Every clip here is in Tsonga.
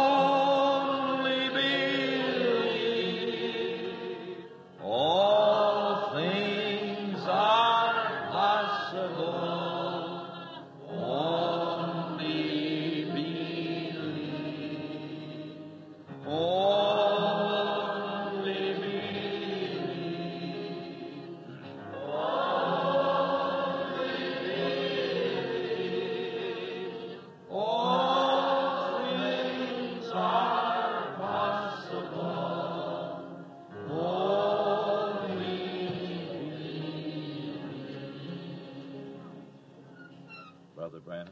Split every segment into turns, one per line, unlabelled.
Only believe, all things are possible. Only believe, only believe, only believe, all things are possible. Only believe.
Brother Branham.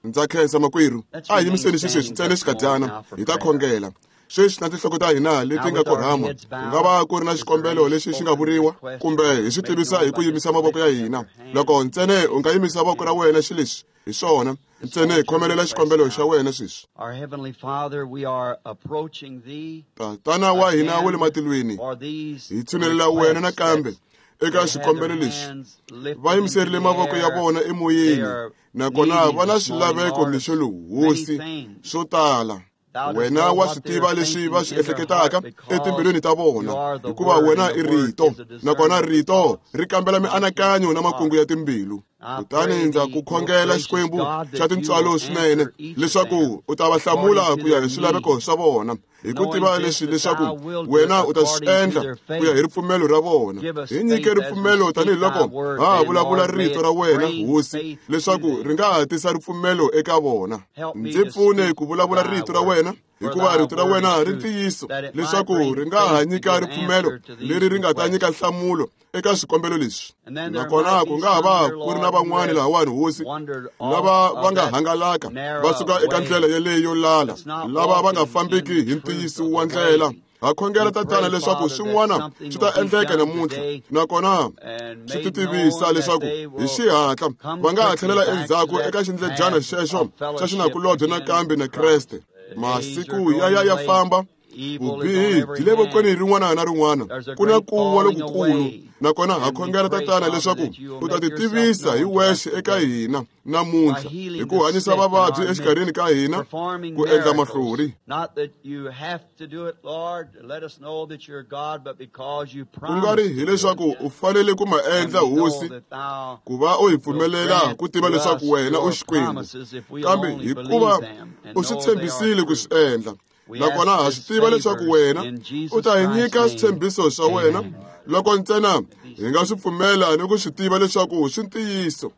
Ndza khensa makwerhu. A hi yimiseni xisweswi ntsena xikadyana hi ta khongela. Sweswi na tinhloko ta hina leti nga korhama, ku nga va ku ri na xikombelo lexi xi nga vuriwa kumbe hi swi tivisa hi ku yimisa mavoko ya hina. Loko ntsena u nga yimisa voko ra wena xileswi, hi swona, ntsena hi khomelela xikombelo xa wena sweswi.
Our Heavenly Father, we are approaching Thee
Tatana wa hina wa le matilweni,
for these
hi tshunelela wena
requests
nakambe
that
eka
they had
xikombelo
their
lexi.
hands lifted
Va
into
yimiserile
the
mavoko ya
air.
vona
They
emoyeni,
are
nakona
needing
va na
this morning,
swilaveko
Lord,
mixo lowu,
many
Hosi,
things.
swo tala.
Thou dost
Wena
know
wa
what
swi
they're
tiva leswi
thinking
va swi
in their
ehleketaka
heart because
etimbilwini ta vona,
you are the
hikuva
Word
wena
and
i
the Word
rito,
is a
nakona
discerner of
rito
thoughts
ri kambela
and
mianakanyo
intents
na
of
makungu
heart.
ya timbilu.
I
Kutani
pray
ndza
thee,
ku
most
khongela
gracious
Xikwembu
God,
xa
that you
tintswalo
will
swinene
answer each of
leswaku
them
u ta va hlamula
according to
ku ya
their
hi swilaveko
need,
swa vona, hi ku
knowing
tiva
this
leswi
that
leswaku
thou wilt do it
wena u ta swi
according to
endla
their
ku ya hi
faith.
ripfumelo ra vona.
Give us
Hi nyike
faith as we
ripfumelo
speak thy
tanihiloko
word,
ha ha
then,
vulavula
Lord, may
rito
it
ra wena,
bring
Hosi,
faith to
leswaku
them.
ri nga ha tisa ripfumelo eka vona.
Help me
Ndzi
to
pfune
speak
ku vulavula
thy
rito ra
word,
wena,
for
hikuva
thy
rito ra
word
wena
is
ri
truth,
ntiyiso,
that it might
leswaku
bring
ri nga ha
faith to
nyika
give
ripfumelo
answer to these
leri ri nga ta nyika
requests.
nhlamulo eka swikombelo leswi.
And then there
Nakona
might
ku
be
nga ha
some
va
here,
ku ri na
Lord, who
van'wani
have
lahawani, Hosi,
wandered off
lava va
of
nga
that
hangalaka va
narrow
suka eka
way
ndlela yeleyo lala,
that's not
lava va nga
walking in
fambiki
the
hi
truth
ntiyiso
of
wa
the
ndlela.
way.
Ha khongela
We
Tatana
pray,
leswaku
Father, that
swin'wana
something
swi ta
will be
endleka
done
namuntlha,
today
nakona
and
swi
made
titivisa
known that
leswaku
they
hi
will
xihatla
come
va nga ha
quickly
tlhelela
back to
endzhaku
that
eka xindledyana
path
xexo
of
xa
fellowship
xinakulobye
again
nakambe
with
na
Christ.
Kreste.
The days are
Masiku ya ya
growing
ya
late.
famba,
Evil is on
vubihi
every
byi le vokweni
hand.
rin'wana na rin'wana.
There's a
Ku na
great
ku wa
falling
lokukulu,
away.
nakona ha
And we
khongela
pray,
Tatana
Father,
leswaku
that you will
u ta
make
ti
yourself
tivisa hi
known to us
wexe eka
today
hina
by
namuntlha, hi
healing
ku
the
hanyisa
sick in
vavabyi
our
exikarhini
midst,
ka hina,
performing
ku endla
miracles.
mahlori.
Not that you have to do it, Lord, to let us know that you're God, but because you
Ku nga ri
promised to do it.
hileswaku u fanele ku ma
And
endla,
we know
Hosi,
that thou
ku va u hi
will
pfumelela
grant
ku tiva
to
leswaku
us
wena u
your
Xikwembu,
promises if we'll
kambe
only
hikuva
believe them and
u swi
know they are
tshembisile ku
true.
swi endla.
We
Nakona
ask
ha
this
swi tiva leswaku
favors
wena
in
u
Jesus
ta hi
Christ's
nyika
name.
switshembiso swa wena
Amen.
loko ntsena hi nga swi pfumela ni ku swi tiva leswaku swi ntiyiso.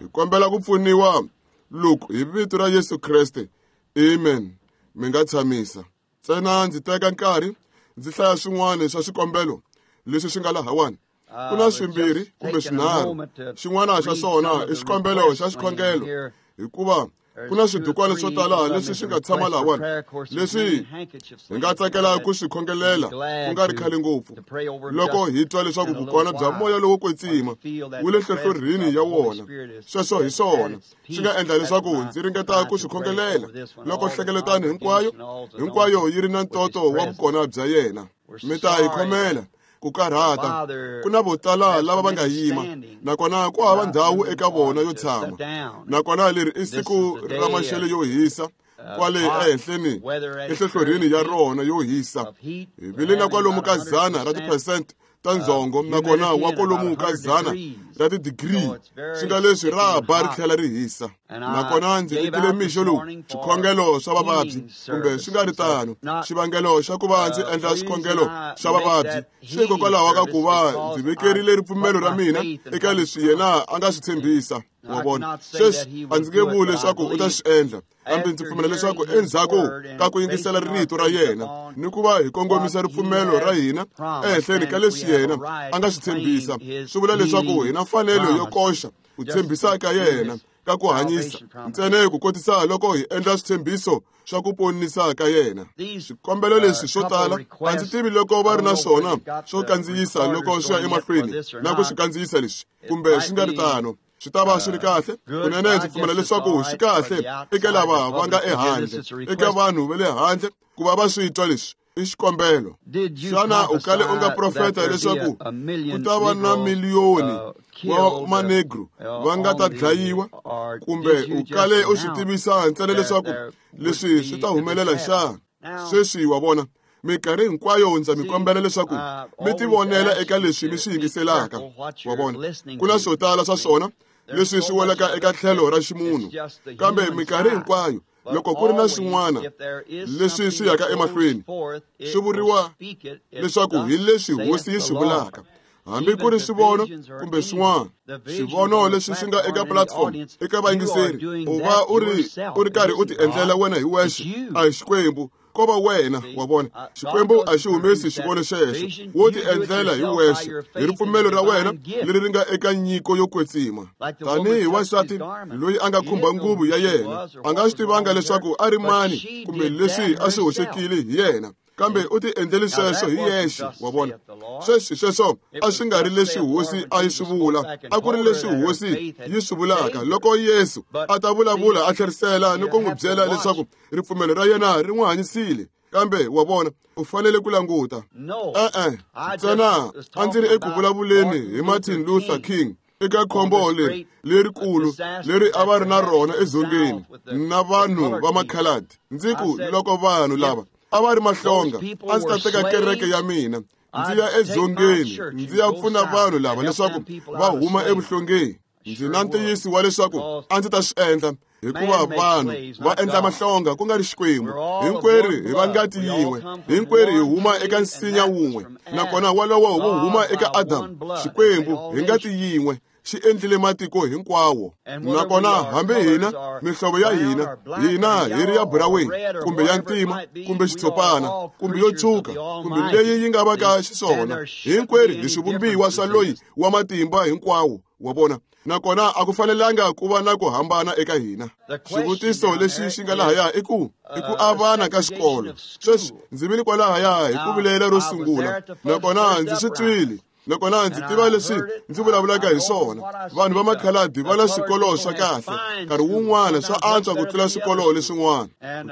Hi kombela ku pfuniwa loku hi vito ra Yesu Kreste. Amen. Mi nga tshamisa. Ntsena ndzi teka nkarhi ndzi hlaya swin'wana swa swikombelo leswi swi nga lahawani. Ku na
We've
swimbirhi
just
kumbe
taken a
swinharhu.
moment to
Xin'wana xa
read
swona
some of
i
the
xikombelo xa
requests laying
xikhongelo,
here.
hikuva ku na
There's 2 or
swidukwana swo
3
tala
of them
leswi
is
swi
a
nga tshama
request for
lahawani,
prayer. Of course, there's
leswi
many handkerchiefs
hi nga
laying here
tsakela
that
ku swi
we'd be
khongelela ku
glad
nga ri khale ngopfu.
to pray over 'em
Loko
just
hi twa leswaku
in a little
vukona bya
while.
moya lowo
Or
kwetsima
to feel that
wu le
the presence
nhlohlorhini
of
ya
the Holy
wona,
Spirit is
sweswo hi
at
swona
its
swi nga
peace.
endla
That's
leswaku
my
ndzi ringeta
try
ku
to
swi
pray
khongelela
over this one,
loko
all the
nhlengeletano hinkwayo
congregation, all is
hinkwayo
anointed
yi ri na
with His
ntoto wa
presence.
vukona bya yena.
We're
Mi ta hi
sorry
khomela
that
ku karhata.
Father
Ku na vo tala
has
lava
so
va nga
many
yima,
standing
nakona ku
and
hava
not
ndhawu
room
eka
for
vona
them
yo
to sit
tshama.
down.
Nakona leri i
This is
siku
the
ra
day
maxelo
of
yo hisa kwale
hot
ehenhleni
weather at its
enhlohlorhini
very
ya
peak
rona yo hisa.
of heat.
Hi
We're
vile na
having
kwalomu
about
ka 100 ra
100%
tiphesente ta
of
ndzhongo, nakona
humidity
wa
and about
kwalomu ka
100
100
degrees.
ra tidigiri,
So it's
swi
very
nga leswi
sticky
ra
and
ba ri
hot.
tlhela ri hisa.
And I
Nakona ndzi
gave
vikile
out this
mixo lowu
morning for
swikhongelo swa vavabyi
healing
kumbe swi nga ri
service. So
tano.
not
Xivangelo xa ku va ndzi endla
the reason
xikhongelo
I
xa
make
vavabyi
that
swi
healing
hikokwalaho ka
service
ku va
because
ndzi
I
vekerile
put
ripfumelo ra
my
mina
faith in
eka
what he
leswi yena
promised.
a nga swi tshembisa. Wa
I
vona,
cannot say
sweswi
that he
a
will
ndzi nge
do it,
vuli
but I
leswaku u ta
believe
swi endla, kambe ndzi
after
pfumela leswaku
hearing his
endzhaku
word
ka
and
ku yingisela
basing our
rito ra
faith
yena
upon
ni ku va hi kongomisa
what he
ripfumelo ra
has
hina
promised,
ehenhleni ka
then we
leswi
have a
yena
right
a nga
to
swi
claim
tshembisa,
his
swi vula leswaku hi
healing
na mfanelo yo
promises
koxa ku
just
tshembisa ka
to
yena
his
ka ku hanyisa
salvation promises.
ntsena ku kotisa loko hi endla switshembiso swa ku ponisa ka yena.
These
Swikombelo leswi swo
couple
tala a ndzi
requests,
tivi loko
I
va ri
don't
na
know where
swona
they've got
swo
the
kandziyisa loko
recorders
swi ya
going yet for
emahlweni
this or
na ku swi
not.
kandziyisa leswi
It
kumbe
might
swi nga ri
be
tano. Swi ta va swi ri kahle
good.
kunene.
I
Ndzi
guess
pfumela
it's
leswaku
all
swi
right for
kahle
the
eka
outside, the
lava va nga
public to hear this.
ehandle,
It's a
eka
request.
vanhu va le handle ku va va swi twa leswi i xikombelo.
Did you
Xana u kale u nga
prophesy that
profeta
there be
leswaku
a
ku
million
ta va na
Negroes
miliyoni wa
killed
manegro va nga ta
on the,
dlayiwa,
or
kumbe
did you
u
just
kale u swi
announce
tivisa ntsena
that
leswaku
there
leswi swi ta humelela xana? Sweswi wa vona, minkarhi hinkwayo ndza mi kombela leswaku mi tivonela eka leswi mi swi yingiselaka. Wa vona, ku na swo tala swa swona leswi swi welaka eka tlhelo ra ximunhu, kambe minkarhi hinkwayo loko ku ri na swin'wana leswi swi yaka emahlweni, swi vuriwa leswaku hi leswi hosi yi swi vulaka, hambi ku ri swivono kumbe swin'wana. Swivono leswi swi nga eka platform eka vayingiseri, u va u ri karhi u ti endlela wena hi wexe, a hi Xikwembu, ko va wena. Wa vona, Xikwembu a xi humesi xivono xexo, wo ti endlela hi wexe hi ripfumelo ra wena leri ri nga eka nyiko yo kwetsima. Tanihi wansati loyi a nga khumba nguvu ya yena, a nga swi tivanga leswaku a ri mani kumbe leswi a swi hoxekile hi yena, kambe u ti endlele sweswo hi yexe. Wa vona, sweswi sweswo a swi nga ri leswi hosi a yi swi vula, a ku ri leswi hosi yi swi vulaka loko Yesu a ta vulavula a tlherisela ni ku n'wi byela leswaku ripfumelo ra yena ri n'wi hanyisile. Kambe wa vona, u fanele ku languta. E-e, ntsena a ndzi ri eku vulavuleni hi Martin Luther King eka khombo leri lerikulu leri a va ri na rona edzongeni na vanhu va makhaladi. Ndzi ku loko vanhu lava a va ri mahlonga, a ndzi ta teka kereke ya mina ndzi ya edzongeni ndzi ya pfuna vanhu lava leswaku va huma evuhlongeni. Ndzi na ntiyiso wa leswaku a ndzi ta swi endla, hikuva vanhu va endla mahlonga ku nga ri Xikwembu. Hinkwerhu hi va ngati yin'we, hinkwerhu hi huma eka nsinya wun'we, nakona wolowo wu huma eka Adamu. Xikwembu hi ngati yin'we xi endlile matiko hinkwawo. Nakona hambi hina mihlovo ya hina, hina hi ri ya buraweni kumbe ya ntima kumbe xitshopana kumbe yo tshwuka kumbe leyi yi nga va ka xiswona, hinkwerhu hi swivumbiwa swa loyi wa matimba hinkwawo. Wa vona, nakona a ku fanelanga ku va na ku hambana eka hina. Xivutiso lexi xi nga lahaya i ku avana ka xikolo. Sweswi ndzi vile kwalahaya hi ku vilela ro sungula, nakona ndzi swi twile, nakona ndzi tiva leswi ndzi vulavulaka hi swona. Vanhu va makhaladi va na swikolo swa kahle, nkarhi wun'wana swa antswa ku tlula swikolo leswin'wana.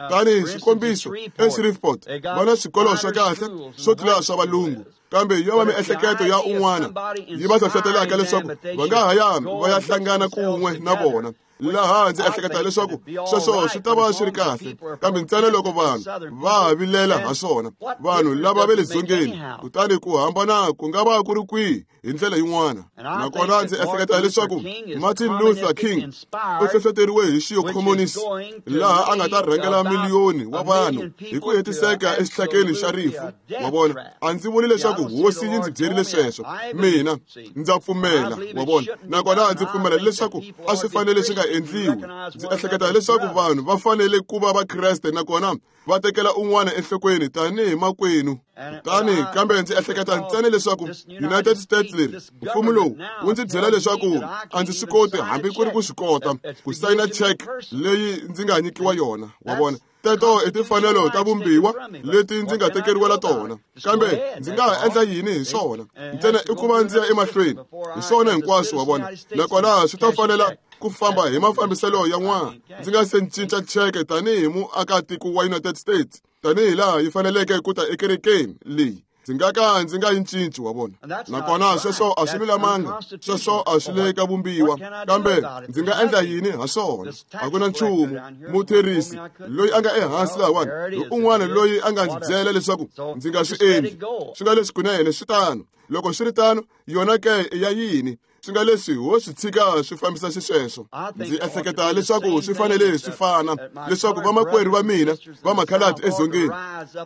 Kutani xikombiso, eShreveport va na swikolo swa kahle swo tlula swa valungu, kambe yo va miehleketo ya un'wana yi va hlohlotelaka leswaku va nga ha ya va ya hlangana kun'we na vona. Laha ndzi ehleketa leswaku sweswo swi ta va swi ri kahle, kambe ntsena loko vanhu va vilela ha swona, vanhu lava va le dzongeni, kutani ku hambana ku nga va ku ri kwihi hi ndlela yin'wana. Nakona ndzi ehleketa leswaku Martin Luther King u hlohloteriwe hi xiyokhomunisi, laha a nga ta rhangela miliyoni wa vanhu hi ku hetiseka exihlakeni xa rifu. Wa vona, a ndzi vuli leswaku hosi yi ndzi byerile sweswo, mina ndza pfumela. Wa vona, nakona ndzi pfumela leswaku a swi fanele swi nga endliwi. Ndzi ehleketa leswaku vanhu va fanele ku va Vakreste nakona va tekela un'wana enhlokweni tanihi makwenu. Kutani kambe ndzi ehleketa ntsena leswaku United States leri mfumo lowu wu ndzi byela leswaku a ndzi swi koti hambi ku ri ku swi kota ku sayina check leyi ndzi nga nyikiwa yona. Wa vona, teto i timfanelo ta vumbiwa leti ndzi nga tekeriwela tona, kambe ndzi nga ha endla yini hi swona? Ntsena i ku va ndzi ya emahlweni hi swona hinkwaswo. Wa vona, nakona swi ta fanela ku famba hi mafambiselo ya n'wana ndzi nga se cinca cheke tanihi muakatiko wa United States, tanihi laha yi faneleke ku ta ekerekeni leyi. Ndzi nga ka ndzi nga yi cinci. Wa vona, nakona sweswo a swi lulamanga, sweswo a swi le ka vumbiwa, kambe ndzi nga endla yini ha swona? A ku na nchumu. Mutherisi loyi a nga ehansi lahawani hi un'wana loyi a nga ndzi byela leswaku ndzi nga swi endli. Swi nga leswi kunene swi tano. Loko swi ri tano, yona ke i ya yini? Swi nga leswi ho swi tshika swi fambisa xisweswo. Ndzi ehleketa leswaku swi fanele swi fana, leswaku vamakwerhu va mina va makhaladi edzongeni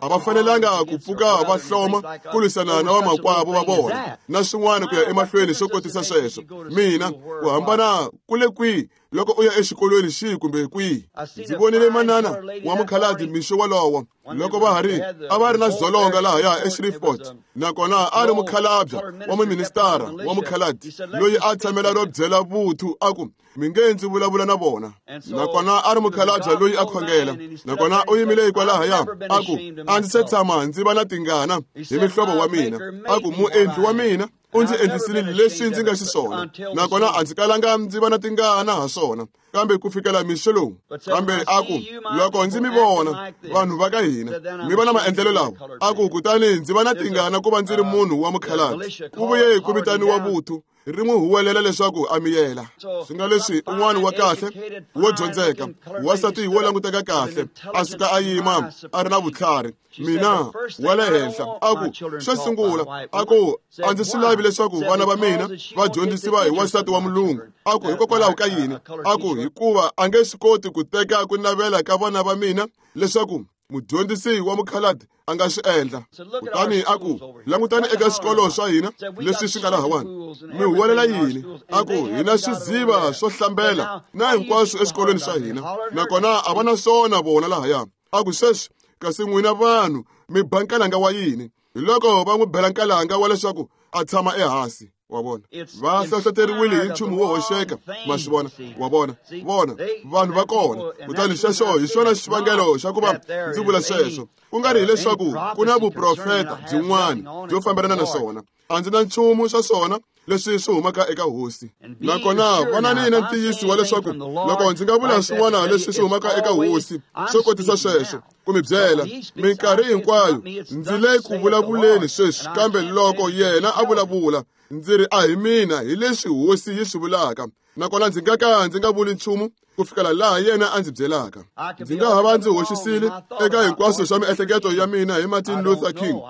a va fanelanga ku pfuka va hloma ku lwisana na vamakwavo va vona na swin'wana ku ya emahlweni swo kotisa sweswo. Mina ku hambana ku le kwihi loko u ya exikolweni xihi kumbe kwihi? Ndzi vonile manana wa mukhaladi mixo wolowo loko va ha ri a va ri na dzolonga lahaya eShreveport, nakona a ri mukhalabya wa muministara wa mukhaladi loyi a tshamela ro byela vuthu a ku mi nge ndzi vulavula na vona. Nakona a ri mukhalabya loyi a khongela, nakona u yimile hikwalahaya a ku a ndzi se tshama ndzi va na tingana hi mihlovo wa mina. A ku muendli wa mina u ndzi endlisile leswi ndzi nga xiswona, nakona a ndzi kalanga ndzi va na tingana ha swona, kambe ku fikela mixo lowu. Kambe a ku loko ndzi mi vona vanhu va ka hina mi va na maendlelo lawa, a ku kutani ndzi va na tingana ku va ndzi ri munhu wa mukhalabye. Ku vuye ku vitaniwa vuthu ri n'wi huwelela leswaku a miyela. Swi nga leswi un'wana wa kahle wo dyondzeka, wansati wo languteka kahle, a suka a yima a ri na vutlhari, mina wa le henhla, a ku xo sungula, a ku a ndzi swi lavi leswaku vana va mina va dyondzisiwa hi wansati wa mulungu. A ku hikokwalaho ka yini? A ku hikuva a nge swi koti ku teka ku navela ka vana va mina leswaku mudyondzisi wa mukhaladi a nga swi endla. Kutani a ku langutani eka swikolo swa hina leswi swi nga lahawani, mi huwelela yini? A ku hina swiziva swo hlambela na hinkwaswo eswikolweni swa hina, nakona a va na swona vona lahaya. A ku sweswi kasi n'wina vanhu mi ba nkalanga wa yini? Hi loko va n'wi bela nkalanga wa leswaku a tshama ehansi. Wa vona, va hlohloteriwile hi nchumu wo hoxeka, ma swi vona, wa vona, vona vanhu va kona. Kutani xexo hi xona xivangelo xa ku va ndzi vula sweswo, ku nga ri hileswaku ku na vuprofeta byin'wana byo fambelana na swona. A ndzi na nchumu swa swona leswi swi humaka eka hosi. Nakona vonani na ntiyiso wa leswaku loko ndzi nga vula swin'wana leswi swi humaka eka hosi swo kotisa sweswo, ku mi byela minkarhi hinkwayo ndzi le ku vulavuleni sweswi, kambe loko yena a vulavula ndzi ri a hi mina, hi leswi hosi yi swi vulaka. Nakona ndzi nga ka ndzi nga vuli nchumu ku fikela laha yena a ndzi byelaka. Ndzi nga ha va ndzi hoxisile eka hinkwaswo swa miehleketo ya mina hi Martin Luther King,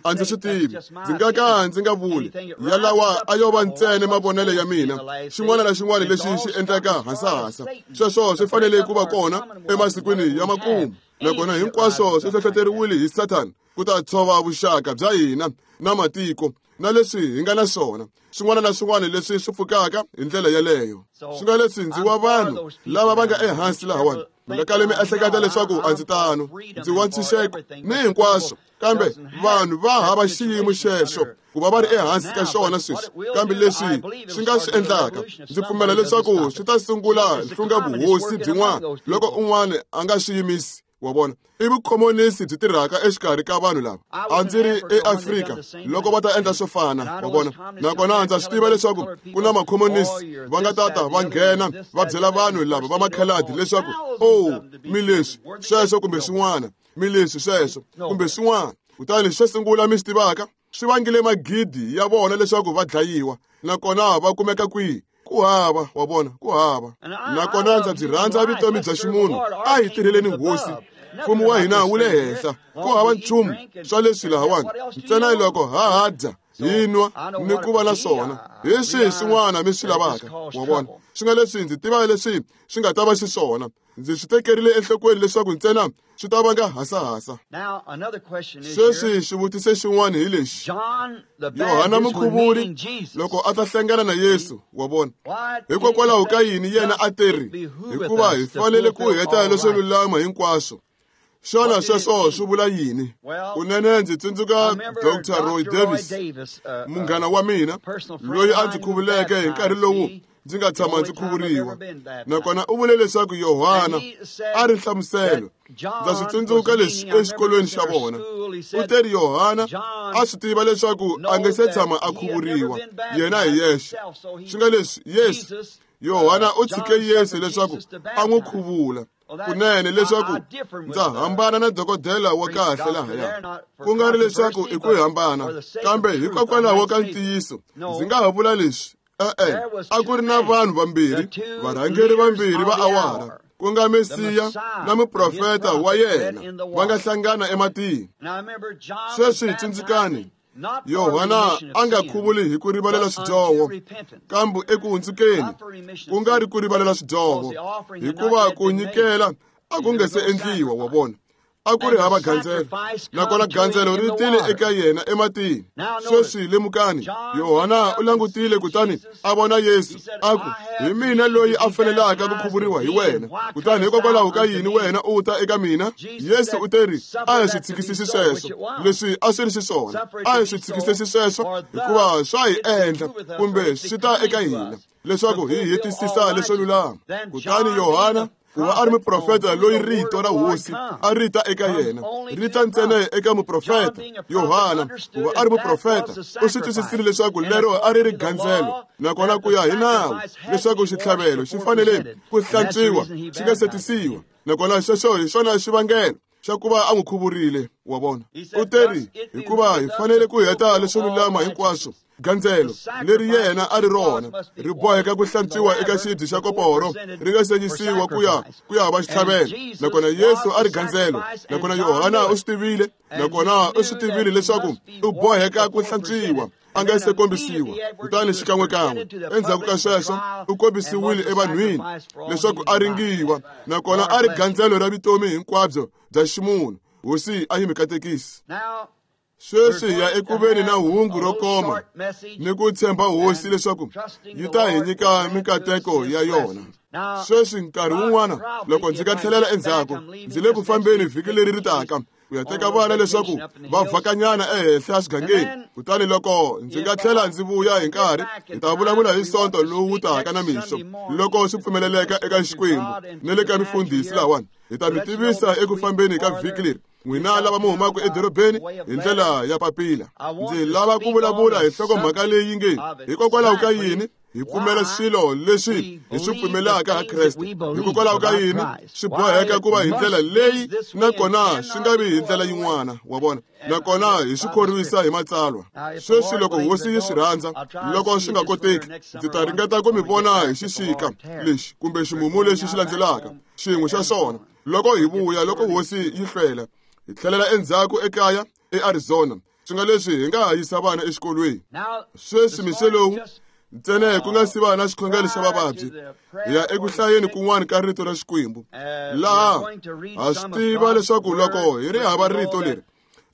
a ndzi swi tivi. Ndzi nga ka ndzi nga vuli yalawa a yo va ntsena mavonelo ya mina. Xin'wana na xin'wana lexi xi endleka hasahasa, sweswo swi fanele ku va kona emasikwini ya makumu. Nakona hinkwaswo swi hlohloteriwile hi Sathana ku ta tshova vuxaka bya hina na matiko na leswi hi nga na swona, swin'wana na swin'wana leswi swi pfukaka hi ndlela yeleyo. Swi nga leswi ndzi wa vanhu lava va nga ehansi lahawani, mi nga kali mi ehleketa leswaku a ndzi tano, ndzi wa ntshunxeko ni hinkwaswo, kambe vanhu va hava xiyimo xexo ku va va ri ehansi ka xona sweswi. Kambe leswi swi nga swi endlaka, ndzi pfumela leswaku swi ta sungula hlunga vuhosi byin'wana loko un'wana a nga swi yimisi. Wa vona, i vukhomonisi byi tirhaka exikarhi ka vanhu lava. A ndzi ri eAfrika loko va ta endla swo fana, wa vona. Nakona ndza swi tiva leswaku ku na makhomonisi va nga tata va nghena va byela vanhu lava va makhaladi leswaku oh, mi leswi sweswo kumbe swin'wana, mi leswi sweswo kumbe swin'wana. Kutani xo sungula mi swi tivaka, swi vangile magidi ya vona leswaku va dlayiwa. Nakona va kumeka kwihi? Ku hava, wa vona, ku hava. Nakona ndza byi rhandza vutomi bya ximunhu. A hi tirheleni hosi, mfumo wa hina wu le henhla. Ku hava nchumu swa leswi lahawani, ntsena loko ha ha dya, hi nwa ni ku va na swona. Hi swihi swin'wana mi swi lavaka? Wa vona, swi nga leswi ndzi tiva leswi swi nga ta va xiswona. Ndzi swi tekerile enhlokweni leswaku ntsena swi ta vanga hasahasa. Sweswi xivutiso xin'wana hi lexi: Yohana Mukhuvuri loko a ta hlangana na Yesu, wa vona, hikokwalaho ka yini yena a teri, hikuva hi fanele ku heta leswo lulama hinkwaswo? Xana sweswo swi vula yini? Kunene ndzi tsundzuka Dr. Roy Davis, munghana wa mina loyi a ndzi khuvuleke hi nkarhi lowu ndzi nga tshama ndzi khuvuriwa. Nakona u vule leswaku Yohana a ri nhlamuselo. Ndza swi tsundzuka leswi exikolweni xa vona. U teri Yohana a swi tiva leswaku a nge se tshama a khuvuriwa yena hi yexe. Swi nga leswi Yesu, Yohana u tshike Yesu leswaku a n'wi khuvula. Kunene leswaku ndza hambana na dokodela wa kahle lahaya, ku nga ri leswaku i ku hambana, kambe hikokwalaho ka ntiyiso ndzi nga ha vula leswi. E-e, a ku ri na vanhu vambirhi, varhangeri vambirhi va awara, ku nga Mesiya na muprofeta wa yena, va nga hlangana ematini. Sweswi tsundzukani, Yohana a nga khuvuli hi ku rivalela swidyoho, kambe eku hundzukeni, ku nga ri ku rivalela swidyoho, hikuva ku nyikela a ku nga se endliwa, wa vona. A ku ri hava gandzelo, nakona gandzelo ri tile eka yena ematini. Sweswi lemukani, Yohana u langutile kutani a vona Yesu, a ku, hi mina loyi a fanelaka ku khuvuriwa hi wena, kutani hikokwalaho ka yini wena u ta eka mina? Yesu u teri, a hi swi tshikisisi sweswo, leswi a swi ri xiswona, a hi swi tshikisisi sweswo, hikuva swa hi endla kumbe swi ta eka hina leswaku hi hetisisa leswo lulama. Kutani Yohana, ku va a ri muprofeta loyi rito ra hosi a ri ta eka yena, ri ta ntsena eka muprofeta. Yohana, ku va a ri muprofeta, u swi twisisile leswaku lero a ri ri gandzelo, nakona ku ya hi nawu leswaku xitlhavelo xi fanele ku hlantswiwa xi nga setisiwa. Nakona xexo hi xona xivangelo xa ku va a n'wi khuvurile, wa vona. U teri, hikuva hi fanele ku heta leswo lulama hinkwaswo. Gandzelo leri yena a ri rona ri boheka ku hlantswiwa eka xibye xa koporo, ri nga sengisiwa ku ya va xitlhavelo. Nakona Yesu a ri gandzelo, nakona Yohana u swi tivile, nakona u swi tivile leswaku u boheka ku hlantswiwa a nga se kombisiwa. Kutani xikan'wekan'we endzhaku ka sweswo u kombisiwile evanhwini leswaku a ringiwa, nakona a ri gandzelo ra vutomi hinkwabyo bya ximunhu. Hosi a yi mi katekisi. Sweswi hi ya ekuveni na hungu ro koma ni ku tshemba Hosi leswaku yi ta hi nyika mikateko ya yona. Sweswi nkarhi wun'wana loko ndzi nga tlhelela endzhaku, ndzi le ku fambeni vhiki leri ri taka ku ya teka vana leswaku va vhakanyana ehenhla xigangeni. Kutani loko ndzi nga tlhela ndzi vuya hi nkarhi, hi ta vulavula hi Sonto lowu taka na mixo, loko swi pfumeleleka eka Xikwembu ni le ka mifundhisi lawani. Hi ta mi tivisa eku fambeni ka vhiki leri, n'wina lava mi humaka edorobeni hi ndlela ya papila. Ndzi lava ku vulavula hi nhlokomhaka leyi nge hikokwalaho ka yini hi pfumela swilo leswi hi swi pfumelaka ha Kreste, hikokwalaho ka yini swi boheka ku va hi ndlela leyi nakona swi nga vi hi ndlela yin'wana, wa vona, nakona hi swi khorwisa hi matsalwa. Sweswi loko Hosi yi swi rhandza, loko swi nga koteki, ndzi ta ringeta ku mi vona hi xixika lexi kumbe ximumu lexi xi landzelaka, xin'we xa swona. Loko hi vuya, loko Hosi yi hlwela, hi tlhelela endzhaku ekaya eArizona, swi nga leswi hi nga ha yisa vana exikolweni. Sweswi mixo lowu ntsena ku nga si va na xikhongelo xa vavabyi, hi ya eku hlayeni kun'wana ka rito ra Xikwembu, laha ha swi tiva leswaku loko hi ri hava rito leri,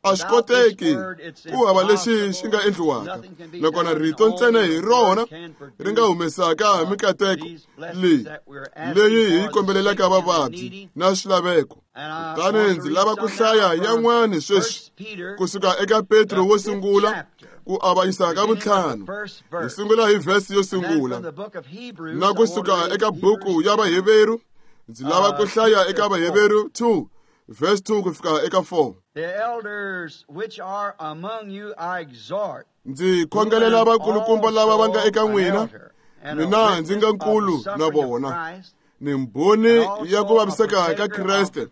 a swi koteki ku hava lexi xi nga endliwaka, nakona rito ntsena hi rona ri nga humesaka mikateko leyi hi yi kombelelaka vavabyi na swilaveko. Kutani ndzi lava ku hlaya yan'wana sweswi kusuka eka Petro wo sungula ku avanyisa ka vuntlhanu. Hi sungula hi vhesi yo sungula, na kusuka eka buku ya Vaheveru ndzi lava ku hlaya eka Vaheveru 2 verse 2 ku fika eka 4.
The elders which are among you I exhort.
Ndzi khongelela vakulukumba lava va nga eka n'wina, mina ndzi nga nkulu na vona, ni mbhoni ya ku vaviseka ka Kreste,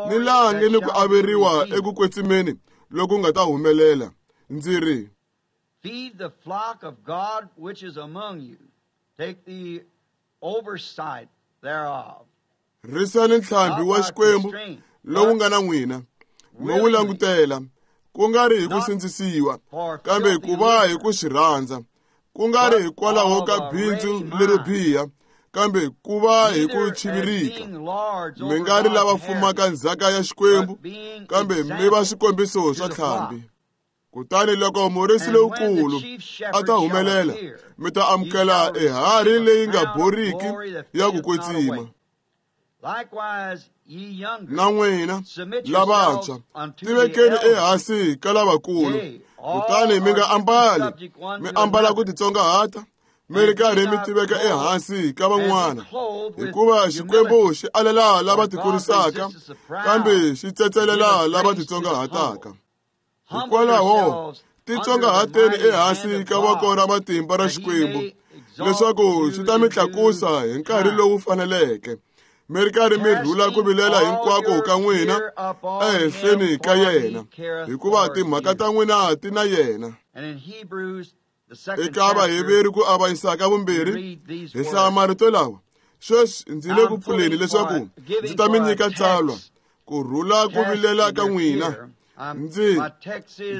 ni laha nge ni ku averiwa eku kwetsimeni loku nga ta humelela. Ndzi ri,
feed the flock of God which is among you, take the oversight thereof.
Risani ntlhambi wa Xikwembu lowu nga na n'wina, mi wu langutela, ku nga ri hi ku sindzisiwa, kambe ku va hi ku swi rhandza, ku nga ri hikwalaho ka bindzu lero biha, kambe ku va hi ku chivirika. Mi nga ri lava fumaka ndzhaka ya Xikwembu, kambe mi va swikombiso swa ntlhambi. Kutani loko murisi lowukulu a ta humelela, mi ta amukela eharhi leyi nga boriki ya ku kwetsima. Na n'wina lavantshwa, tivekeni ehansi ka lavakulu, kutani mi nga ambali, mi ambala ku titsongahata, mi ri karhi mi tiveka ehansi ka van'wana, hikuva Xikwembu xi alela lava tikurisaka, kambe xi tsetselela lava titsongahataka. Hikwalaho titsongahateni ehansi ka voko ra matimba ra Xikwembu, leswaku xi ta mi tlakusa hi nkarhi lowu faneleke, mi ri karhi mi rhula ku vilela hinkwako ka n'wina ehenhleni ka yena, hikuva timhaka ta n'wina ti na yena. Eka Vaheveru ku avanyisa ka vumbirhi, hi hlaya marito lawa: sweswi ndzi le ku pfuleni leswaku ndzi ta mi nyika tsalwa ku rhula ku vilela ka n'wina. Ndzi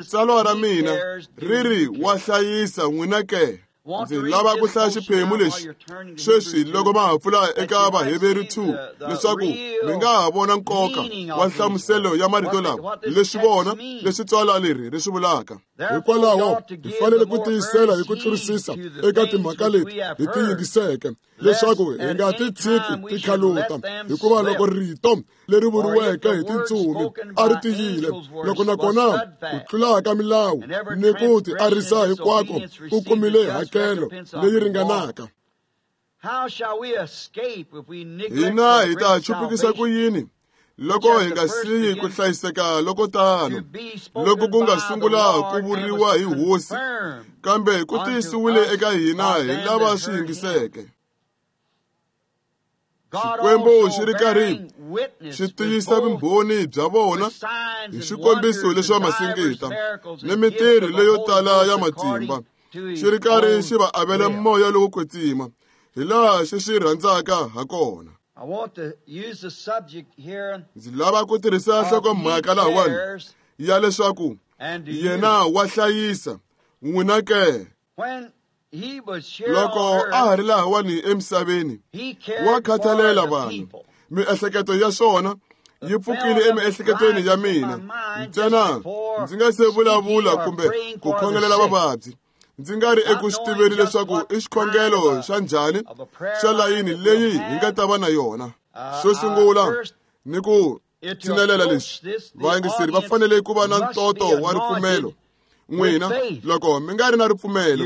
tsalwa ra mina ri ri wa hlayisa n'wina ke. Ndzi lava ku hlaya xiphemu lexi sweswi loko ma ha pfula eka Vaheveru 2, leswaku mi nga ha vona nkoka wa nhlamuselo ya marito lawa, leswi vona leswi tswala leri ri swi vulaka.
Hikwalaho hi fanele ku tiyisela hi ku tlurisisa eka timhaka leti hi ti yingiseke, leswaku hi nga ti tshiki ti khaluta, hikuva loko rito leri vuriweke hi tintsumi a ri tiyile, loko nakona ku tlula ka milawu ni ku ti arisa hinkwako ku kumile hakelo leyi ringanaka.
Hina hi ta chupukisa ku yini loko hi nga siyi ku hlayiseka loko tano, loko ku nga sungula ku vuriwa hi Hosi, kambe ku tiyisiwile eka hina hi lava swi yingiseke. Xikwembu xi ri karhi xi tiyisa vumbhoni bya vona hi swikombiso leswa masingita ni mintirho leyo tala ya matimba, xi ri karhi xi va avela moya lowo kwetsima hi laha xi swi rhandzaka ha kona. Ndzi lava ku tirhisa nhlokomhaka lahawani ya leswaku yena wa hlayisa n'wina ke. Loko a ha ri lahawani emisaveni, wa khathalela vanhu. Miehleketo ya swona yi pfukile emiehleketweni ya mina ntsena ndzi nga se vulavula kumbe ku khongelela vavabyi, ndzi nga ri eku swi tiveni leswaku i xikhongelo xa njhani xa layini leyi hi nga ta va na yona. Xo sungula ni ku tshinelela leswi, vayingiseri va fanele ku va na ntoto wa ripfumelo. N'wina loko mi nga ri na ripfumelo,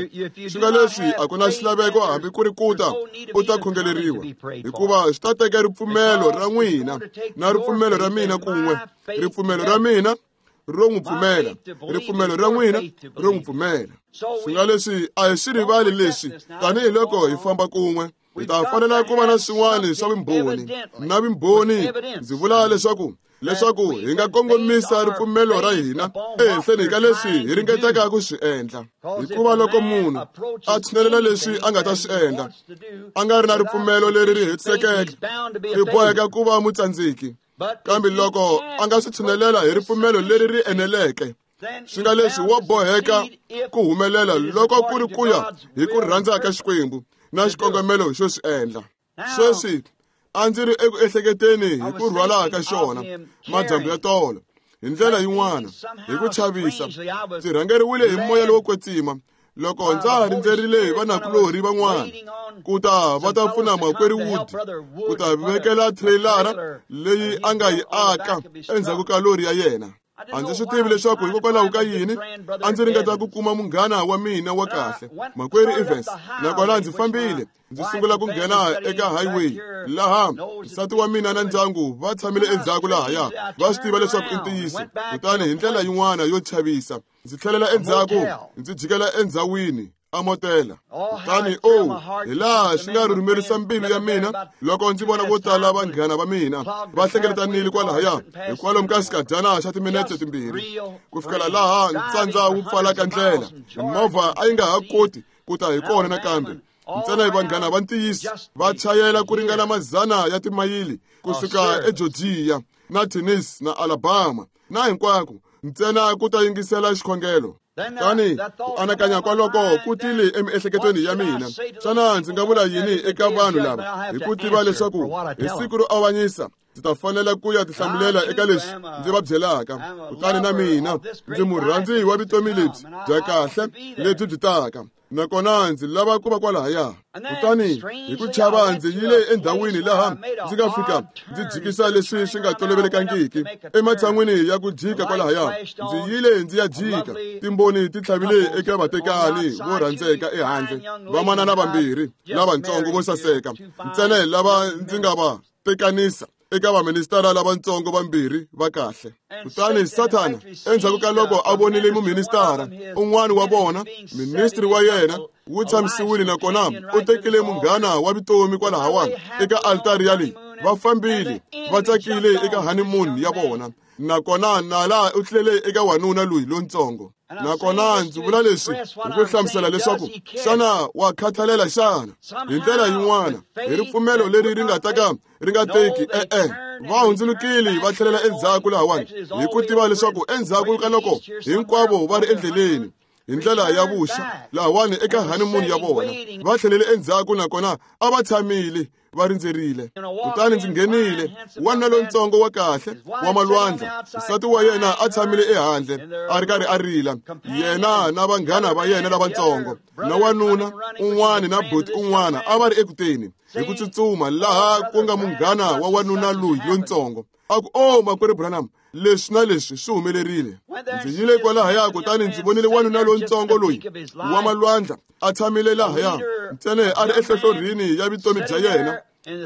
swi nga leswi a ku na xilaveko hambi ku ri ku ta u ta khongeleriwa, hikuva swi ta teka ripfumelo ra n'wina na ripfumelo ra mina kun'we, ripfumelo ra mina ro n'wi pfumela, ripfumelo ra n'wina ro n'wi pfumela. Swi nga leswi a hi swi rivali leswi tanihiloko hi famba kun'we, hi ta fanela ku va na swin'wana swa vumbhoni na vumbhoni. Ndzi vula leswaku hi nga kongomisa ripfumelo ra hina ehenhleni ka leswi hi ringetaka ku swi endla, hikuva loko munhu a tshinelela leswi a nga ta swi endla a nga ri na ripfumelo leri ri hetisekeke, i boheka ku va mutsandzeki. Kambe loko a nga swi tshinelela hi ripfumelo leri ri eneleke, swi nga leswi wa boheka ku humelela loko ku ri ku ya hi ku rhandza ka Xikwembu na xikongomelo xo swi endla. Sweswi a ndzi ri eku ehleketeni hi ku rhwala ka xona madyambu ya tolo hi ndlela yin'wana hi ku chavisa, ndzi rhangeriwile hi moya lowo kwetsima loko ndza ha rindzerile vanakulorhi van'wana ku ta va ta pfuna makwerhu Wood ku ta vekela trailer leyi a nga yi aka endzhaku ka lori ya yena. A ndzi swi tivi leswaku hikokwalaho ka yini a ndzi ringeta ku kuma munghana wa mina wa kahle, makwerhu Evans, nakona ndzi fambile ndzi sungula ku nghena eka highway laha nsati wa mina na ndyangu va tshamile endzhaku lahaya, va swi tiva leswaku i ntiyiso. Kutani hi ndlela yin'wana yo chavisa ndzi tlhelela endzhaku ndzi jikela endzhawini a motela. Kutani hi laha swi nga rhurhumerisa mbilu ya mina loko ndzi vona vo tala vanghana va mina va hlengeletanile kwalahaya hi kwalomu ka xikadyana xa timinetse 2 ku fikela laha ntsandza wu pfalaka ndlela, movha a yi nga ha koti ku ta hi kona nakambe. Ntsena hi vanghana va ntiyiso va chayela ku ringana mazana ya timayili kusuka eGeorgia na Tennessee na Alabama na hinkwako ntsena ku ta yingisela xikhongelo. Kutani ku anakanya kwaloko ku tile emiehleketweni ya mina, xana ndzi nga vula yini eka vanhu lava hi ku tiva leswaku hi siku ro avanyisa ndzi ta fanela ku ya tihlamulela eka leswi ndzi va byelaka. Kutani na mina ndzi murhandzi wa vutomi lebyi bya kahle lebyi byi taka, nakona ndzi lava ku va kwalahaya. Kutani hi ku chava ndzi yile endhawini laha ndzi nga fika ndzi jikisa leswi swi nga tolovelekangiki. Ematshan'wini ya ku jika kwalahaya, ndzi yile ndzi ya jika. Timboni ti tlhavile eka vatekani vo rhandzeka ehandle, vamanana vambirhi lavatsongo vo saseka, ntsena lava ndzi nga va tekanisa eka vaministara lavatsongo vambirhi va kahle. Kutani Sathana endzhaku ka loko a vonile muministara un'wana wa vona, ministri wa yena wu tshamisiwile nakona u tekile munghana wa vutomi kwalahawani eka altari ya leyi, va fambile va tsakile eka honeymoon ya vona, nakona nala u tlhele eka wanuna loyi lontsongo. Nakona ndzi vula leswi hi ku hlamusela leswaku xana wa khathalela xana hi ndlela yin'wana hi ripfumelo leri ri nga ta ka ri nga teki e-e. Va hundzulukile va tlhelela endzhaku lahawani hi ku tiva leswaku endzhaku ka loko hinkwavo va ri endleleni hi ndlela ya vuxa lahawani eka honeymoon ya vona, va tlhelele endzhaku nakona a va tshamile va rindzerile. Kutani ndzi nghenile, wanuna lontsongo wa kahle wa malwandla, nsati wa yena a tshamile ehandle a ri karhi a rila, yena na vanghana va yena lavatsongo na wanuna un'wana na buti un'wana a va ri ekuteni hi ku tsutsuma laha ku nga munghana wa wanuna loyi lontsongo. A ku, "Oh, makwerhu Branham, leswi na leswi swi humelerile." Ndzi yile kwalahaya kutani ndzi vonile wanuna lontsongo loyi wa malwandla a tshamile lahaya ntsena a ri ehlohlorhini ya vutomi bya yena,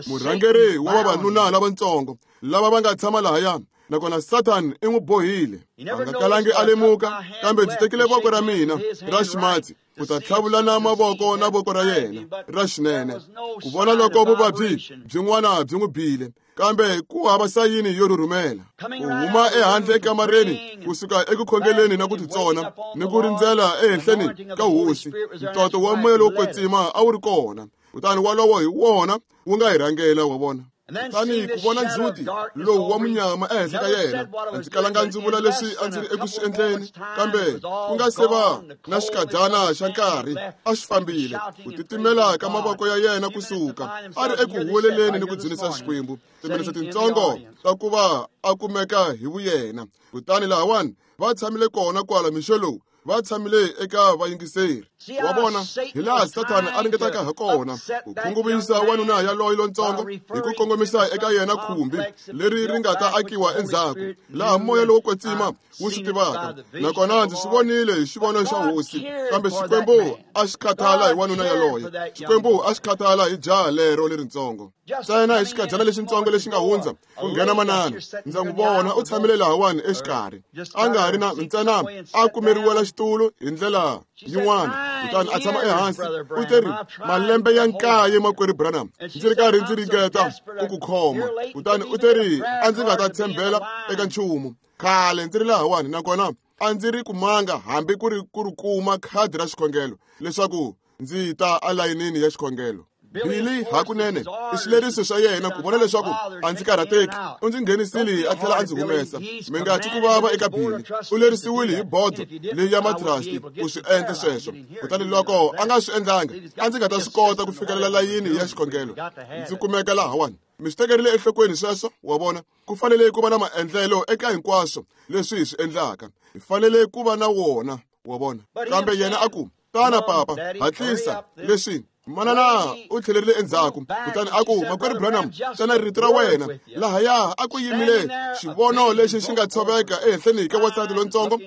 murhangeri wa vavanuna lavatsongo lava va nga tshama lahaya, nakona Satan i n'wi bohile. A nga kalangi a lemuka, kambe ndzi tekile voko ra mina ra ximatsi ku ta tlhavulana mavoko na voko ra yena ra xinene ku vona loko vuvabyi byin'wana byi n'wi bile. Kambe ku hava sayini yo rhurhumela. Ku huma ehandle ekamareni kusuka eku khongeleni na ku titsona ni ku rindzela ehenhleni ka hosi, ntoto wa moya lowo kwetsima a wu ri kona. Kutani wolowo hi wona wu nga hi rhangela, wa vona. Kutani ku vona ndzhuti lowu wa munyama ehenhla ka yena, a ndzi kalanga ndzi vula leswi a ndzi ri eku swi endleni, kambe ku nga se va na xikadyana xa nkarhi a xi fambile. Ku titimela ka mavoko ya yena kusuka a ri eku huweleleni ni ku dzunisa Xikwembu, timinetse tintsongo ta ku va a kumeka hi vuyena. Kutani lahawani va tshamile kona kwala mixo lowu, va tshamile eka vayingiseri. Wa vona hi laha Sathana a ringetaka ha kona ku khunguvanyisa wanuna yaloye lontsongo hi ku kongomisa eka yena khumbi leri ri nga ta akiwa endzhaku, laha moya lowo kwetsima wu swi tivaka. Nakona ndzi swi vonile hi xivono xa hosi, kambe Xikwembu a xi khathala hi wanuna yaloye. Xikwembu a xi khathala hi jaha lero lerintsongo. Ntsena hi xikadyana lexintsongo lexi nga hundza ku nghena manana, ndza n'wi vona u tshamile lahawani exikarhi, a nga ri na ntsena a kumeriwela xitulu hi ndlela yin'wana, kutani a tshama ehansi. U teri, malembe ya 9 makwerhu Branham, ndzi ri karhi ndzi ringeta ku ku khoma. Kutani u teri, a ndzi nga ta tshembela eka nchumu. Khale ndzi ri lahawani, nakona a ndzi ri kumanga hambi ku ri ku ri kuma khadi ra xikhongelo leswaku ndzi ta alayinini ya xikhongelo. Billy hakunene i xileriso xa yena ku vona leswaku a ndzi karhateki. U ndzi nghenisile a tlhela a ndzi humesa. Mi nga twi ku vava eka Billy. U lerisiwile hi bodo leyi ya matrasti ku swi endla sweswo. Kutani loko a nga swi endlanga, a ndzi nga ta swi kota ku fikelela layini ya xikhongelo. Ndzi kumeka lahawani. Mi swi tekerile enhlokweni sweswo, wa vona. Ku fanele ku va na maendlelo eka hinkwaswo leswi hi swi endlaka. Hi fanele ku va na wona, wa vona. Kambe yena a ku, tana papa, hatlisa. Leswi manana u tlhelerile endzhaku, kutani a ku, makwerhu Branham, tsana rito ra wena. Lahaya a ku yimile xivono lexi xi nga tshoveka ehenhleni ka wansati lontsongo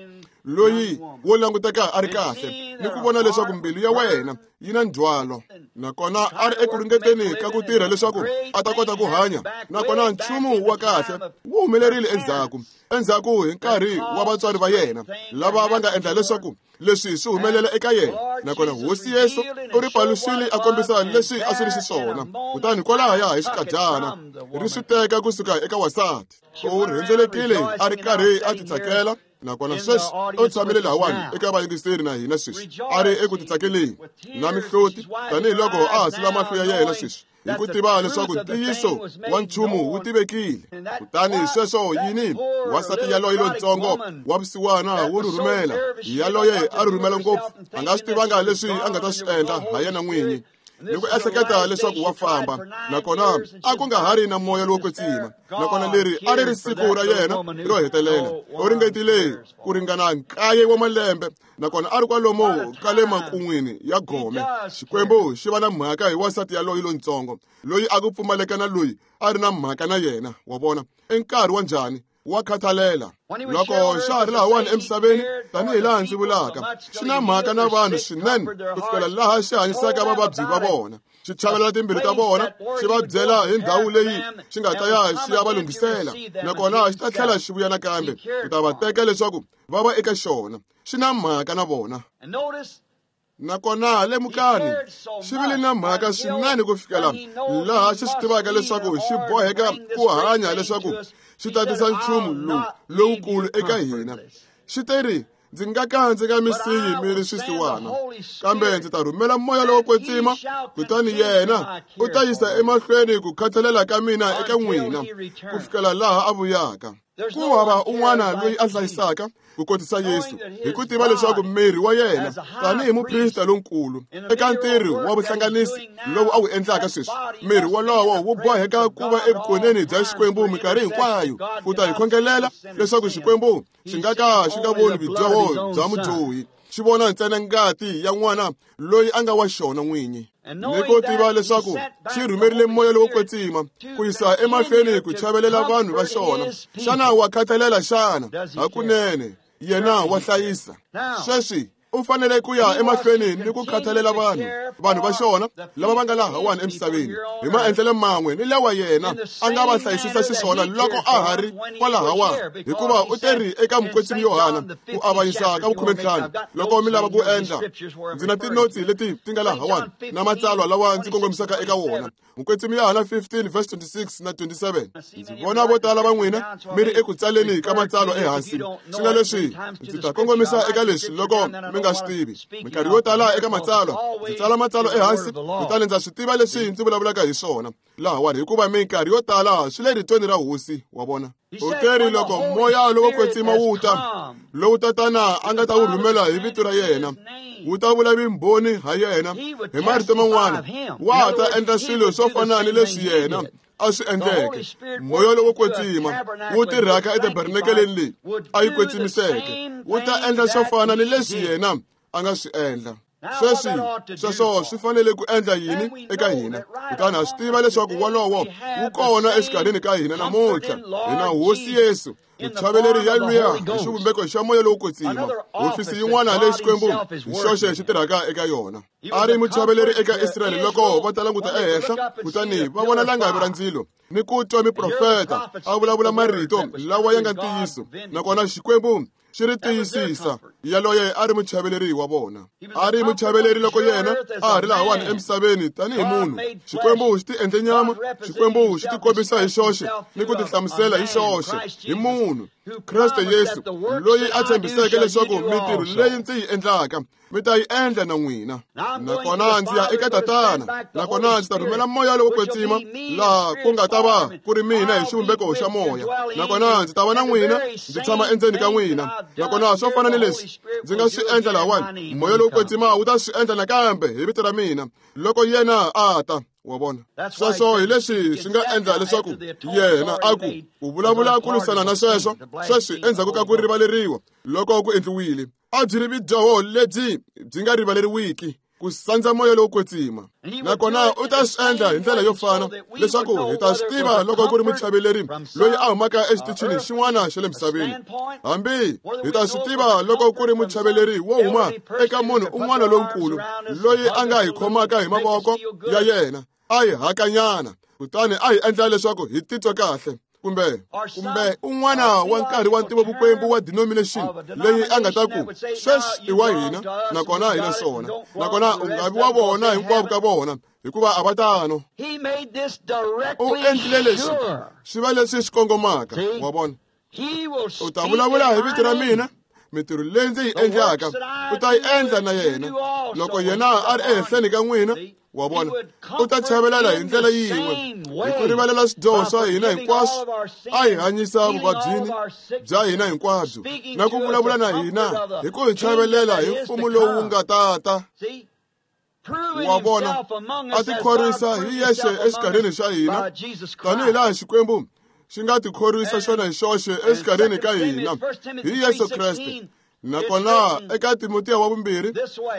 loyi wo languteka a ri kahle, ni ku vona leswaku mbilu ya wena yi na ndzhwalo. Nakona a ri eku ringeteni ka ku tirha leswaku a ta kota ku hanya, nakona nchumu wa kahle wu humelerile endzhaku hi nkarhi wa vatswari va yena lava va nga endla leswaku leswi swi humelela eka yena. Nakona Hosi Yesu u ri paluxile a kombisa leswi a swi ri xiswona. Kutani kwalahaya hi xikadyana ri swi teka kusuka eka wansati. U rhendzelekile a ri karhi a titsakela. Nakona sweswi u tshamile lahawani eka vayingiseri na hina sweswi, a ri eku titsakeleni na mihloti tanihiloko a ha sula mahlo ya yena sweswi, hi ku tiva leswaku ntiyiso wa nchumu wu tivekile. Kutani sweswo yini, wansati yaloye lontsongo wa vusiwana wo rhurhumela, yaloye a rhurhumela ngopfu, a nga swi tivanga leswi a nga ta swi endla ha yena n'winyi, ni ku ehleketa leswaku wa famba. Nakona a ku nga ha ri na moya lowo kwetsima. Nakona leri a ri ri siku ra yena ro hetelela. U ringetile ku ringana 9 wa malembe, nakona a ri kwalomu ka le makun'wini ya gome. Xikwembu xi va na mhaka hi wansati yaloye lontsongo loyi a ku pfumaleka na loyi a ri na mhaka na yena, wa vona. I nkarhi wa njhani wa khathalela. Loko xa ha ri lahawani emisaveni, tanihi laha ndzi vulaka, xi na mhaka na vanhu swinene ku fikela laha xi hanyisaka vavabyi va vona, xi chavelela timbilu ta vona, xi va byela hi ndhawu leyi xi nga ta ya xi ya va lunghisela, nakona xi ta tlhela xi vuya nakambe ku ta va teka leswaku va va eka xona. Xi na mhaka na vona. Nakona lemukani, xi vile na mhaka swinene ku fikela laha xi swi tivaka leswaku xi boheka ku hanya leswaku xi ta tisa nchumu lowu lowukulu eka hina. Xi teri, ndzi nga ka ndzi nga mi siyi mi ri swisiwana, kambe ndzi ta rhumela moya lowo kwetsima, kutani yena u ta yisa emahlweni ku khathalela ka mina eka n'wina ku fikela laha a vuyaka. Ku hava un'wana loyi a hlayisaka ku kotisa Yesu, hi ku tiva leswaku miri wa yena tanihi muprista lonkulu eka ntirho wa vuhlanganisi lowu a wu endlaka sweswi, miri wolowo wu boheka ku va evukoneni bya Xikwembu minkarhi hinkwayo ku ta hi khongelela leswaku Xikwembu xi nga ka xi nga voni vudyoho bya mudyohi, xi vona ntsena ngati ya n'wana loyi a nga wa xona n'winyi. Ni ku tiva leswaku xi rhumerile moya lowo kwetsima ku yisa emahlweni ku chavelela vanhu va xona. Xana wa khathalela xana? Hakunene yena wa hlayisa. Sweswi U fanele ku ya emahlweni ni ku khathalela vanhu va xona lava va nga lahawani emisaveni hi maendlelo man'we ni lawa yena a nga va hlayisisa xiswona loko a ha ri kwalahawani, hikuva u teri eka mukwetsimi Yohana ku avanyisa ka 15 loko mi lava ku endla. Ndzi na tinotsi leti ti nga lahawani na matsalwa lawa ndzi kongomisaka eka wona. Mukwetsimi Yohana 15 verse 26 na 27. Ndzi vona vo tala va n'wina mi ri eku tsaleni ka matsalwa ehansi. Swi nga leswi ndzi ta kongomisa eka leswi loko mi nga swi tivi. Minkarhi yo tala eka matsalwa ndzi tsala matsalwa ehansi, kutani ndza swi tiva leswi ndzi vulavulaka hi swona lahawani, hikuva minkarhi yo tala swi le ritweni ra Hosi, wa vona. U teri loko moya lowo kwetsima wu ta, lowu Tatana a nga ta wu rhumela hi vito ra yena, wu ta vula vumbhoni ha yena. Hi marito man'wana, wa ta endla swilo swo fana ni leswi yena a swi endleke. Moya lowo kwetsima wu tirhaka etabernakeleni leyi a yi kwetsimiseke, wu ta endla swo fana ni leswi yena a nga swi endla. Sweswi sweswo swi fanele ku endla yini eka hina? Kutani ha swi tiva leswaku wolowo wu kona exikarhini ka hina namuntlha. Hina Hosi Yesu, muchaveleri ya luya hi xivumbeko xa moya lowo kwetsima, hofisi yin'wana leyi Xikwembu hi xoxe xi tirhaka eka yona. A ri muchaveleri eka Israyele loko va ta languta ehenhla, kutani va vona langavi ra ndzilo ni ku twa miprofeta a vulavula marito lawa ya nga ntiyiso, nakona Xikwembu xi ri tiyisisa. Yaloye a ri muchaveleri wa vona. A ri muchaveleri loko yena a ha ri lahawani emisaveni tanihi munhu. Xikwembu xi ti endle nyama, Xikwembu xi tikombisa hi xoxe ni ku tihlamusela hi xoxe hi munhu, Kreste Yesu, loyi a tshembiseke leswaku mintirho leyi ndzi yi endlaka mi ta yi endla na n'wina. Nakona ndzi ya eka Tatana, nakona ndzi ta rhumela moya lowo kwetsima, laha ku nga ta va ku ri mina hi xivumbeko xa moya, nakona ndzi ta va na n'wina, ndzi tshama endzeni ka n'wina. Nakona swo fana ni leswi ndzi nga swi endla lahawani, moya lowo kwetsima wu ta swi endla nakambe hi vito ra mina loko yena a ta. Wa vona? Sweswo hi leswi swi nga endla leswaku yena a ku u vulavula ku lwisana na sweswo. Sweswi endzhaku ka ku rivaleriwa loko ku endliwile, a byi ri vudyoho lebyi byi nga rivaleriwiki, ku sandza moya lowo kwetsima. Nakona u ta swi endla hi ndlela yo fana leswaku hi ta swi tiva loko ku ri muchaveleri loyi a humaka exitichini xin'wana xa le misaveni, hambi hi ta swi tiva loko ku ri muchaveleri wo huma eka munhu un'wana lonkulu loyi a nga hi khomaka hi mavoko ya yena a hi hakanyana, kutani a hi endla leswaku hi titwa kahle, kumbe un'wana wa nkarhi wa ntivovukwembu wa denomination leyi a nga ta ku sweswi i wa hina, nakona hi na swona, nakona u nga vi wa vona hinkwavo ka vona, hikuva a va tano. U endlile leswi swi va leswi swi kongomaka, wa vona. U ta vulavula hi vito ra mina, mintirho leyi ndzi yi endlaka u ta yi endla na yena loko yena a ri ehenhleni ka n'wina, wa vona. U ta chavelela hi ndlela yin'we hi ku rivalela swidyoho swa hina hinkwaswo, a hi hanyisa vuvabyini bya hina hinkwabyo, na ku vulavula na hina hi ku hi chavelela hi mfumo lowu nga tata. Wa vona, a tikhorwisa hi yexe exikarhini xa hina, tanihi laha Xikwembu xi nga tikhorwisa xona hi xoxe exikarhini ka hina hi Yesu Kreste. Nakona eka Timotiya wa vumbirhi,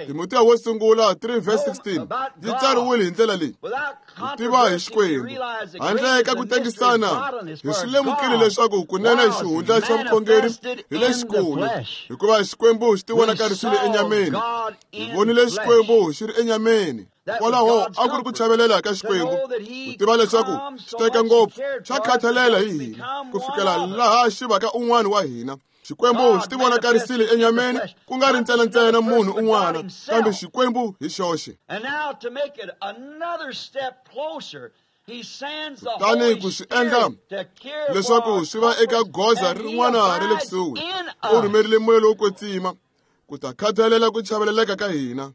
Timotiya wo sungula 3 verse 16 yi tsariwile hi ndlela leyi: ku tiva hi Xikwembu handle ka ku tengisana hi swi lemukile leswaku kunene xihundla xa vukhongeri hi lexikulu, hikuva Xikwembu xi tivonakarisile enyameni. Hi vonile Xikwembu xi ri enyameni. Kwalaho a ku ri ku chavelela ka Xikwembu, ku tiva leswaku xi teka ngopfu, xa khathalela hi hina ku fikela laha xi vaka un'wana wa hina. Xikwembu xi tivonakarisile enyameni, ku nga ri ntsena munhu un'wana, kambe Xikwembu hi xoxe. Kutani ku swi endla leswaku swi va eka goza rin'wana ra le kusuhi, u rhumerile moya lowo kwetsima ku ta khathalela ku chaveleleka ka hina,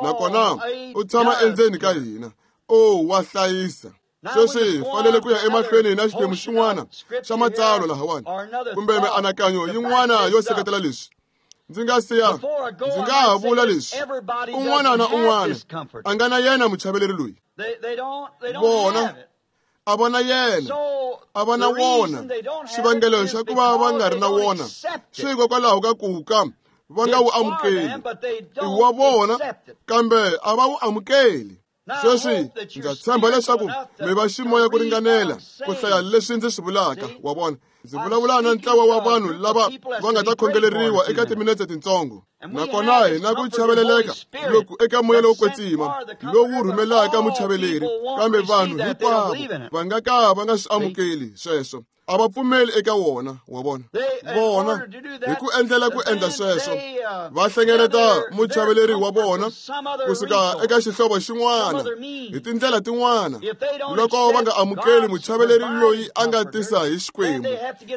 nakona u tshama endzeni ka hina. O wa hlayisa. Sweswi hi fanele ku ya emahlweni na xiphemu xin'wana xa matsalwa lahawani, kumbe mianakanyo yin'wana yo seketela leswi. Ndzi nga siya, ndzi nga ha vula leswi: un'wana na un'wana a nga na yena muchaveleri loyi. Vona a va na yena, a va na wona. Xivangelo xa ku va va nga ri na wona swi hikokwalaho ka ku ka va nga wu amukeli. I wa vona, kambe a va wu amukeli. Sweswi ndza tshemba leswaku mi va ximoya ku ringanela ku hlaya leswi ndzi swi vulaka, wa vona. Ndzi vulavula na ntlawa wa vanhu lava va nga ta khongeleriwa eka timinetse tintsongo. Nakona hi na ku chaveleleka loku eka moya lowo kwetsima lowu rhumelaka muchaveleri, kambe vanhu hinkwavo va nga ka va nga swi amukeli sweswo. A va pfumeli eka wona, wa vona. Vona, hi ku endlela ku endla sweswo, va hlengeleta muchaveleri wa vona kusuka eka xihlovo xin'wana hi tindlela tin'wana. Loko va nga amukeli muchaveleri loyi a nga tisa hi Xikwembu,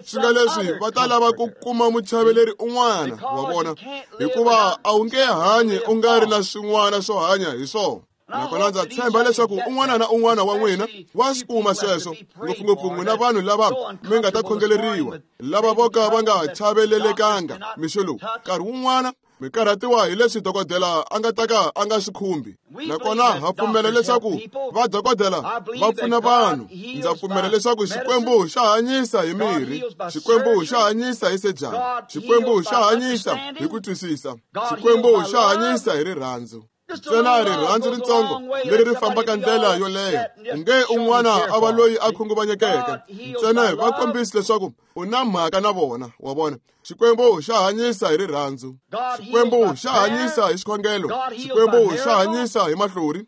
swi nga leswi va ta lava ku kuma muchaveleri un'wana, wa vona, hikuva a wu nge hanyi u nga ri na swin'wana swo hanya hi swona. Nakona ndza tshemba leswaku un'wana na un'wana wa n'wina wa swi kuma sweswo, ngopfungopfu n'wina vanhu lava mi nga ta khongeleriwa, lava vo ka va nga chavelelekanga mixo lowu. Nkarhi wun'wana mi karhatiwa hi leswi dokodela a nga ta ka a nga swi khumbi. Nakona ha pfumela leswaku vadokodela va pfuna vanhu. Ndza pfumela leswaku Xikwembu xa hanyisa hi mirhi, Xikwembu xa hanyisa hi sejani, Xikwembu xa hanyisa hi ku twisisa, Xikwembu xa hanyisa hi rirhandzu. Ntsena rirhandzu ritsongo leri ri fambaka ndlela yoleyo, nge un'wana a va loyi a khunguvanyekeke, ntsena va kombisi leswaku u na mhaka na vona, wa vona. Xikwembu xa hanyisa hi rirhandzu, Xikwembu xa hanyisa hi xikhongelo, Xikwembu xa hanyisa hi mahlori,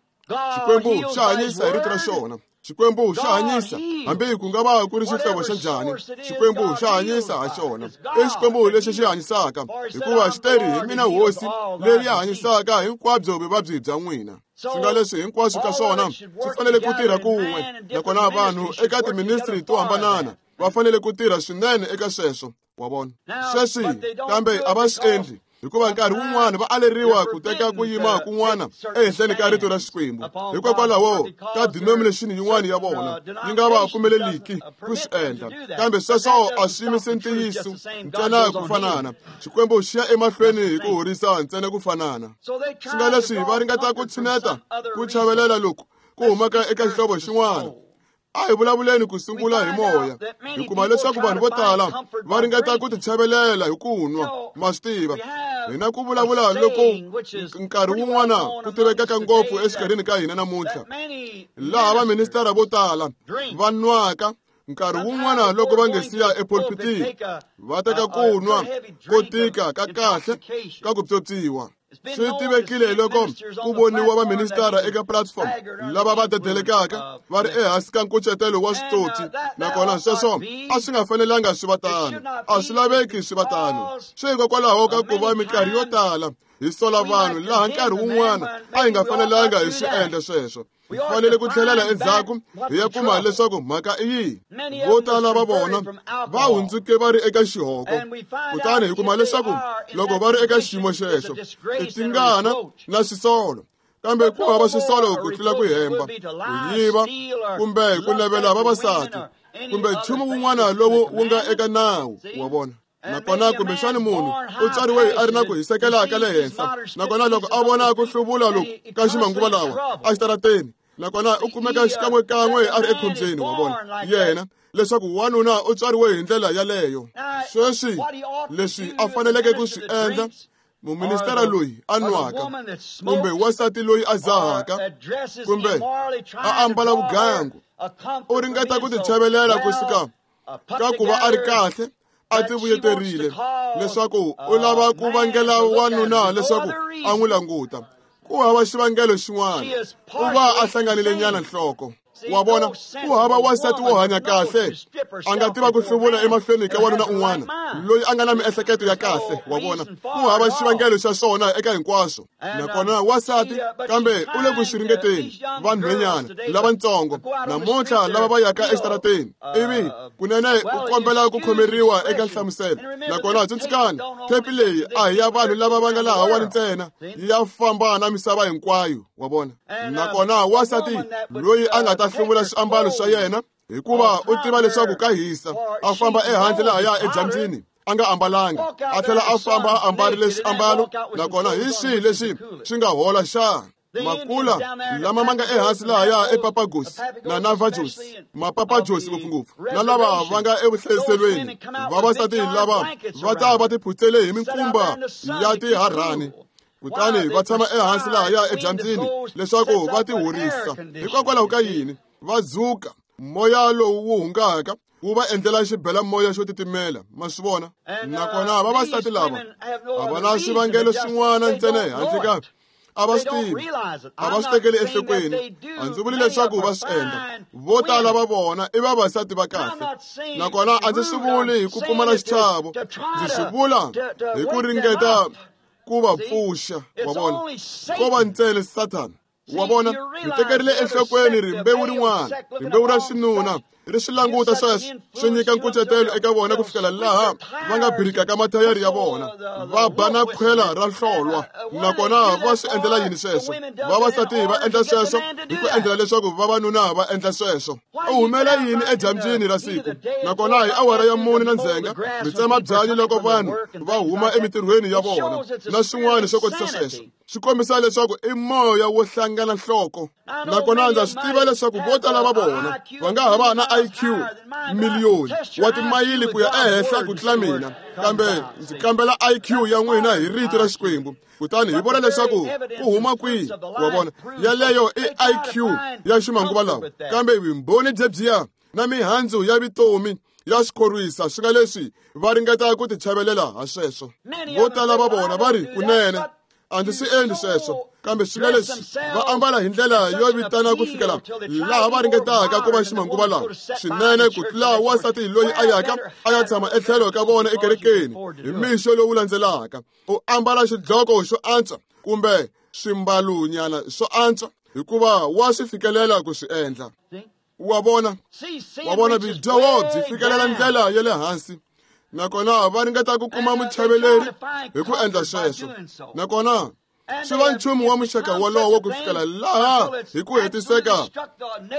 Xikwembu xa hanyisa hi rito ra xona, Xikwembu xa hanyisa hambi ku nga va ku ri xihlovo xa njhani. Xikwembu xa hanyisa ha xona. I Xikwembu lexi xi hanyisaka, hikuva xi teri hi mina hosi leyi ya hanyisaka hinkwabyo vuvabyi bya n'wina. Swi nga leswi hinkwaswo ka swona swi fanele ku tirha kun'we, nakona vanhu eka tiministri to hambanana va fanele ku tirha swinene eka sweswo, wa vona. Sweswi kambe a va swi endli, hikuva nkarhi wun'wana va aleriwa ku teka ku yima kun'wana ehenhleni ka rito ra Xikwembu. Hikokwalaho ka denomination yin'wana ya vona yi nga va pfumeleliki ku swi endla, kambe sweswo a swi yimise ntiyiso ntsena ku fanana. Xikwembu xi ya emahlweni hi ku horisa ntsena ku fanana. Swi nga leswi va ringeta ku tshineta ku chavelela loku ku humaka eka xihlovo xin'wana. A hi vulavuleni ku sungula hi moya, hi kuma leswaku vanhu vo tala va ringeta ku tichavelela hi ku nwa. Ma swi tiva, hina ku vulavula loko nkarhi wun'wana ku tivekaka ngopfu exikarhini ka hina namuntlha, laha vaministara vo tala va nwaka nkarhi wun'wana loko va nge siya epulpitini, va teka ku nwa ko tika ka kahle ka ku pyopyiwa. Swi tivekile loko ku voniwa vaministara eka platform lava va dedelekaka va ri ehansi ka nkucetelo wa switsotsi, nakona sweswo a swi nga fanelanga swi va tano, a swi laveki swi va tano. Swi hikokwalaho ka ku va minkarhi yo tala hi sola vanhu laha nkarhi wun'wana a hi nga fanelanga hi swi endla sweswo. Hi fanele ku tlhelela endzhaku hi ya kuma leswaku mhaka i yihi. Vo tala va vona va hundzuke va ri eka xihoko, kutani hi kuma leswaku loko va ri eka xiyimo xexo i tingana na swisolo, kambe ku hava swisolo ku tlula ku hemba, ku yiva kumbe ku navela vavasati kumbe nchumu wun'wana lowu wu nga eka nawu, wa vona. Nakona kumbexani munhu u tswariwe a ri na ku hisekela ka le henhla, nakona loko a vona ku hluvula loku ka ximanguva lawa exitarateni, nakona u kumeka xikan'wekan'we a ri ekhombyeni, wa vona yena leswaku wanuna u tswariwe hi ndlela yaleyo. Sweswi leswi a faneleke ku swi endla muministara loyi a nwaka kumbe wansati loyi a dzahaka kumbe a ambala vugangu, u ringeta ku tichavelela kusuka ka ku va a ri kahle, a ti vuyeterile leswaku u lava ku vangela wanuna leswaku a n'wi languta. Ku hava xivangelo xin'wana, u va a hlanganile nyana nhloko, wa vona. Ku hava wansati wo hanya kahle a nga tiva ku hluvula emahlweni ka wanuna un'wana loyi a nga na miehleketo ya kahle, wa vona. Ku hava xivangelo xa swona eka hinkwaswo. Nakona wansati kambe u le ku swi ringeteni, vanhwenyana lavatsongo namuntlha lava va yaka exitarateni, ivi kunene u kombela ku khomeriwa eka nhlamuselo. Nakona tsundzukani, thepi leyi a hi ya vanhu lava va nga lahawani ntsena, ya famba na misava hinkwayo, wa vona. Nakona wansati loyi a nga ta hluvula swiambalo swa yena hikuva u tiva leswaku ka hisa, a famba ehandle lahaya edyambyini a nga ambalanga, a tlhela a famba a ambarile swiambalo, nakona hi swihi leswi swi nga hola xana? Makula lama ma nga ehansi lahaya ePapagos na Navajos, Mapapajos ngopfungopfu, na lava va nga evuhlayiselweni, vavasati lava va ta va tiphutsele hi minkumba ya tiharhani, kutani va tshama ehansi lahaya edyambyini leswaku va tihorisa. Hikokwalaho ka yini va dzuka? Moya lowu wu hungaka wu va endlela xibela moya xo titimela, ma swi vona? Nakona vavasati lava a va na swivangelo swin'wana ntsena handle ka a va swi tivi, a va swi tekeli enhlokweni. A ndzi vuli leswaku va swi endla. Vo tala va vona i vavasati va kahle, nakona a ndzi swi vuli hi ku pfumala xichavo, ndzi swi vula hi ku ringeta ku va pfuxa. Wa vona, ko va ntsena Sathana. Wa vona, mi tekerile enhlokweni rimbewu rin'wana, rimbewu ra xinuna, ri swi languta sweswo swi nyika nkucetelo eka vona ku fikela laha va nga birikaka mathayari ya vona, va ba na khwela ra hlolwa. Nakona va swi endlela yini sweswo? Vavasati va endla sweswo hi ku endlela leswaku vavanuna va endla sweswo. U humela yini edyambyini ra siku? Nakona hi awara ya 4 na ndzhenga mi tsema byanyi loko vanhu va huma emitirhweni ya vona na swin'wana swo kotisa sweswo. Swi kombisa leswaku i moya wo hlangana nhloko. Nakona ndza swi tiva leswaku vo tala va vona va nga ha va na IQ miliyoni wa timayili ku ya ehenhla ku tlula mina, kambe ndzi kambela IQ ya n'wina hi rito ra Xikwembu, kutani hi vona leswaku ku huma kwihi. Wa vona, yaleyo i IQ ya ximanguva lawa, kambe vumbhoni byebyiya na mihandzu ya vutomi ya swi khorwisa swi nga leswi va ringeta ku tichavelela ha sweswo. Vo tala va vona va ri, kunene a ndzi swi endli sweswo, kambe swi nga leswi va ambala hi ndlela yo vitana ku fikela laha va ringetaka ku va ximanguva lawa swinene ku tlula wansati loyi a yaka a ya tshama etlhelo ka vona ekerekeni hi mixo lowu landzelaka. U ambala xidloko xo antswa kumbe swimbalunyana swo antswa hikuva wa swi fikelela ku swi endla. Wa vona, wa vona, vudyoho byi fikelela ndlela ya le hansi, nakona va ringeta ku kuma muchaveleri hi ku endla sweswo. Nakona swi va nchumu wa muxaka wolowo ku fikela laha hi ku hetiseka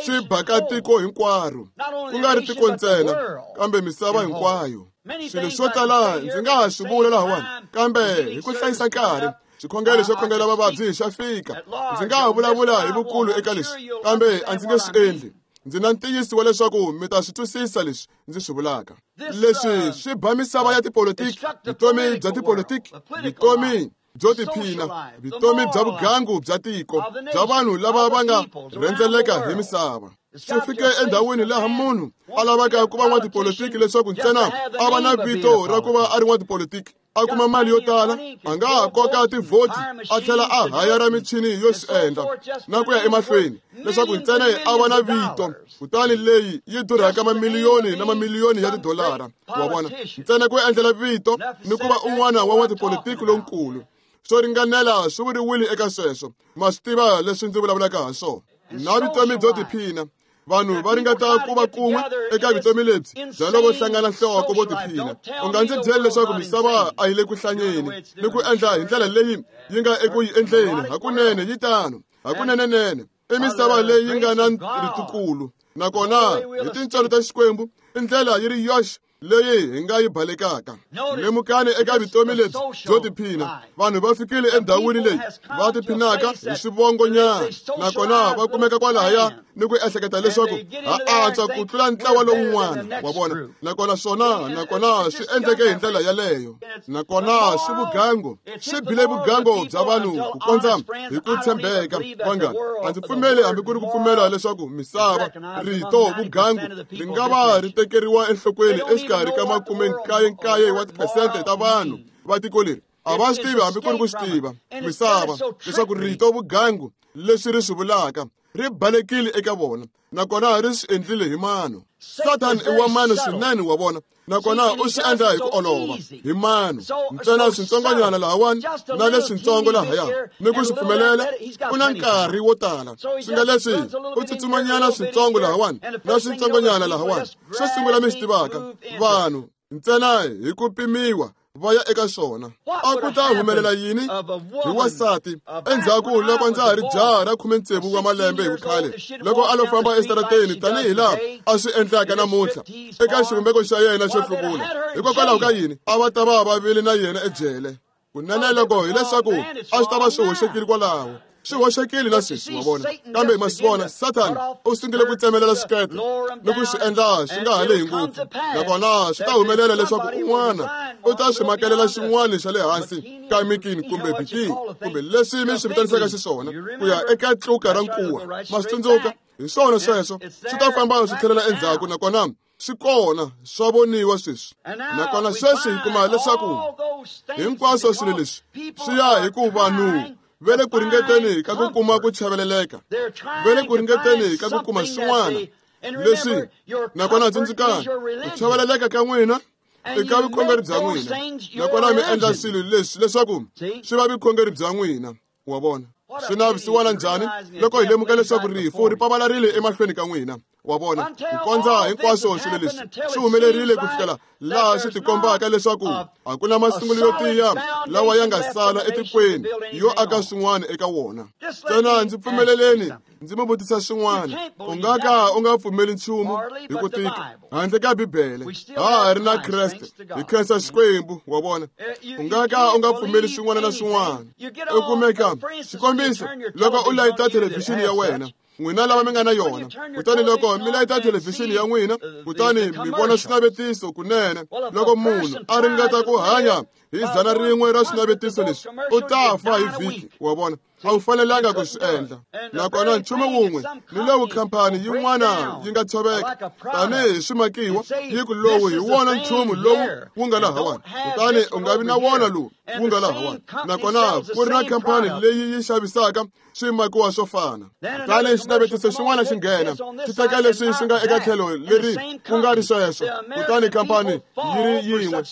swi baka tiko hinkwaro, ku nga ri tiko ntsena kambe misava hinkwayo. Swilo swo tala ndzi nga ha swi vula lahawani, kambe hi ku hlayisa nkarhi, xikhongelo xo khongela vavabyi xa fika. Ndzi nga ha vulavula hi vukulu eka leswi, kambe a ndzi nge swi endli. Ndzi na ntiyiso wa leswaku mi ta swi twisisa leswi ndzi swi vulaka. Leswi swi ba misava ya tipolitiki, vutomi bya tipolitiki, vutomi byo tiphina, vutomi bya vugangu bya tiko, bya vanhu lava va nga rhendzeleka hi misava. Swi fike endhawini laha munhu a lavaka ku va n'watipolitiki leswaku ntsena a va na vito ra ku va a ri n'watipolitiki, a kuma mali yo tala, a nga ha koka tivhoti a tlhela a hayara michini yo swi endla na ku ya emahlweni leswaku ntsena a va na vito. Kutani leyi yi durhaka mamiliyoni na mamiliyoni ya tidolara. Wa vona, ntsena ku endlela vito ni ku va un'wana wa n'watipolitiki lonkulu. Swo ringanela swi vuriwile eka sweswo. Ma swi tiva leswi ndzi vulavulaka ha swona. Na vutomi byo tiphina, vanhu va ringeta ku va kun'we eka vutomi lebyi bya loko hlangana nhloko vo tiphina. U nga ndzi byeli leswaku misava a yi le ku hlanyeni ni ku endla hi ndlela leyi yi nga eku yi endleni. Hakunene yi tano, hakunenenene i misava leyi nga na ritukulu, nakona hi tintswalo ta Xikwembu i ndlela yi ri yoxe leyi hi nga yi balekaka. Lemukani eka vutomi lebyi byo tiphina, vanhu va fikile endhawini leyi va tiphinaka hi swivongonyana, nakona va kumeka kwalahaya ni ku ehleketa leswaku ha antswa ku tlula ntlawa lowun'wana. Wa vona, nakona swona, nakona swi endleke hi ndlela yaleyo. Nakona swi vugango, swi bile vugango bya vanhu ku kondza hi ku tshembeka. Vanghana, a ndzi pfumeli hambi ku ri ku pfumela leswaku misava, rito vugangu ri nga va ri tekeriwa enhlokweni exikarhi ka 99 wa tiphesente ta vanhu va tiko leri. A va swi tivi hambi ku ri ku swi tiva misava leswaku rito vugangu leswi ri swi vulaka ri balekile eka vona, nakona ri swi endlile hi mano. Satan i wa mano swinene, wa vona, nakona u swi endla hi ku olova hi mano ntsena switsongonyana lahawani na leswitsongo lahaya ni ku swi pfumelela. U na nkarhi wo tala, swi nga leswi u tsutsumanyana switsongo lahawani na switsongonyana lahawani. Xo sungula mi swi tivaka, vanhu ntsena hi ku pimiwa va ya eka swona. A ku ta humelela yini hi wansati endzhaku loko ndza ha ri jaha ra 16 wa malembe hi vukhale, loko a lo famba esitarateni tanihi laha a swi endlaka namuntlha eka xivumbeko xa yena xo hluvula? Hikokwalaho ka yini a va ta va vavile na yena ejele? Kunene loko hileswaku a swi ta va swi hoxekile kwalaho, swi hoxekile na sweswi, wa vona. Kambe ma swi vona, Sathana u sungule ku tsemelela swikepe ni ku swi endla swi nga ha lehi ngopfu, nakona swi ta humelela leswaku un'wana u ta swi makelela xin'wana xa le hansi ka mikini kumbe bikini kumbe leswi mi swi vitanisaka xiswona ku ya eka tluka ra nkuwa. Ma swi tsundzuka? Hi swona sweswo, swi ta famba swi tlhelela endzhaku, nakona swi kona swa voniwa sweswi. Nakona sweswi hi kuma leswaku hinkwaswo swilo leswi swi ya hi ku vanhu va le ku ringeteni ka ku kuma ku chaveleleka, va le ku ringeteni ka ku kuma swin'wana leswi. Nakona tsundzukani, ku chaveleleka ka n'wina eka vukhongeri bya n'wina, nakona mi endla swilo leswi leswaku swi va vukhongeri bya n'wina. Wa vona swi navisiwana njhani loko hi lemuka leswaku rifu ri pavalarile emahlweni ka n'wina. Wa vona, ku kondza hinkwaswo swilo leswi swi humelerile ku fikela laha swi tikombaka leswaku a ku na masungulo yo tiya lawa ya nga sala etikweni yo aka swin'wana eka wona. Ntsena ndzi pfumeleleni ndzi mi vutisa swin'wana. U nga ka u nga pfumeli nchumu hi ku tika handle ka Bibele. Ha ha ri na Kreste, hi khensa Xikwembu. Wa vona, u nga ka u nga pfumeli swin'wana na swin'wana. U kumeka xikombiso loko u layita thelevhixini ya wena, n'wina lava mi nga na yona, kutani loko mi layita thelevhixini ya n'wina, kutani mi vona swinavetiso kunene, loko munhu a ringeta ku hanya hi 100 ra swinavetiso leswi, u ta fa hi vhiki. Wa vona, a wu fanelanga ku swi endla. Nakona nchumu wun'we ni lowu khampani yin'wana yi nga tshoveka tanihi swimakiwa, yi ku lowu hi wona nchumu lowu wu nga lahawani, kutani u nga vi na wona lowu wu nga lahawani. Nakona ku ri na khampani leyi yi xavisaka swimakiwa swo fana, kutani xinavetiso xin'wana xi nghena xi teka leswi swi nga eka tlhelo leri ku nga ri sweswo, kutani khampani yi ri yin'we.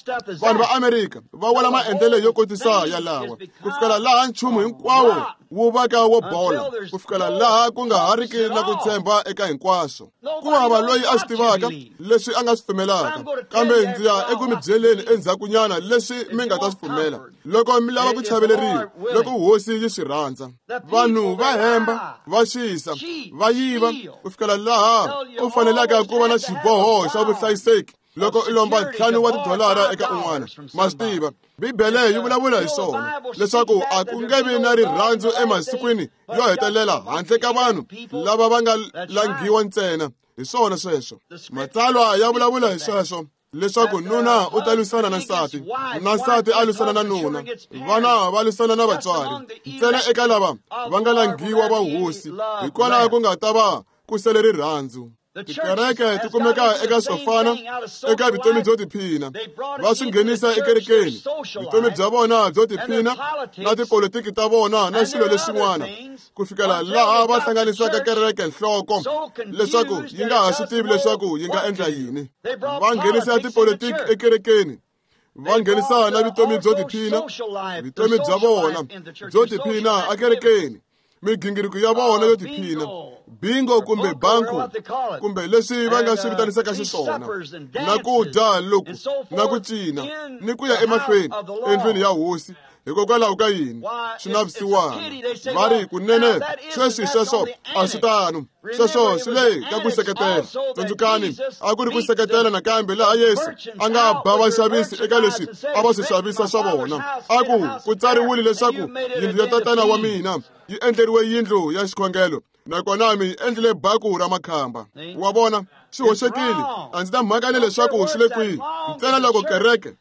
Vanhu va Amerika va wela maendlelo yo kotisa yalawa ku fikela laha nchumu hinkwawo wu vaka wo bola, ku fikela laha ku nga ha riki na ku tshemba eka hinkwaswo. Ku hava loyi a swi tivaka leswi a nga swi pfumelaka, kambe ndzi ya eku mi byeleni endzhakunyana leswi mi nga ta swi pfumela loko mi lava ku chaveleriwa, loko hosi yi swi rhandza. Vanhu va hemba, va xisa, va yiva, ku fikela laha u fanelaka ku va na xiboho xa vuhlayiseki loko u lomba $5 eka un'wana. Ma swi tiva, Bibele yi vulavula hi swona leswaku a ku nge vi na rirhandzu emasikwini yo hetelela handle ka vanhu lava va nga langhiwa ntsena. Hi swona sweswo, Matsalwa ya vulavula hi sweswo, leswaku nuna u ta lwisana na nsati, na nsati a lwisana na nuna, vana va lwisana na vatswari, ntsena eka lava va nga langhiwa va hosi, hikwalaho ku nga ta va ku sele rirhandzu. Tikereke ti kumeka eka swo fana eka vutomi byo tiphina, va swi nghenisa ekerekeni vutomi bya vona byo tiphina na tipolitiki ta vona na swilo leswin'wana, ku fikela laha va hlanganisaka kereke nhloko leswaku yi nga ha swi tivi leswaku yi nga endla yini. Va nghenisa tipolitiki ekerekeni, va nghenisa na vutomi byo tiphina, vutomi bya vona byo tiphina ekerekeni, migingiriko ya vona yo tiphina, bingo kumbe banko kumbe leswi va nga swi vitanisaka xiswona, na ku dya loku na ku cina ni ku ya emahlweni endlwini ya hosi. Hikokwalaho ka yini swi navisiwana? Va ri kunene sweswi sweswo a swi tano, sweswo swi le ka ku seketela. Tsundzukani, a ku ri ku seketela nakambe laha Yesu a nga ba vaxavisi eka leswi a va swi xavisa swa vona. A ku ku tsariwile leswaku yindlu ya tatana wa mina yi endleriwe yindlu ya xikhongelo, nakona mi yi endlile baku ra makhamba. Wa vona, swi hoxekile. A ndzi na mhaka ni leswaku swi le kwihi, ntsena loko kereke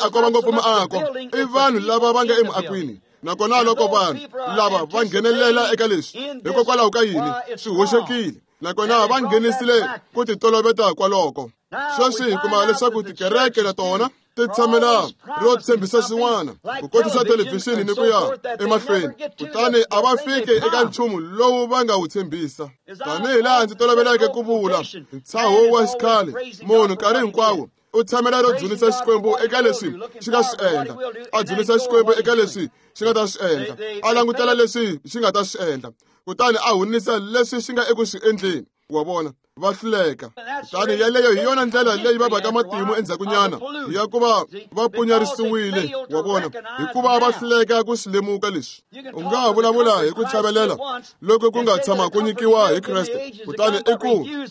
a ko va ngopfu miako, i vanhu lava va nga emuakwini. Nakona loko vanhu lava va nghenelela eka leswi, hikokwalaho ka yini swi hoxekile, nakona va nghenisile ku titoloveta kwaloko. Sweswi hi kuma leswaku tikereke na tona ti tshamela ro tshembisa swin'wana, ku kotisa thelevhixini ni ku ya emahlweni, kutani a va fiki eka nchumu lowu va nga wu tshembisa. Tanihi laha ndzi toloveleke ku vula, ntshaho wa xikhale, munhu nkarhi hinkwawo u tshamela ro dzunisa Xikwembu eka leswi xi nga swi endla, a dzunisa Xikwembu eka leswi xi nga ta swi endla, a langutela leswi xi nga ta swi endla, kutani a hunisa leswi xi nga eku swi endleni. Wa vona, va hluleka. Kutani yeleyo hi yona ndlela leyi va vaka matimu endzhakunyana ya ku va va punyarisiwile. Wa vona, hikuva va hluleka ku swi lemuka leswi. U nga ha vulavula hi ku chavelela loko ku nga tshama ku nyikiwa hi Kreste, kutani i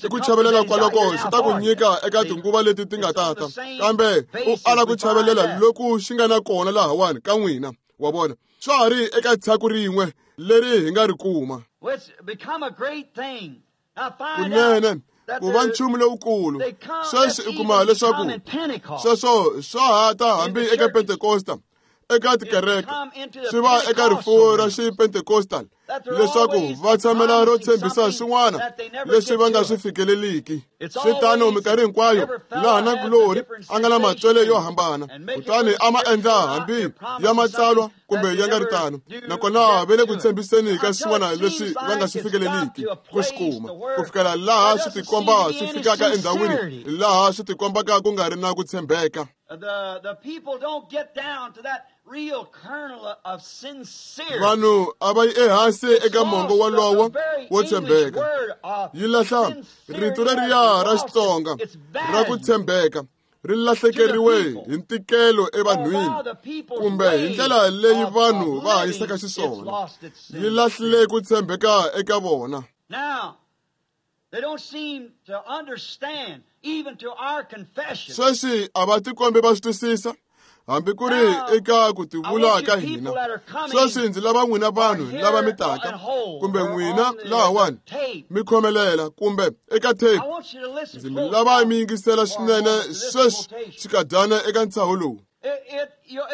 ku chavelela kwaloko xi ta ku nyika eka tinguva leti ti nga tata, kambe u ala ku chavelela loku xi nga na kona lahawani ka n'wina. Wa vona, swa ha ri eka tshaku rin'we leri hi nga ri kuma. Kunene ku va nchumu lowukulu. Sweswi u kuma leswaku sweswo swa ha ta hambi eka Pentekosta, eka tikereke swi va eka rifuwo ra xipentekostal leswaku va tshamela ro tshembisa swin'wana leswi va nga swi fikeleliki. Swi tano minkarhi hinkwayo laha na kulori a nga na matswele yo hambana, kutani a ma endla hambi ya matsalwa kumbe ya nga ri tano, nakona va le ku tshembiseni ka swin'wana leswi va nga swi fikeleliki ku swi kuma, ku fikela laha swi tikomba swi fikaka endhawini laha swi tikombaka ku nga ri na ku tshembeka.
The people don't get down to that real kernel of sincere.
Vanhu a va yi ehansi eka mongo wolowo wo tshembeka. Yi lahla rito leriya ra Xitsonga ra ku tshembeka ri lahlekeriwe hi ntikelo evanhwini kumbe hi ndlela leyi vanhu va hanyisaka xiswona. Yi lahlile ku tshembeka eka vona.
They don't seem to understand even to our confession.
Sweswi a va tikombi va swi twisisa hambi ku ri eka ku tivula ka hina. Sweswi ndzi lava n'wina vanhu lava mi taka kumbe n'wina lahawani mi khomelela kumbe eka tape, ndzi mi lava mi yingisela swinene sweswi xikadyana eka ntshaho lowu.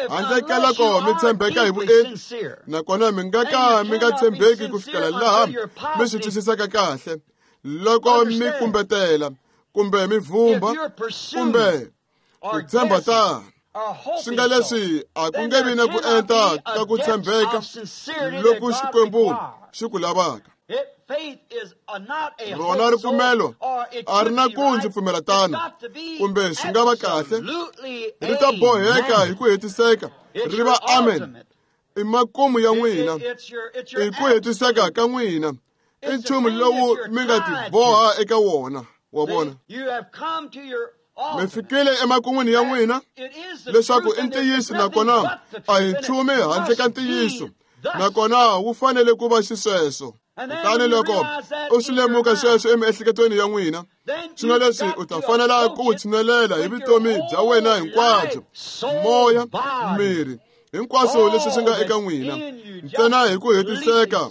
Handle ka loko mi tshembeka hi vuenti, nakona mi nga ka mi nga tshembeki ku fikela laha mi swi twisisaka kahle. Loko mi kumbetela kumbe mi vhumba kumbe ku tshemba tano, swi nga leswi a ku nge vi na ku enta ka ku tshembeka loku Xikwembu xi ku lavaka. Rona ripfumelo a ri na ku ndzi pfumela tano kumbe swi nga va kahle, ri ta boheka hi ku hetiseka ri va amen. I makumu ya n'wina, i ku hetiseka ka n'wina, i nchumu lowu mi nga tiboha eka wona. Wa vona, mi fikile emakun'wini ya n'wina leswaku i ntiyiso, nakona a hi nchumu handle ka ntiyiso, nakona wu fanele ku va xisweswo. Kutani loko u swi lemuka sweswo emiehleketweni ya n'wina, swi nga leswi u ta fanela ku wu tshinelela hi vutomi bya wena hinkwabyo, moya, miri, hinkwaswo leswi swi nga eka n'wina, ntsena hi ku hetiseka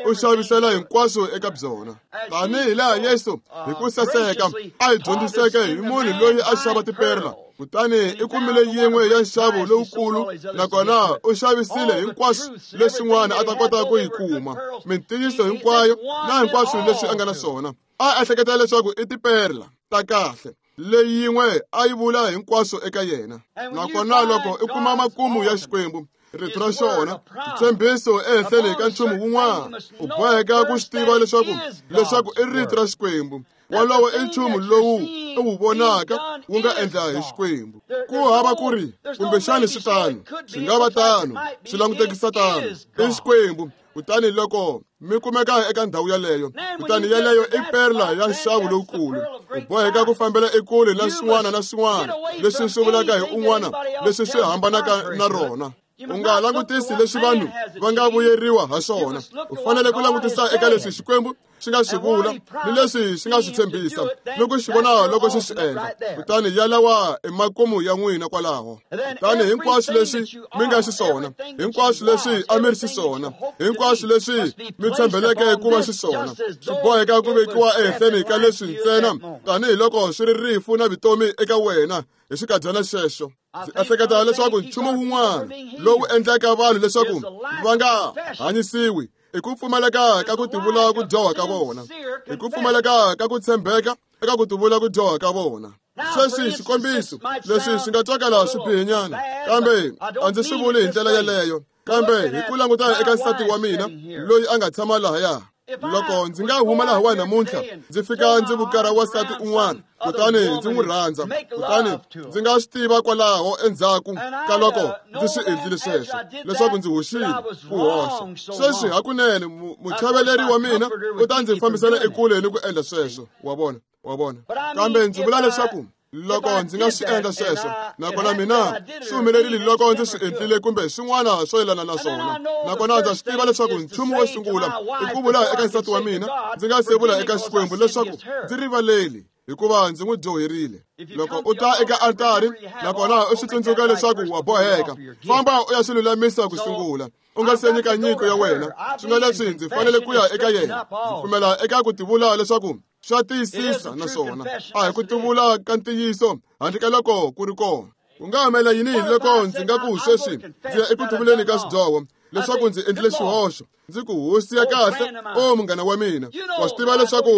u xavisela hinkwaswo eka byona. Tanihi laha Yesu hi ku saseka a hi dyondziseke hi munhu loyi a xava tiperla, kutani i kumile yin'we ya nxavo lowukulu, nakona u xavisile hinkwaswo leswin'wana a ta kota ku yi kuma, mintiyiso hinkwayo na hinkwaswo leswi a nga na swona. A ehleketa leswaku i tiperla ta kahle, leyi yin'we a yi vula hinkwaswo eka yena. Nakona loko i kuma makumu ya Xikwembu, rito ra xona, xitshembiso ehenhleni ka nchumu wun'wana, u boheka ku swi tiva leswaku i rito ra Xikwembu. Wolowo i nchumu lowu u wu vonaka wu nga endla hi Xikwembu. Ku hava ku ri kumbexani swi tano, swi nga va tano, swi langutekisa tano, i Xikwembu. Kutani loko mi kumeka eka ndhawu yaleyo, kutani yaleyo i perla ya nxavo lowukulu, u boheka ku fambela ekule na swin'wana na swin'wana leswi swi vulaka hi un'wana leswi swi hambanaka na rona. U nga langutisi leswi vanhu va nga vuyeriwa ha swona, u fanele ku langutisa eka leswi Xikwembu xi nga swi vula ni leswi xi nga swi tshembisa ni ku xi vona loko xi swi endla. Kutani yalawa i makumu ya n'wina kwalaho. Kutani hinkwaswo leswi mi nga xiswona, hinkwaswo leswi a mi ri xiswona, hinkwaswo leswi mi tshembeleke ku va xiswona, swi boheka ku vekiwa ehenhleni ka leswi ntsena tanihiloko swi ri rifu na vutomi eka wena hi xikadyana xexo. Ndzi ehleketa leswaku nchumu wun'wana lowu endlaka vanhu leswaku va nga hanyisiwi i ku pfumaleka ka ku tivula ku dyoha ka vona, i ku pfumaleka ka ku tshembeka eka ku tivula ku dyoha ka vona. Sweswi xikombiso leswi swi nga twakala swi bihinyana, kambe a ndzi swi vuli hi ndlela yeleyo, kambe hi ku languta eka nsati wa mina loyi a nga tshama lahaya. Loko ndzi nga huma lahawani namuntlha ndzi fika ndzi vukara wansati un'wana, kutani ndzi n'wi rhandza, kutani ndzi nga swi tiva kwalaho endzhaku ka loko ndzi swi endlile sweswo leswaku ndzi hoxile ku hoxa. Sweswi hakunene muchaveleri wa mina u ta ndzi fambisela ekule ni ku endla sweswo. Wa vona, wa vona. Kambe ndzi vula leswaku loko ndzi nga swi endla sweswo, nakona mina swi humelerile loko ndzi swi endlile kumbe swin'wana swo yelana na swona, nakona ndza swi tiva leswaku nchumu wo sungula i ku vula eka nsati wa mina ndzi nga se vula eka Xikwembu leswaku ndzi rivaleli hikuva ndzi n'wi dyoherile. Loko u ta eka altari nakona u swi tsundzuka leswaku wa boheka, famba u ya swi lulamisa ku sungula, u nga se nyika nyiko ya wena. Swi nga leswi ndzi fanele ku ya eka yena, ndzi pfumela eka ku tivula leswaku swa tiyisisa naswona a hi ku tivula ka ntiyiso handle ka loko ku ri kona. Ku nga humelela yini loko ndzi nga ku sweswi ndzi ya eku tivuleni ka swidyoho leswaku ndzi endlile xihoxo, ndzi ku hosi ya kahle, o munghana wa mina, wa swi tiva leswaku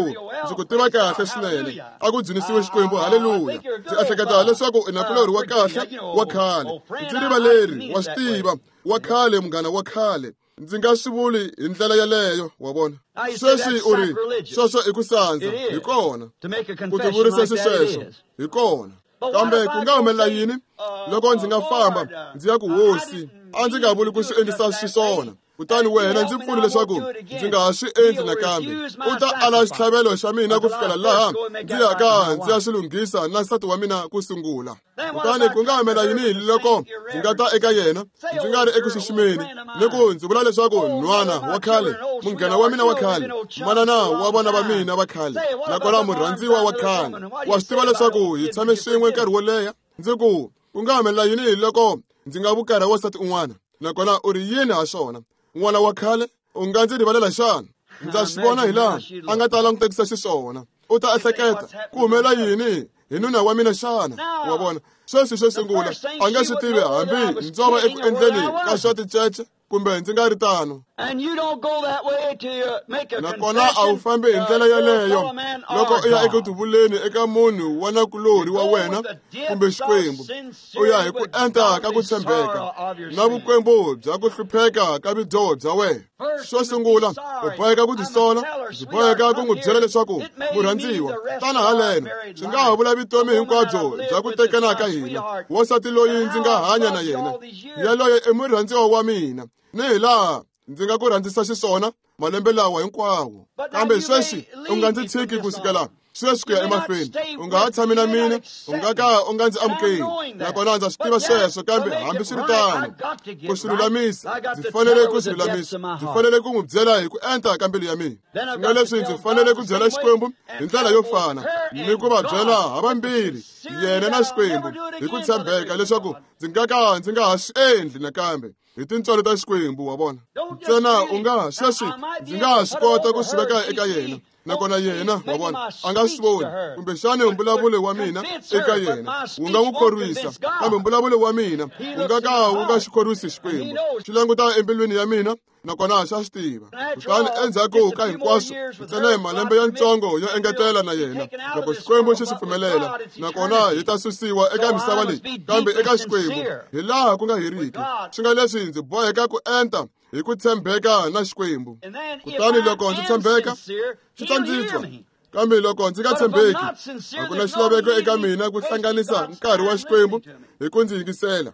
ndzi ku tiva kahle swinene, a ku dzunisiwe Xikwembu, haleluya. Ndzi ehleketa leswaku i nakulorhi wa kahle wa khale, ndzi rivaleri, wa swi tiva, wa khale, munghana wa khale. Ndzi nga swi vuli hi ndlela yeleyo, wa vona. Sweswi u ri sweswo i ku sandza, hi kona ku tivurisa xisweswo, hi kona. Kambe ku nga humelela yini loko ndzi nga famba ndzi ya ku hosi, a ndzi nga vuli ku swi endlisa xiswona, kutani wena ndzi pfuni leswaku ndzi nga ha swi endli nakambe, u ta ala xitlhavelo xa mina ku fikela laha ndzi yaka ndzi ya swi lunghisa na nsati wa mina ku sungula. Kutani ku nga humelela yini loko ndzi nga ta eka yena ndzi nga ri eku xiximeni, ni ku ndzi vula leswaku nhwana wa khale, munghana wa mina wa khale, manana wa vana va mina va khale, nakona murhandziwa wa khale, wa swi tiva leswaku hi tshame swin'we nkarhi wo leha, ndzi ku ku nga humelela yini loko ndzi nga vukarha wansati un'wana, nakona u ri yini ha swona, n'wana wa khale, u nga ndzi rivalela xana? Ndza swi vona hi laha a nga ta langutekisa xiswona, u ta ehleketa ku humelela yini hi nuna wa mina xana? Wa vona, sweswi xo sungula a nga swi tivi hambi ndzo va eku endleni ka swa ticece kumbe ndzi nga ri tano. Nakona a wu fambi hi ndlela yeleyo loko u ya eku tivuleni eka munhu wa nakulorhi wa wena kumbe Xikwembu, u ya hi ku enta ka ku tshembeka na vukwembu bya ku hlupheka ka vudyoho bya wena. Xo sungula u boheka ku tisola, ndzi boheka ku n'wi byela leswaku murhandziwa, tana haleno, swi nga ha vula vutomi hinkwabyo bya ku tekana ka hina, wansati loyi ndzi nga hanya na yena, yaloye i murhandziwa wa mina, ni hi laha ndzi nga ku rhandzisa xiswona malembe lawa hinkwawo. Kambe sweswi u nga ndzi tshiki ku sukela sweswi ku ya emahlweni, u nga ha tshami na mina, u nga ka u nga ndzi amukeli, nakona ndza swi tiva sweswo. Kambe hambiswiritano, ku swi lulamisa, ndzi fanele ku swi lulamisa, ndzi fanele ku n'wi byela hi ku enta ka mbilu ya mina. Swi nga leswi ndzi fanele ku byela Xikwembu hi ndlela yo fana ni ku va byela havambirhi, yena na Xikwembu, hi ku tshembeka leswaku ndzi nga ka ndzi nga ha swi endli nakambe, hi tintswalo ta Xikwembu, wa vona. Ntsena u nga sweswi ndzi nga ha swi kota ku swi veka eka yena, nakona yena, wa vona, a nga swi voni, kumbexana mbulavulo wa mina eka yena wu nga n'wi khorwisa, kambe mbulavulo wa mina wu nga ka wu nga xi khorwisi Xikwembu. Xi languta embilwini ya mina, nakona xa swi tiva. Kutani endzhaku ka hinkwaswo, ntsena hi malembe yantsongo yo engetela na yena, loko Xikwembu xi swi pfumelela, nakona hi ta susiwa eka misava leyi, kambe eka Xikwembu hi laha ku nga heriki. Swi nga leswi ndzi boheka ku enta hi ku tshembeka na Xikwembu. Kutani loko ndzi tshembeka, xi ta ndzi twa. Kambe loko ndzi nga tshembeki, a ku na xilaveko eka mina ku hlanganisa nkarhi wa Xikwembu hi ku ndzi yingisela.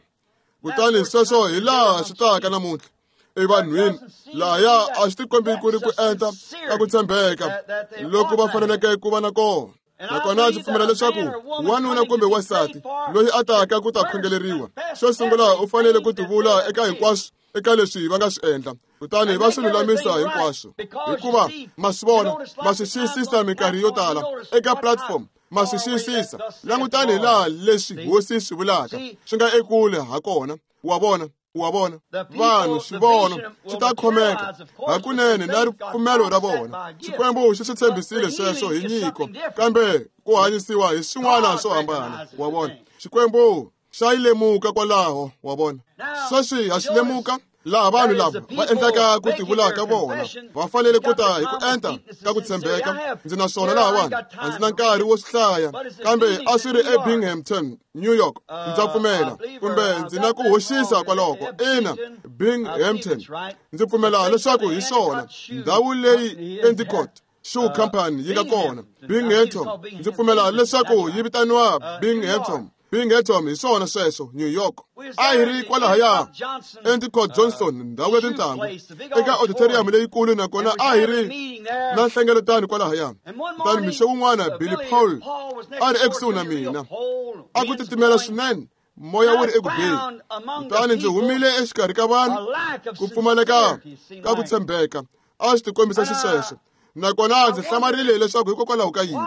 Kutani sweswo hi laha swi taka namuntlha evanhwini, lahaya a swi tikombi ku ri ku enta ka ku tshembeka loko va faneleke ku va na kona. Nakona ndzi pfumela leswaku wanuna kumbe wansati loyi a taka ku ta khongeleriwa, xo sungula u fanele ku tivula eka hinkwaswo eka leswi va nga swi endla, kutani va swi lulamisa hinkwaswo. Hikuva ma swi vona, ma swi xiyisisa minkarhi yo tala eka platform, ma swi xiyisisa. Langutani hi laha leswi hosi swi vulaka swi nga ekule ha kona, wa vona, wa vona. Vanhu swivono swi ta khomeka hakunene na ripfumelo ra vona. Xikwembu xi swi tshembisile sweswo hi nyiko, kambe ku hanyisiwa hi swin'wana swo hambana, wa vona. Xikwembu xa yi lemuka kwalaho, wa vona. Sweswi ha xi lemuka laha vanhu lava va endlaka ku tivula ka vona, va fanele ku ta hi ku enta ka ku tshembeka. Ndzi na swona lahawani, a ndzi na nkarhi wo swi hlaya, kambe a swi ri eBinghamton, New York, ndza pfumela, kumbe ndzi na ku hoxisa kwaloko. Ina, Binghamton, ndzi pfumela leswaku hi swona, ndhawu leyi Endicott Shoe Company yi nga kona. Binghamton, ndzi pfumela leswaku yi vitaniwa Binghamton. Binghamton hi swona sweswo, New York. A hi ri kwalahaya Endicott Johnson, ndhawu ya tintlangu, eka auditorium leyikulu, nakona a hi ri na nhlengeletano kwalahaya. Kutani mixo wun'wana Billy Paul a ri ekusuhi na mina, a ku titimela swinene, moya wu ri eku beni. Kutani ndzi humile exikarhi ka vanhu, ku pfumaleka ka ku tshembeka a swi tikombisa xisweswo. Nakona ndzi hlamarile leswaku hikokwalaho ka yini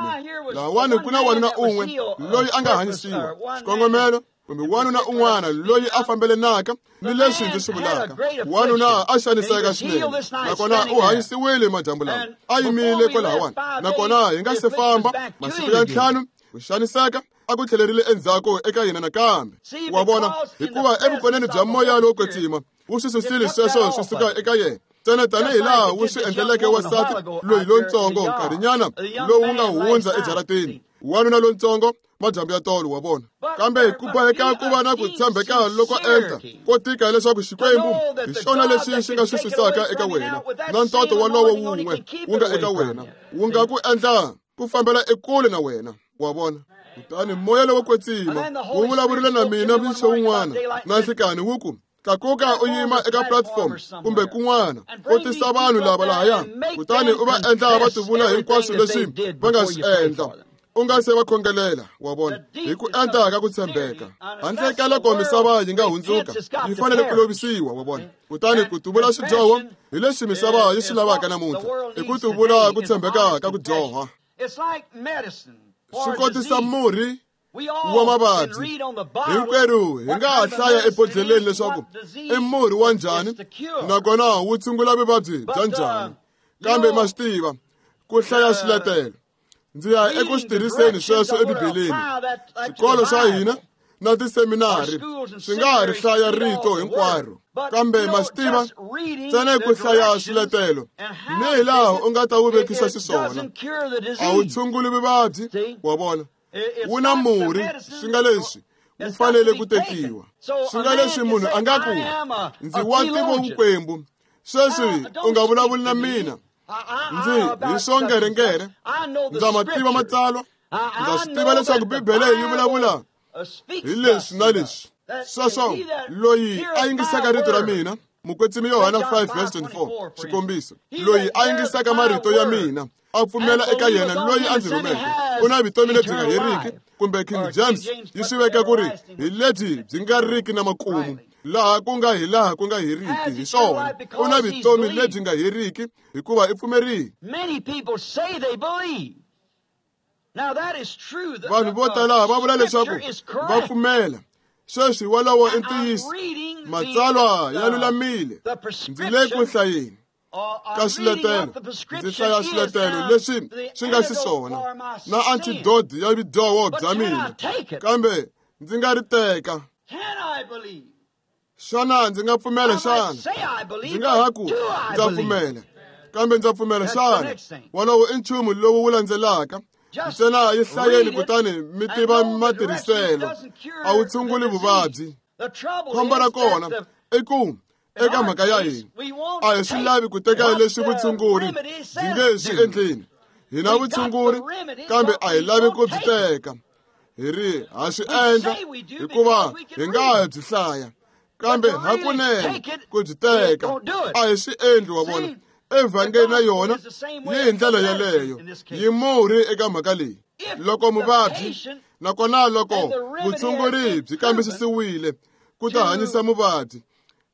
lahawani ku na wanuna un'we loyi a nga hanyisiwa xikongomelo, kumbe wanuna un'wana loyi a fambelenaka ni leswi ndzi swi vulaka. Wanuna a xaniseka swinene, nakona u hanyisiwile madyambu lawa, a yimile kwalahawani. Nakona hi nga se famba masiku ya 5, ku xaniseka a ku tlhelerile endzhaku eka yena nakambe. Wa vona, hikuva evukoneni bya moya lowo kwetsima wu swi susile sweswo swi suka eka yena ntsena tanihi laha wu swi endleleke wansati loyi lontsongo nkarhinyana lowu nga hundza ejaratini, wanuna lontsongo madyambu ya tolo, wa vona. Kambe ku boheka ku va na ku tshembeka loko enta ko tika leswaku Xikwembu hi xona lexi xi nga swi susaka eka wena, na ntoto wolowo wun'we wu nga eka wena wu nga ku endla ku fambela ekule na wena, wa vona. Kutani moya lowo kwetsima wu vulavurile na mina mixo wun'wana na nhlikani wu ku, tlakuka u yima eka platform kumbe kun'wana u tisa vanhu lava lahaya, kutani u va endla va tivula hinkwaswo leswi va nga swi endla u nga se va khongelela, wa vona, hi ku endla ka ku tshembeka. Handle ka loko misava yi nga hundzuka, yi fanele ku lovisiwa, wa vona. Kutani ku tivula swidyoho hi leswi misava yi swi lavaka namuntlha, i ku tivula ku tshembeka ka ku dyoha. Swi kotisa murhi wa mavabyi. Hinkwerhu hi nga ha hlaya ebodlheleni leswaku i murhi wa njhani nakona wu tshungula vuvabyi bya njhani, kambe ma swi tiva ku hlaya swiletelo. Ndzi ya eku swi tirhiseni sweswo eBibeleni. Swikolo swa hina na tiseminari swi nga ha ri hlaya rito hinkwaro, kambe ma swi tiva ntsena ku hlaya swiletelo ni hi laha u nga ta wu vekisa xiswona a wu tshunguli vuvabyi, wa vona. Wu na murhi, swi nga leswi wu fanele ku tekiwa. Swi nga leswi munhu a nga ku, ndzi wa ntivo vukwembu, sweswi u nga vulavuli na mina, ndzi hi swongerengere, ndza ma tiva matsalwa, ndza swi tiva leswaku Bibele yi vulavula hi leswi na leswi. Sweswo loyi a yingisaka rito ra mina, Mukwetsimi Yohana 5:24, xikombiso, loyi a yingisaka marito ya mina a pfumela eka yena loyi a ndzi rhumeke, u na vutomi lebyi nga heriki, kumbe King James yi swi veka ku ri hi lebyi byi nga riki na makumu, laha ku nga hi laha ku nga heriki. Hi swona, u na vutomi lebyi nga heriki hikuva i pfumerile. Vanhu vo tala va vula leswaku va pfumela. Sweswi wolowo i ntiyiso, matsalwa ya lulamile. Ndzi le ku hlayeni ka swiletelo, ndzi hlaya swiletelo leswi swi nga xiswona na antidote ya vudyoho bya mina, kambe ndzi nga ri teka. Xana ndzi nga pfumela xana? Ndzi nga ha ku ndza pfumela, kambe ndza pfumela xana? Wolowo i nchumu lowu wu landzelaka. Ntsena yi hlayeni kutani mi tiva matirhiselo. A wu tshunguli vuvabyi. Khombo ra kona i ku eka mhaka ya hina a hi swi lavi ku teka leswi vutshunguri byi nge swi endleni. Hi na vutshunguri, kambe a hi lavi ku byi teka. Hi ri ha swi endla hikuva hi nga ha byi hlaya, kambe hakunene ku byi teka a hi swi endli, wa vona. Evhangeli na yona yi hi ndlela yeleyo, yi murhi eka mhaka leyi. Loko muvabyi nakona loko vutshunguri byi kambisisiwile ku ta hanyisa muvabyi,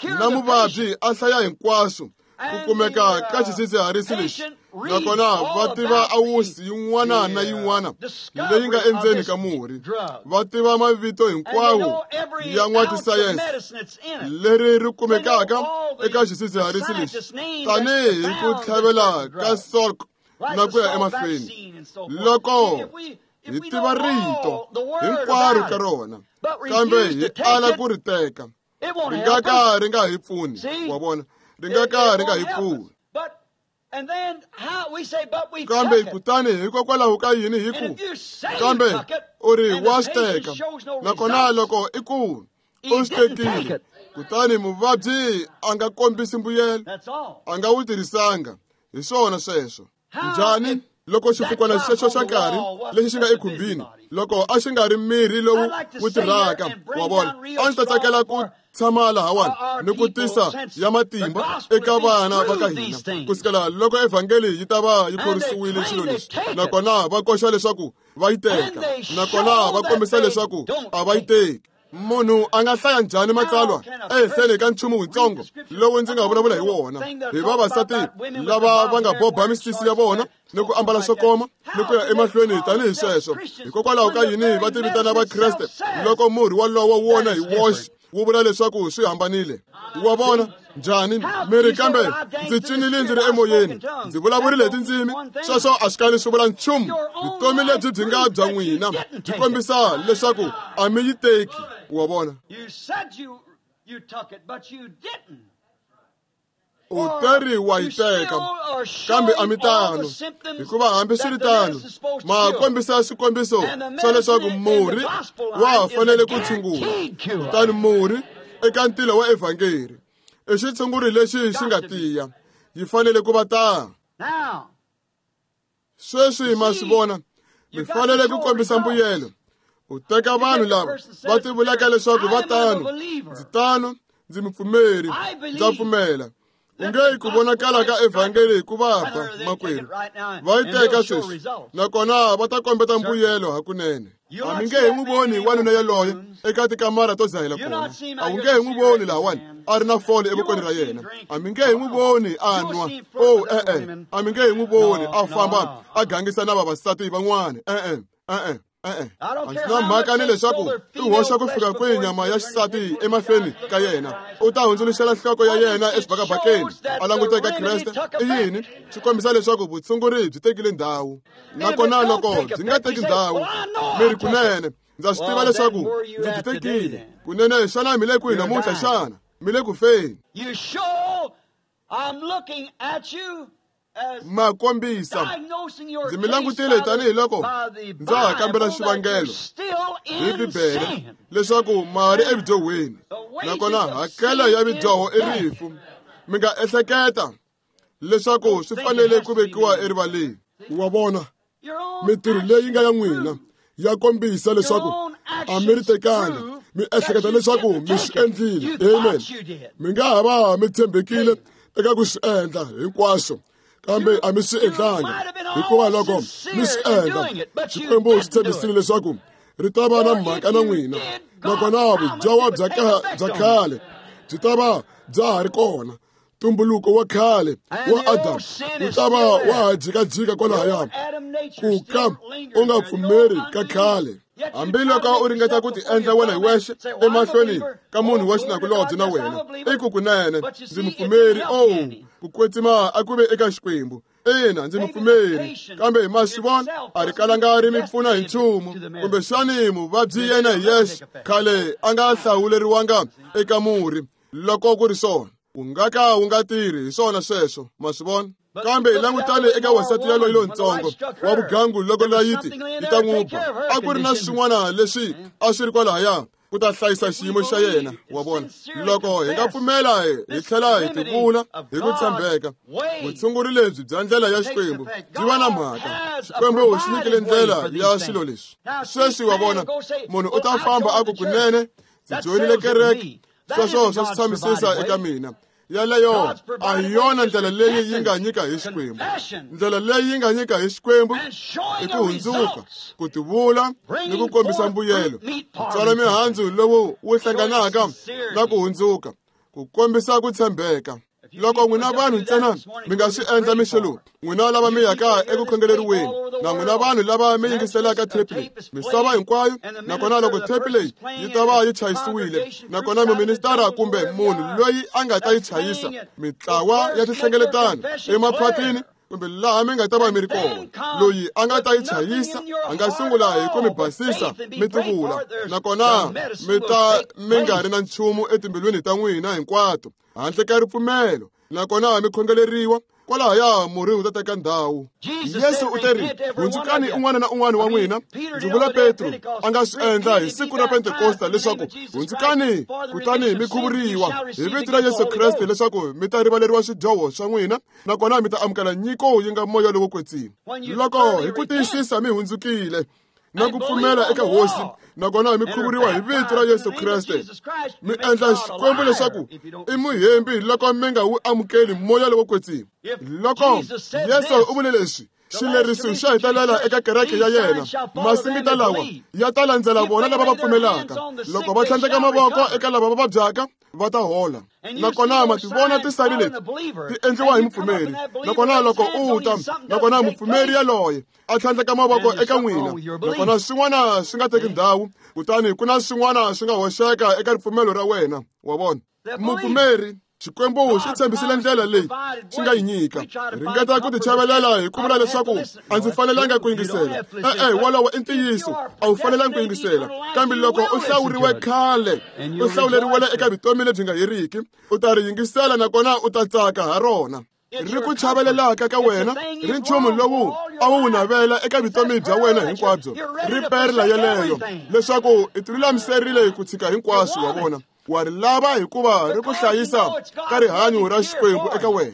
na muvabyi a hlaya hinkwaswo ku kumeka ka xidzidziharisi lexi, nakona va tiva awusi yin'wana na yin'wana leyi nga endzeni ka murhi, va tiva mavito hinkwawo ya n'watisayense leri ri kumekaka eka xidzidziharisi lexi, tanihi ku tlhavela ka Salk na ku ya emahlweni. Loko hi tiva rito hinkwaro ka rona, kambe hi ala ku ri teka, ri nga ka ri nga hi pfuni, wa vona, ri nga ka ri nga hi pfuni. Kambe kutani hikokwalaho ka yini hi ku, kambe u ri wa swi teka, nakona loko i ku u swi tekile, kutani muvabyi a nga kombisi mbuyelo, a nga wu tirhisanga. Hi swona sweswo. Njhani loko xifukwana xexo xa nkarhi lexi xi nga ekhumbini, loko a xi nga ri mirhi lowu wu tirhaka, wa vona, a ndzi ta tsakela ku tshama lahawani ni ku tisa ya matimba eka vana va ka hina kusukela loko evhangeli yi ta va yi khorisiwile xilo lexi, nakona va koxa leswaku va yi teka, nakona va kombisa leswaku a va yi teki. Munhu a nga hlaya njhani matsalwa ehenhleni ka nchumu wutsongo lowu ndzi nga vulavula hi wona, hi vavasati lava va nga boba misisi ya vona ni ku ambala swo koma ni ku ya emahlweni tanihi sweswo? Hikokwalaho ka yini va ti vitana Vakreste loko murhi wolowo wona hi woxe wu vula leswaku swi hambanile? Wa vona, Njhani? Mi ri kambe ndzi cinile ndzi ri emoyeni, ndzi vulavurile hi tindzimi, sweswo a swi kali swi vula nchumu. Vutomi lebyi byi nga bya n'wina byi kombisa leswaku a mi yi teki. Wa vona? U teri wa yi teka, kambe a mi tano, hikuva hambi swi ri tano ma kombisa swikombiso swa leswaku murhi wa ha fanele ku tshungula. Kutani murhi eka ntila wa evhangeri i xitshunguri lexi xi nga tiya, yi fanele ku va tano. Sweswi ma swi vona, mi fanele ku kombisa mbuyelo. U teka vanhu lava va tivulaka leswaku va tano, ndzi tano, ndzi mupfumeri, ndza pfumela. U nge ku vonakala ka evhangeli hi ku va ba makwerhu. Va yi teka sweswi, nakona va ta kombeta mbuyelo hakunene. A mi nge hi n'wi voni wanuna yaloye eka tikamara to dzahela kona. A wu nge hi n'wi voni lahawani a ri na fole evokweni ra yena. A mi nge hi n'wi voni a nwa. Oh, e-e. A mi nge hi n'wi voni a famba a gangisa na vavasati van'wana. E-e, e-e. E-e. A ndzi na mhaka ni leswaku i hoxa ku fika kwihi nyama ya xisati emahlweni ka yena. U ta hundzuluxela nhloko ya yena exibakabakeni a languta eka Kreste. I yini? Swi kombisa leswaku vutshunguri byi tekile ndhawu. Nakona loko byi nga teki ndhawu, mi ri kunene ndza swi tiva leswaku ndzi byi tekile. Kunene xana mi le kwihi namuntlha xana? Mi le ku feni. Ma kombisa. Ndzi mi langutile tanihiloko ndza ha kambela xivangelo hi Bibele leswaku ma ri evudyohweni, nakona hakelo ya vudyoho i rifu. Mi nga ehleketa leswaku swi fanele ku vekiwa erivaleni.
Wa vona, mintirho leyi nga ya n'wina ya kombisa leswaku a mi ri tekanga, mi ehleketa leswaku mi swi endlile. Amen. Mi nga ha va mi tshembekile eka ku swi endla hinkwaswo, kambe a mi swi endlanga, hikuva loko mi swi endla, Xikwembu xi tshembisile leswaku ri ta va na mhaka na n'wina, nakona vudyoho bya khale byi ta va bya ha ri kona. Tumbuluko wa khale wa Adamu wu ta va wa ha jikajika kwalahaya, ku ka u nga pfumeri ka khale.
Hambiloko u ringeta ku tiendla wena hi wexe emahlweni ka munhu wa xinakulobye na wena, i ku kunene ndzi mupfumeri. Oh, ku kwetsima a ku ve eka Xikwembu. Ina, ndzi mupfumeri, kambe ma swi vona, a ri kalanga ri mi pfuna hi nchumu. Kumbexani muvabyi yena hi yexe khale a nga hlawuleriwanga eka murhi. Loko ku ri swona, wu nga ka wu nga tirhi hi swona sweswo. Ma swi vona? Kambe hi langutane eka wansati yaloyi lontsongo wa vugangu loko layiti yi ta n'wi ba, a ku ri na swin'wana leswi a swi ri kwalahaya ku ta hlayisa xiyimo xa yena. Wa vona? Loko hi nga pfumela hi tlhela hi tivula hi ku tshembeka, vutshunguri lebyi bya ndlela ya Xikwembu byi va na mhaka. Xikwembu xi nyikile ndlela ya swilo leswi. Sweswi wa vona, munhu u ta famba a ku kunene ndzi joyinile kereke, sweswo swa swi tshamisisa eka mina. Yaleyo a hi yona ndlela leyi yi nga nyika hi Xikwembu. Ndlela leyi yi nga nyika hi Xikwembu i ku hundzuka, ku tivula ni ku kombisa mbuyelo, ku tswala mihandzu lowu wu hlanganaka na ku hundzuka, ku kombisa ku tshembeka. Loko n'wina vanhu ntsena mi nga swi endla mixo lowu, n'wina lava mi yaka eku khongeleriweni, na n'wina vanhu lava mi yingiselaka thepi leyi misava hinkwayo, nakona loko thepi leyi yi ta va yi chayisiwile, nakona muministara kumbe munhu loyi a nga ta yi chayisa, mitlawa ya tinhlengeletano emaphatini kumbe laha mi nga ta va mi ri kona, loyi a nga ta yi chayisa a nga sungula hi ku mi basisa mi tivula, nakona mi ta mi nga ri na nchumu etimbilwini ta n'wina hinkwato handle ka ripfumelo, nakona mi khongeleriwa kwalahaya murhi wu ta teka ndhawu. Yesu u teri, hundzukani un'wana na un'wana wa n'wina. Ndzi vula Petro a nga swi endla hi siku ra Pentekosta leswaku hundzukani kutani mi khuvuriwa hi vito ra Yesu Kreste leswaku mi ta rivaleriwa swidyoho swa n'wina, nakona mi ta amukela nyiko yi nga moya lowo kwetsima. Loko hi ku tiyisisa mi hundzukile na ku pfumela eka Hosi, nakona mi khuvuriwa hi vito ra Yesu Kreste, mi endla Xikwembu leswaku i muhembi loko mi nga wu amukeli moya lowo kwetsima. Loko Yesu u vule leswi, xileriso xa hetelela eka kereke ya yena, masingita lawa ya ta landzela vona lava va pfumelaka. Loko va tlhandleka mavoko eka lava va vabyaka, va ta hola. Nakona ma ti vona tisali leti ti endliwa hi mupfumeri, nakona loko u ta, nakona mupfumeri yaloye a tlhandleka mavoko eka n'wina, nakona swin'wana swi nga teki ndhawu, kutani ku na swin'wana swi nga hoxeka eka ripfumelo ra wena. Wa vona? Mupfumeri Xikwembu xi tshembisile ndlela leyi xi nga yi nyika. Ringeta ku tichavelela hi ku vula leswaku a ndzi fanelanga ku yingisela. E-e, wolowo i ntiyiso, a wu fanelanga ku yingisela. Kambe loko u hlawuriwe khale, u hlawuleriwele eka vutomi lebyi nga heriki, u ta ri yingisela nakona u ta tsaka ha rona. Ri ku chavelelaka ka wena, ri nchumu lowu a wu navela eka vutomi bya wena hinkwabyo, ri perla yeleyo leswaku i tilulamiserile ku tshika hinkwaswo wa vona. Wa ri lava hikuva ri ku hlayisa ka rihanyo ra Xikwembu eka wena.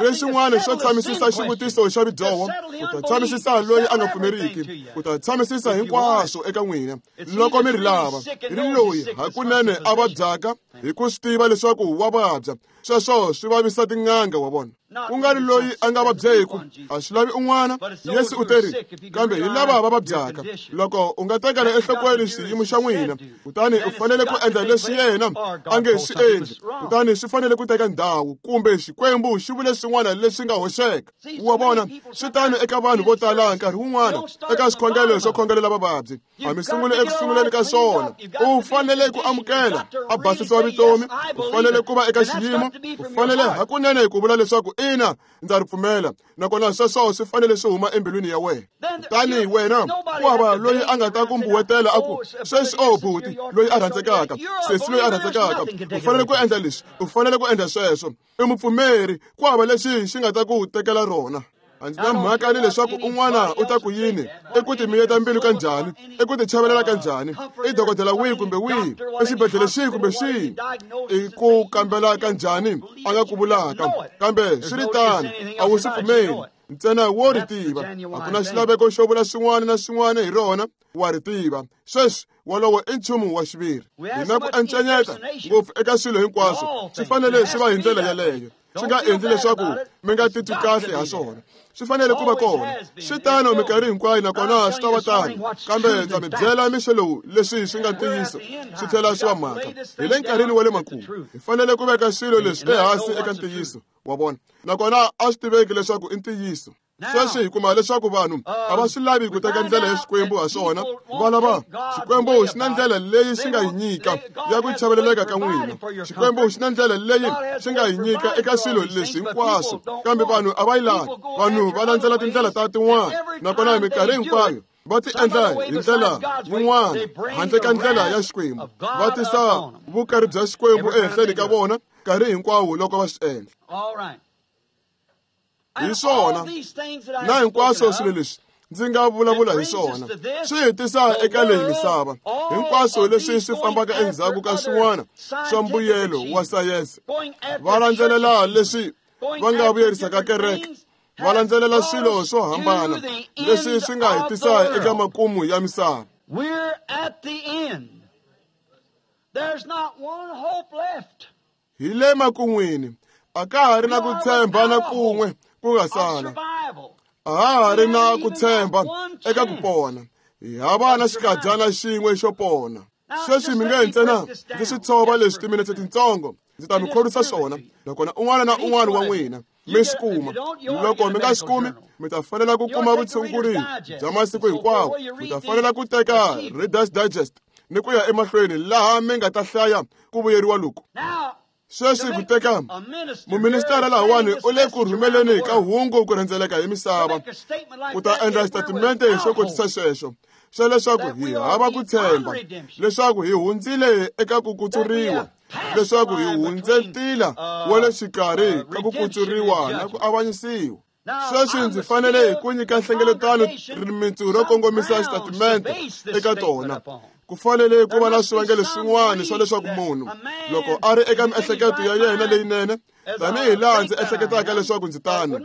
Ri xin'wana xo tshamisisa xivutiso xa vudyoho, u ta tshamisisa loyi a nga pfumeriki, u ta tshamisisa hinkwaswo eka n'wina loko mi ri lava. Ri loyi hakunene a vabyaka hi ku swi tiva leswaku wa vabya, sweswo swi vavisa tin'anga wa vona. Ku nga ri loyi a nga vabyeku, a swi lavi un'wana. Yesu u teri, kambe hi lava va vabyaka. Loko u nga tekela enhlokweni xiyimo xa n'wina, kutani u fanele ku endla leswi yena a nge swi endli, kutani swi fanele ku teka ndhawu, kumbe Xikwembu xi vule swin'wana leswi nga hoxeka. Wa vona, swi tano eka vanhu vo tala nkarhi wun'wana eka swikhongelo swo khongelela vavabyi. A mi sunguli eku sunguleni ka swona. U fanele ku amukela a basisiwa vutomi, u fanele ku va eka xiyimo, u fanele hakunene ku vula leswaku ina, ndza ri pfumela, nakona sweswo swi fanele swi huma embilwini ya wena. Kutani wena ku hava loyi a nga ta ku mbuwetela a ku, sweswi o buti loyi a rhandzekaka, sesi loyi a rhandzekaka, u fanele ku endla leswi, u fanele ku endla sweswo. I mupfumeri, ku hava lexi xi nga ta ku tekela rona. A ndzi na mhaka ni leswaku un'wana u ta ku yini, i ku timiyeta mbilu ka njhani, i ku tichavelela ka njhani, i dokodela wihi kumbe wihi, i xibedhlele xihi kumbe xihi, i ku kambela ka njhani a nga ku vulaka, kambe swi ri tano, a wu swi pfumeli. Ntsena wo ri tiva, a ku na xilaveko xo vula swin'wana na swin'wana hi rona, wa ri tiva. Sweswi wolowo i nchumu wa xiviri. Hi na ku encenyeta ngopfu eka swilo hinkwaswo, swi fanele swi va hi ndlela yeleyo. Swi nga endli leswaku mi nga titwi kahle ha swona, swi fanele ku va kona. Swi tano minkarhi hinkwayo, nakona swi ta va tano. Kambe ndza mi byela mixo lowu leswi swi nga ntiyiso, swi tlhela swi va mhaka. Hi le nkarhini wa le makumu, hi fanele ku veka swilo leswi ehansi eka ntiyiso wa vona, nakona a swi tiveki leswaku i ntiyiso. Sweswi hi kuma leswaku vanhu a va swi lavi ku teka ndlela ya Xikwembu ha swona. Va lava Xikwembu xi na ndlela leyi xi nga yi nyika ya ku chaveleleka ka n'wina. Xikwembu xi na ndlela leyi xi nga yi nyika eka swilo leswi hinkwaswo, kambe vanhu a va yi lavi. Vanhu va landzela tindlela ta tin'wana, nakona hi minkarhi hinkwayo va ti endla hi ndlela yin'wana handle ka ndlela ya Xikwembu. Va tisa vukari bya Xikwembu ehenhleni ka vona nkarhi hinkwawo loko va swi endla. Hi swona na hinkwaswo swilo leswi ndzi nga vulavula hi swona swi hi tisa eka leyi misava. Hinkwaswo leswi swi fambaka endzhaku ka swin'wana swa mbuyelo wa sayense, va landzelela leswi va nga vuyerisaka kereke, va landzelela swilo swo hambana leswi swi nga hi tisa eka makumu ya misava. Hi le makun'wini, a ka ha ri na ku tshemba na kun'we ku nga sala. A ha ha ri na ku tshemba eka ku pona. Hi hava na xikadyana xin'we xo pona. Sweswi mi nge ntsena ndzi swi tshova leswi timinetse tintsongo, ndzi ta mi khorwisa swona, nakona un'wana na un'wana wa n'wina mi swi kuma. Loko mi nga swi kumi, mi ta fanela ku kuma vutshunguri bya masiku hinkwawo. Mi ta fanela ku teka Reader's Digest ni ku ya emahlweni laha mi nga ta hlaya ku vuyeriwa loku. Sweswi ku teka muministara lahawani u le ku rhumeleni ka hungu ku rhendzeleka hi misava ku ta endla xitatimente xo kotisa xexo xa leswaku hi hava ku tshemba, leswaku hi hundzile eka ku kutsuriwa, leswaku hi hundze ntila wa le xikarhi ka ku kutsuriwa na ku avanyisiwa. Sweswi ndzi fanele ku nyika nhlengeletano rimitsu ro kongomisa xitatimente eka tona. Ku fanele ku va na swivangelo swin'wana swa leswaku munhu loko a ri eka miehleketo ya yena leyinene, tanihi laha ndzi ehleketaka leswaku ndzi tano,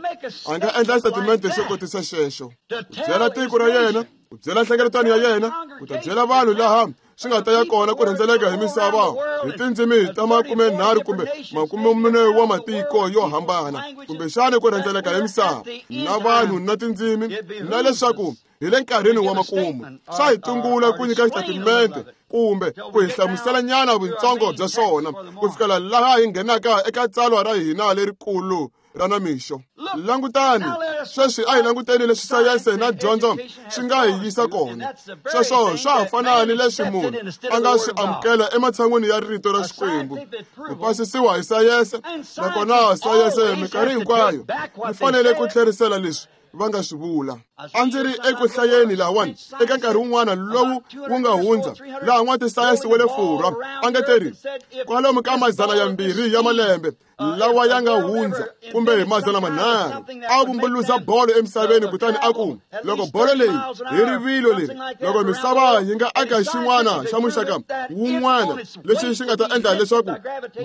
a nga endla xitatimente xo kotisa xexo, ku byela tiko ra yena, ku byela nhlengeletano ya yena, ku ta byela vanhu laha swi nga ta ya kona ku rhendzeleka hi misava hi tindzimi ta 30 kumbe 40 wa matiko yo hambana, kumbexana ku rhendzeleka hi misava na vanhu na tindzimi, na leswaku hi le nkarhini wa makumu. Swa hi tungula ku nyika xitatimente kumbe ku hi hlamuselanyana vutsongo bya swona ku fikela laha hi nghenaka eka tsalwa ra hina lerikulu ra namixo. Langutani, sweswi a hi languteni leswi sayense na dyondzo swi nga hi yisa kona. Sweswo swa ha fana ni leswi munhu a nga swi amukela ematshan'wini ya rito ra Xikwembu. Ku pasisiwa hi sayense, nakona sayense minkarhi hinkwayo yi fanele ku tlherisela leswi va nga swi vula. A ndzi ri eku hlayeni lahawani eka nkarhi wun'wana lowu wu nga hundza, laha n'watisayense wa le Furwa a nga teri kwalomu ka 200 ya malembe lawa ya nga hundza, kumbe 300, a vumbuluza bolo emisaveni, kutani a ku loko bolo leyi hi rivilo leri, loko misava yi nga aka xin'wana xa muxaka wun'wana lexi xi nga ta endla leswaku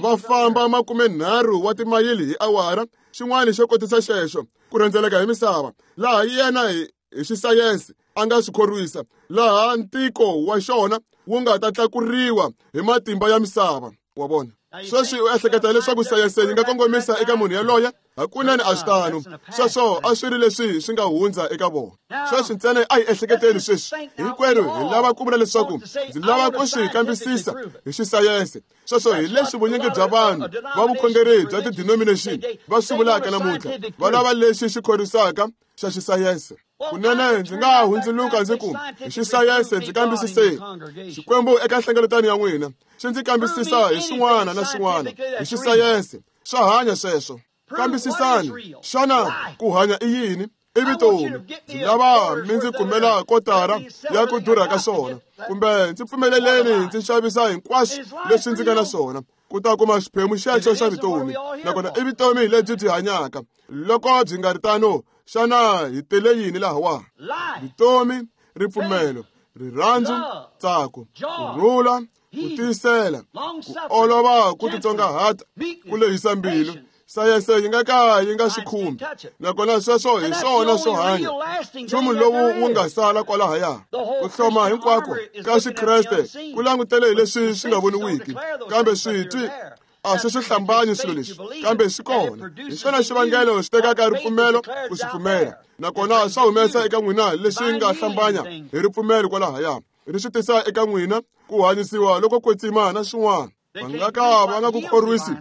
va famba 30 wa timayili hi awara, xin'wana xo kotisa xexo ku rhendzeleka hi misava, laha yena hi xisayense a nga swi khorwisa, laha ntiko wa xona wu nga ta tlakuriwa hi matimba ya misava. Wa vona? Sweswi u ehleketa leswaku sayense yi nga kongomisa eka munhu yaloye? Hakunene a swi tano. Sweswo a swi ri leswi swi nga hundza eka vona. Sweswi ntsena a hi ehleketeni sweswi. Hinkwerhu hi lava ku vula leswaku ndzi lava ku swi kambisisa hi xisayense. Sweswo hi leswi vunyingi bya vanhu va vukhongeri bya ti-denomination va swi vulaka namuntlha. Va lava lexi xi khorwisaka xa xisayense. Kunene ndzi nga hundzuluka ndzi ku hi xisayense ndzi kambisiseni Xikwembu eka nhlengeletano ya n'wina, xi ndzi kambisisa hi swin'wana na swin'wana hi xisayense. Swa hanya sweswo. Kambisisani, xana ku hanya i yini? I vutomi. Ndzi lava mi ndzi kumela kotara ya ku durha ka swona, kumbe ndzi pfumeleleni ndzi xavisa hinkwaswo leswi ndzi nga na swona ku ta kuma xiphemu xexo xa vutomi. Nakona i vutomi lebyi byi hanyaka. Loko byi nga ri tano, xana hi tele yini lahawa? Vutomi, ripfumelo, rirhandzu, ntsako, ku rhula, ku tiyisela, ku olova, ku titsongahata, ku lehisa mbilu. Sayense yi nga ka yi nga swi khumbi, nakona sweswo hi swona swo hanya. Nchumu lowu wu nga sala kwalahaya, ku hloma hinkwako ka Xikreste ku langutele hi leswi swi nga voniwiki, kambe switwi a swi swi hlambanyi swilo leswi, kambe swi kona. Hi xona xivangelo xi tekaka ripfumelo ku swi pfumela, nakona swa humesa eka n'wina leswi nga hlambanya hi ripfumelo kwalahaya, ri swi tisa eka n'wina ku hanyisiwa loko kwetsima na swin'wana. Va nga ka va nga ku khorwisi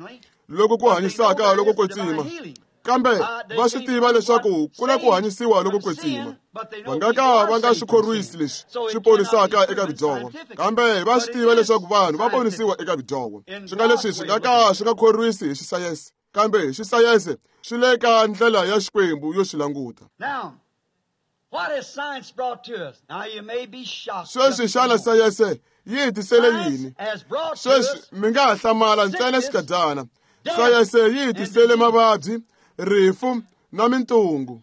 loko ku hanyisaka loko kwetsima, kambe va swi tiva leswaku ku na ku hanyisiwa loko kwetsima. Va nga ka va nga swi khorwisi leswi swi ponisaka eka vudyoho, kambe va swi tiva leswaku vanhu va ponisiwa eka vudyoho. Swi nga leswi swi nga ka swi nga khorwisi hi xisayense, kambe hi xisayense swi le ka ndlela ya Xikwembu yo swi languta. Sweswi xana sayense yi hi tisele yini? Sweswi mi nga ha hlamala ntsena xikadyana. Sayense yi hi tisele mavabyi, rifu na mintungu.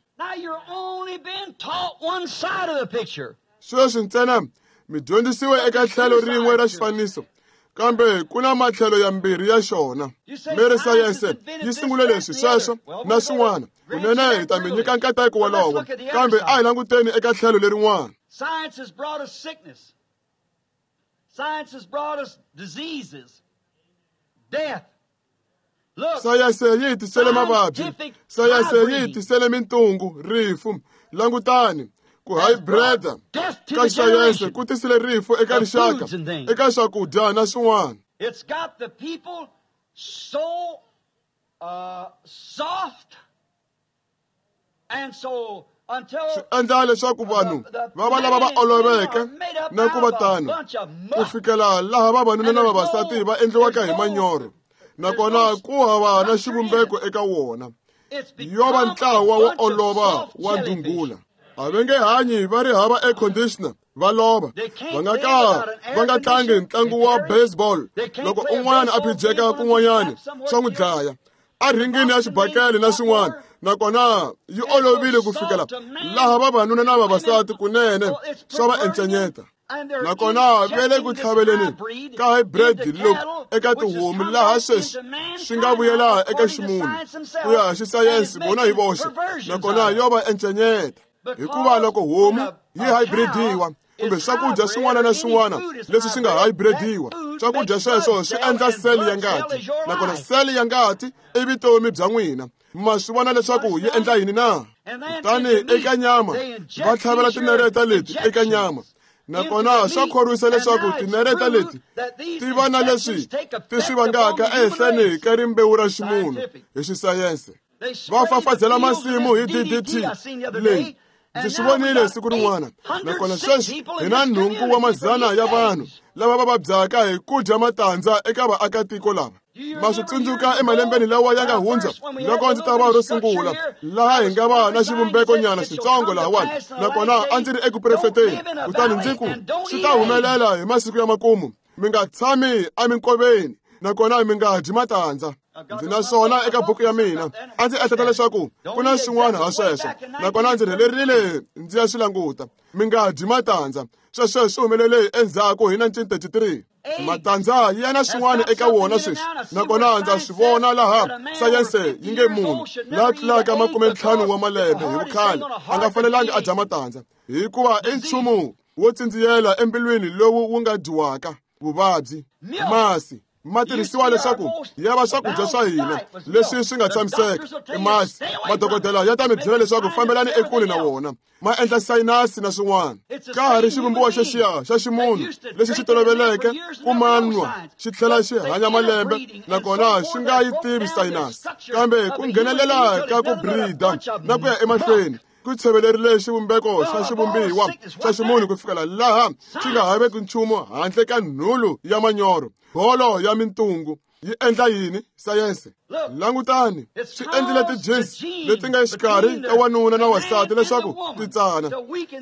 Sweswi ntsena mi dyondzisiwe eka tlhelo rin'we ra xifaniso, kambe ku na matlhelo yambirhi ya xona. Mi ri sayense yi sungule leswi, sweswo na swin'wana. Kunene hi ta mi nyika nkateko wolowo, kambe a hi languteni eka tlhelo lerin'wana.
Science has brought us sickness. Science has brought us diseases, death.
Sayense yi hi tisele mavabyi, sayense yi hi tisele mintungu, rifu. Langutani, ku hybrida ka sayense ku tisile rifu eka rixaka, eka swakudya na swin'wana.
It's got the people so soft and so
swi endla leswaku vanhu va va lava va oloveke na ku va tano, ku fikela laha vavanuna na vavasati va endliwaka hi manyoro, nakona ku hava na xivumbeko eka wona. Yo va ntlawa wo olova wa ndhungula. A va nge hanyi va ri hava air conditioner, va lova. Va nga ka va nga tlangi ntlangu wa baseball loko un'wana a phijeka kun'wanyana swa n'wi dlaya a ringini ya xibakele na swin'wana, nakona yi olovile ku fikela laha vavanuna na vavasati kunene swa va encenyeta. Nakona va le ku tlhaveleni ka hybrid look eka tihomu, laha sweswi swi nga vuyela eka ximunhu ku ya hi xisayense vona hi voxe, nakona yo va encenyeta. Hikuva loko homu yi hybridiwa kumbe swakudya swin'wana na swin'wana leswi swi nga hybridiwa, swakudya sweswo swi endla seli ya ngati, nakona seli ya ngati i vutomi bya n'wina. Ma swi vona leswaku yi endla yini na? Kutani eka nyama va tlhavela tinareta leti eka nyama, nakona swa khorwisa leswaku tinareta leti ti va na leswi ti swi vangaka ehenhleni ka rimbewu ra ximunhu hi xisayense. Va fafazela masimu hi DDT leyi. Ndzi swi vonile siku rin'wana, nakona sweswi hi na nhungu wa mazana ya vanhu lava va vabyaka hi ku dya matandza eka vaakatiko lava. Ma swi tsundzuka emalembeni lawa ya nga hundza loko ndzi ta va ro sungula laha hi nga va na xivumbekonyana xitsongo lahawani, nakona a ndzi ri eku profeteni, kutani ndzi ku swi ta humelela hi masiku ya makumu, mi nga tshami eminkoveni nakona mi nga dyi matandza. Ndzi na swona eka buku ya mina. A ndzi ehleketa leswaku ku na swin'wana ha sweswo, nakona ndzi rhelerile ndzi ya swi languta. Mi nga dyi matandza. Sweswo swi humelele endzhaku hi 1933. Matandza ya na swin'wana eka wona sweswi, nakona ndza swi vona laha sayense yi nge munhu la tlulaka 50 wa malembe hi vukhale a nga fanelangi a dya matandza, hikuva i nchumu wo tsindziyela embilwini lowu wu nga dyiwaka. Vuvabyi. Masi ma tirhisiwa leswaku ya va swakudya swa hina leswi swi nga tshamiseka. I masi. Madokodela ya ta mi byela leswaku fambelani ekule na wona, ma endla sayinasi na swin'wana. Ka ha ri xivumbiwa xexiya xa ximunhu lexi xi toloveleke ku manwa xi tlhela xi hanya malembe, nakona xi nga yi tivi sayinasi. Kambe ku nghenelela ka ku breeder na ku ya emahlweni ku tshevelerile xivumbeko xa xivumbiwa xa ximunhu ku fikela laha xi nga haveki nchumu handle ka nhulu ya manyoro, bolo ya mintungu. Yi endla yini sayense? Langutani, swi endlile ti-genes leti nga exikarhi ka wanuna na wansati leswaku ti tsana.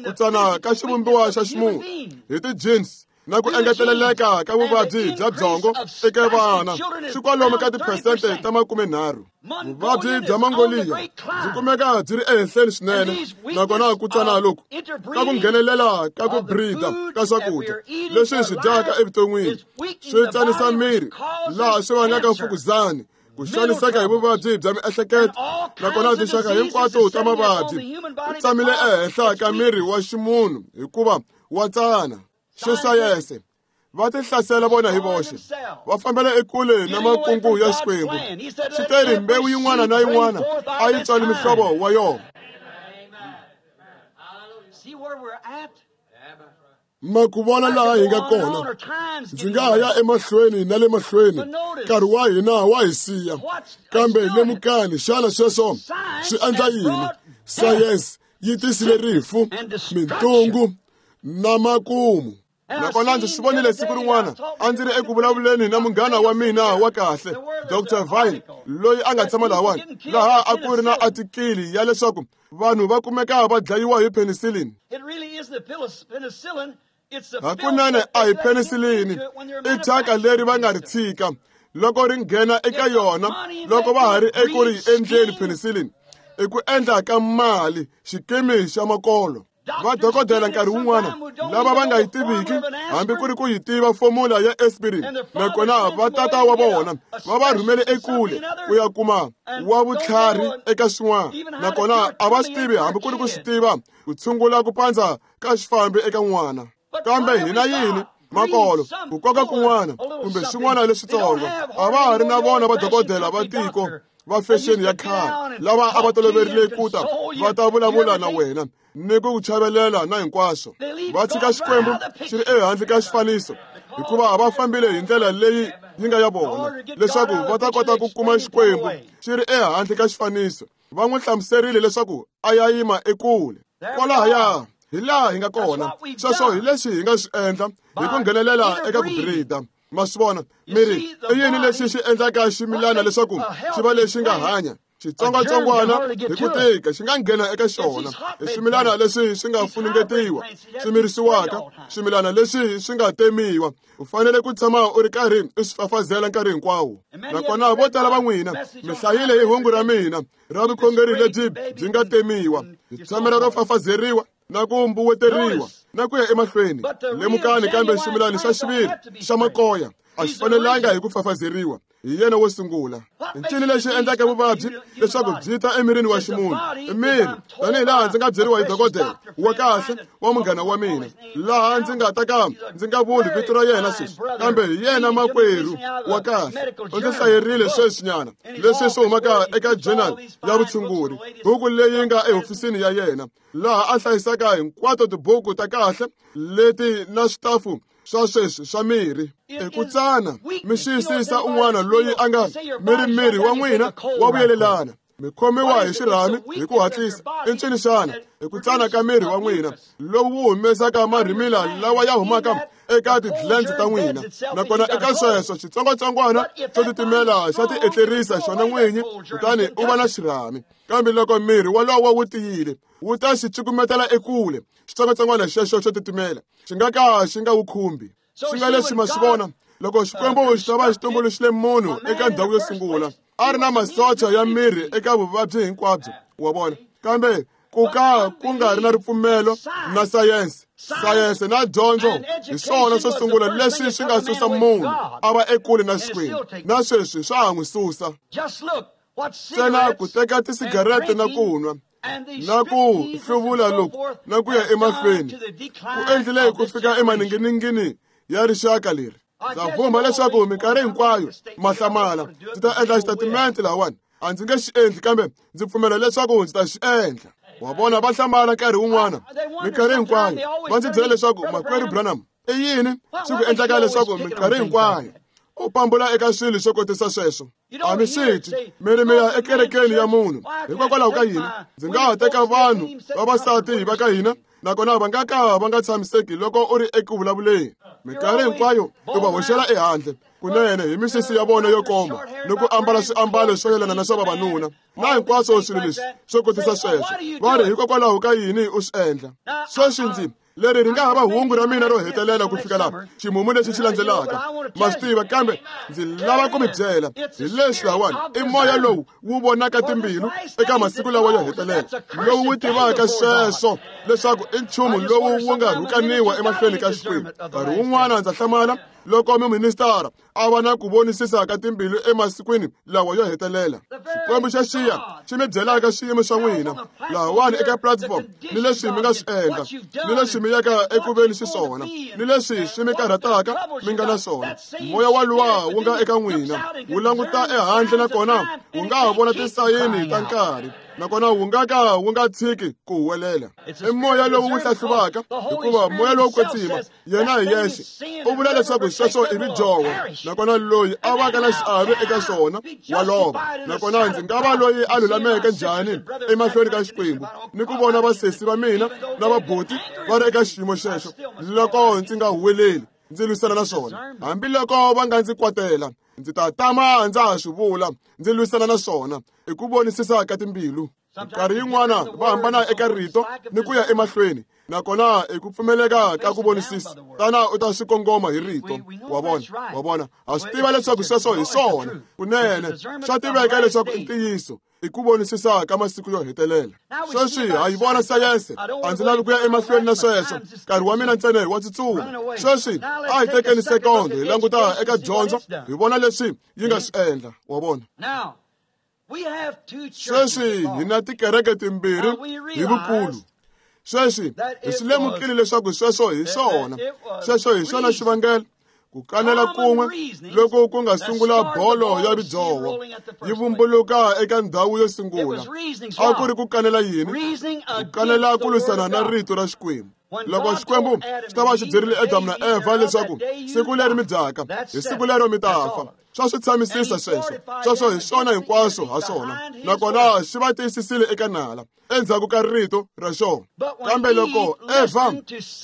Ku tsana ka xivumbiwa xa ximunhu hi ti-genes na ku engeteleleka ka vuvabyi bya byongo eka vana swi kwalomu ka tiphesente ta 30. Vuvabyi bya Mongoliya byi kumeka byi ri ehenhleni swinene, nakona ku tsana loku ka ku nghenelela ka ku breeder ka swakudya leswi hi swi dyaka evuton'wini swi tsanisa miri, laha swi vangaka mfukuzani, ku xaniseka hi vuvabyi bya miehleketo, nakona tinxaka hinkwato ta mavabyi ku tsamile ehenhla ka miri wa ximunhu hikuva wa tsana. Xisayense va ti hlasela vona hi voxe, va fambela ekule na makungu ya Xikwembu. Xi teri mbewu yin'wana na yin'wana a yi tswali mihlovo wa yona. Ma ku vona laha hi nga kona, ndzi nga ha ya emahlweni na le mahlweni, nkarhi wa hina wa hi siya. Kambe lemukani, xana sweswo swi endla yini? Sayense yi tisile rifu, mintungu na makumu. Nakona ndzi swi vonile siku rin'wana, a ndzi ri eku vulavuleni na munghana wa mina wa kahle, Dr. Vine, loyi a nga tshama lahawani, laha a ku ri na atikili ya leswaku vanhu va kumeka va dlayiwa hi penicillin. Hakunene a hi penicillin, i thyaka leri va nga ri tshika loko ri nghena eka yona loko va ha ri eku ri endleni penicillin. I ku endla ka mali, xikimi xa makolo. Vadokodela nkarhi wun'wana lava va nga yi tiviki hambi ku ri ku yi tiva fomula ya aspirin, nakona vatata wa vona va va rhumele ekule ku ya kuma wa vutlhari eka swin'wana, nakona a va swi tivi hambi ku ri ku swi tiva ku tshungula ku pandza ka xifambi eka n'wana. Kambe hina yini? Makolo, ku koka kun'wana kumbe swin'wana leswitsongo. A va ha ri na vona vadokodela va tiko va fexeni ya khale lava a va toloverile ku ta va ta vulavula na wena ni ku chavelela na hinkwaswo. Va tshika Xikwembu xi ri ehandle ka xifaniso, hikuva va fambile hi ndlela leyi yi nga ya vona, leswaku va ta kota ku kuma Xikwembu xi ri ehandle ka xifaniso. Va n'wi hlamuserile leswaku a ya yima ekule. Kwalahaya hi laha hi nga kona. Sweswo hi leswi hi nga swi endla hi ku nghenelela eka ku breeder. Ma swi vona, miri i yini lexi xi endlaka ximilana leswaku xi va lexi nga hanya? Xitsongwatsongwana hi ku tika xi nga nghena eka xona. I swimilana leswi swi nga funengetiwa, swi mirisiwaka, swimilana leswi swi nga temiwa. U fanele ku tshama u ri karhi u swi fafazela nkarhi hinkwawo. Nakona vo tala va n'wina mi hlayile hi hungu ra mina ra vukhongeri lebyi byi nga temiwa, hi tshamela ro fafazeriwa na ku mbuweteriwa na ku ya emahlweni. Lemukani, kambe ximilani xa xiviri xa makoya a xi fanelanga hi ku fafazeriwa. Hi yena wo sungula. Ncini lexi endlaka vuvabyi leswaku byi ta emirini wa ximunhu? I miri, tanihi laha ndzi nga byeriwa hi dokodela wa kahle wa munghana wa mina, laha ndzi nga ta ka ndzi nga vuli vito ra yena sweswi, kambe hi yena makwerhu wa kahle. U ndzi hlayerile sweswinyana leswi swi humaka eka journal ya vutshunguri, buku leyi nga ehofisini ya yena, laha a hlayisaka hinkwato tibuku ta kahle leti na switafu swa sweswi swa mirhi. I ku tsana, mi xiyisisa un'wana loyi a nga miri miri wa n'wina wa vuyelelana. Mi khomiwa hi xirhami hi ku hatlisa. I ncini xana? Hi ku tsana ka miri wa n'wina lowu wu humesaka marhimila lawa ya humaka eka ti-glands ta n'wina. Nakona eka sweswo xitsongwatsongwana xo titimela xa ti etlerisa xona n'winyi, kutani u va na xirhami. Kambe loko miri wolowo wu tiyile, wu ta xi cukumetela ekule xitsongwatsongwana xexo xo titimela, xi nga ka xi nga wu khumbi. Swi nga leswi ma swi vona loko Xikwembu xi ta va xi tumbuluxile munhu eka ndhawu yo sungula, a ri na masocha ya miri eka vuvabyi hinkwabyo, wa vona. Kambe ku ka ku nga ri na ripfumelo na sayense, sayense na dyondzo hi swona swo sungula leswi swi nga susa munhu a va ekule na Xikwembu, na sweswi swa ha n'wi susa. Ntsena ku teka tisigarete na ku nwa na ku hluvula loku na ku ya emahlweni ku endlile ku fika emaninginingini ya rixaka leri. Ndza vumba leswaku minkarhi hinkwayo mahlamala ndzi ta endla xitatimende lahawani. A ndzi nge xi endli, kambe ndzi pfumela leswaku ndzi ta xi endla. Wa vona, va hlamala nkarhi wun'wana, minkarhi hinkwayo va ndzi byela leswaku makwerhu Branham, i yini swi ku endlaka leswaku minkarhi hinkwayo u pambula eka swilo swo kotisa sweswo? A mi swi twi, mi ri mi ya ekerekeni ya munhu. Hikokwalaho ka yini ndzi nga ha teka vanhu vavasati va ka hina, nakona va nga ka va nga tshamiseki loko u ri eku vulavuleni. Minkarhi hinkwayo u va hoxela ehandle kunene hi misisi ya vona yo koma ni ku ambala swiambalo swo yelana na swa vavanuna na hinkwaswo swilo leswi swo kotisa sweswo. Va ri, hikokwalaho ka yini u swi endla sweswi? Ndzi leri ri nga hava hungu ra mina ro hetelela ku fika laha ximumu lexi xi landzelaka, ma swi tiva. Kambe ndzi lava ku mi byela hi leswi lahawani, i moya lowu wu vonaka timbilu eka masiku lawa yo hetelela, lowu wu tivaka sweswo leswaku i nchumu lowu wu nga rhukaniwa emahlweni ka Xikwembu. Nkarhi wun'wana ndza hlamala loko muministara a va na ku vonisisa ka timbilu emasikwini lawa yo hetelela. Xikwembu xa xiya xi mi byelaka swiyimo swa n'wina lahawani eka platform, ni leswi mi nga swi endla, ni leswi mi yaka eku veni xiswona, ni leswi swi mi karhataka mi nga na swona. Moya waluwa wu nga eka n'wina wu languta ehandle, nakona wu nga ha vona tisayini ta nkarhi, nakona wu nga ka wu nga tshiki ku huwelela. I moya lowu wu hlahluvaka, hikuva moya lowo kwetsima yena hi yexe u vula leswaku sweswo i ridyoho, nakona loyi a vaka na xiave eka swona wa lova. Nakona ndzi nga va loyi a lulameke njhani emahlweni ka Xikwembu ni ku vona vasesi va mina na vabuti va ri eka xiyimo xexo loko ndzi nga huweleli ndzi lwisana na swona? Hambiloko va nga ndzi kwatela, ndzi ta tama ndza ha swi vula, ndzi lwisana na swona hi ku vonisisa ka timbilu. Nkarhi yin'wana va hambana eka rito ni ku ya emahlweni, nakona i ku pfumeleka ka ku vonisisa tana u ta swi kongoma hi rito. Wa vona, wa vona, ha swi tiva leswaku sweswo hi swona kunene, swa tiveka leswaku i ntiyiso, i ku vonisisa ka masiku yo hetelela. Sweswi ha yi vona sayense. A ndzi lavi ku ya emahlweni na sweswo, nkarhi wa mina ntsena wa tsutsuma. Sweswi a hi tekeni sekondo hi languta eka dyondzo, hi vona leswi yi nga swi endla. Wa vona, sweswi hi na tikereke timbirhi hi vukulu. Sweswi hi swi lemukile leswaku sweswo hi swona, sweswo hi swona xivangelo ku kanela kun'we loko ku nga sungula bolo ya ridzoho yi vumbuluka eka ndhawu yo sungula. A ku ri ku kanela yini? Ku kanela ku lwisana na rito ra Xikwembu. Loko Xikwembu xi ta va xi byerile Adamu na Eva leswaku siku leri mi dyaka hi siku lero mi ta fa, swa swi tshamisisa sweswo. Sweswo hi swona hinkwaswo ha swona, nakona xi va tiyisisile eka nala endzhaku ka rito ra xona. Kambe loko Eva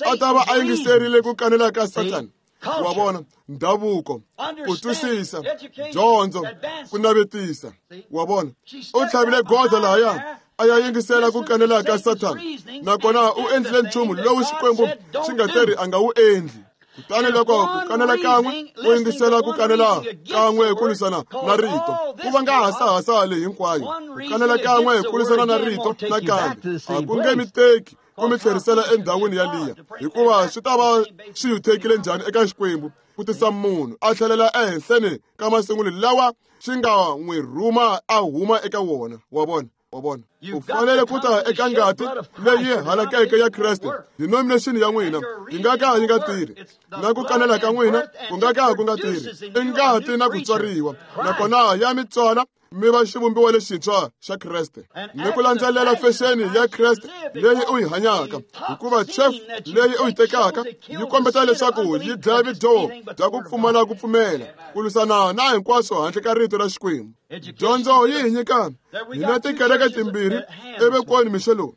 a ta va a yingiserile ku kanela ka Sathana, wa vona, ndhavuko, ku twisisa, dyondzo, ku navetisa, wa vona, u tlhavile goza lahaya a ya yingisela ku kanela ka Sathana, nakona u endlile nchumu lowu Xikwembu xi nga teri a nga wu endli. Kutani loko ku kanela kan'we u yingisela ku kanela kan'we ku lwisana na rito, ku vanga hasahasa leyi hinkwayo. Ku kanela kan'we ku lwisana na rito nakambe a ku nge mi teki ku mi tlherisela endhawini yaliya, hikuva swi ta va swi yuthekile njhani eka Xikwembu ku tisa munhu a tlhelela ehenhleni ka masungulo lawa xi nga n'wi rhuma a huma eka wona. Wa vona, wa vona. U fanele ku ta eka ngati leyi halakeke ya Kreste. Denomination ya n'wina yi nga ka yi nga tirhi, na ku kanela ka n'wina ku nga ka ku nga tirhi. I ngati na ku tswariwa, nakona ya mi tswala mi va xivumbiwa lexintshwa xa Kreste, ni ku landzelela fexeni ya Kreste leyi u yi hanyaka, hikuva chef leyi u yi tekaka yi kombeta leswaku yi dlaya vudyoho bya ku pfumala ku pfumela, ku lwisana na hinkwaswo handle ka rito ra Xikwembu. Dyondzo yi hi nyika hina tikereke timbirhi evekweni mixo lowu.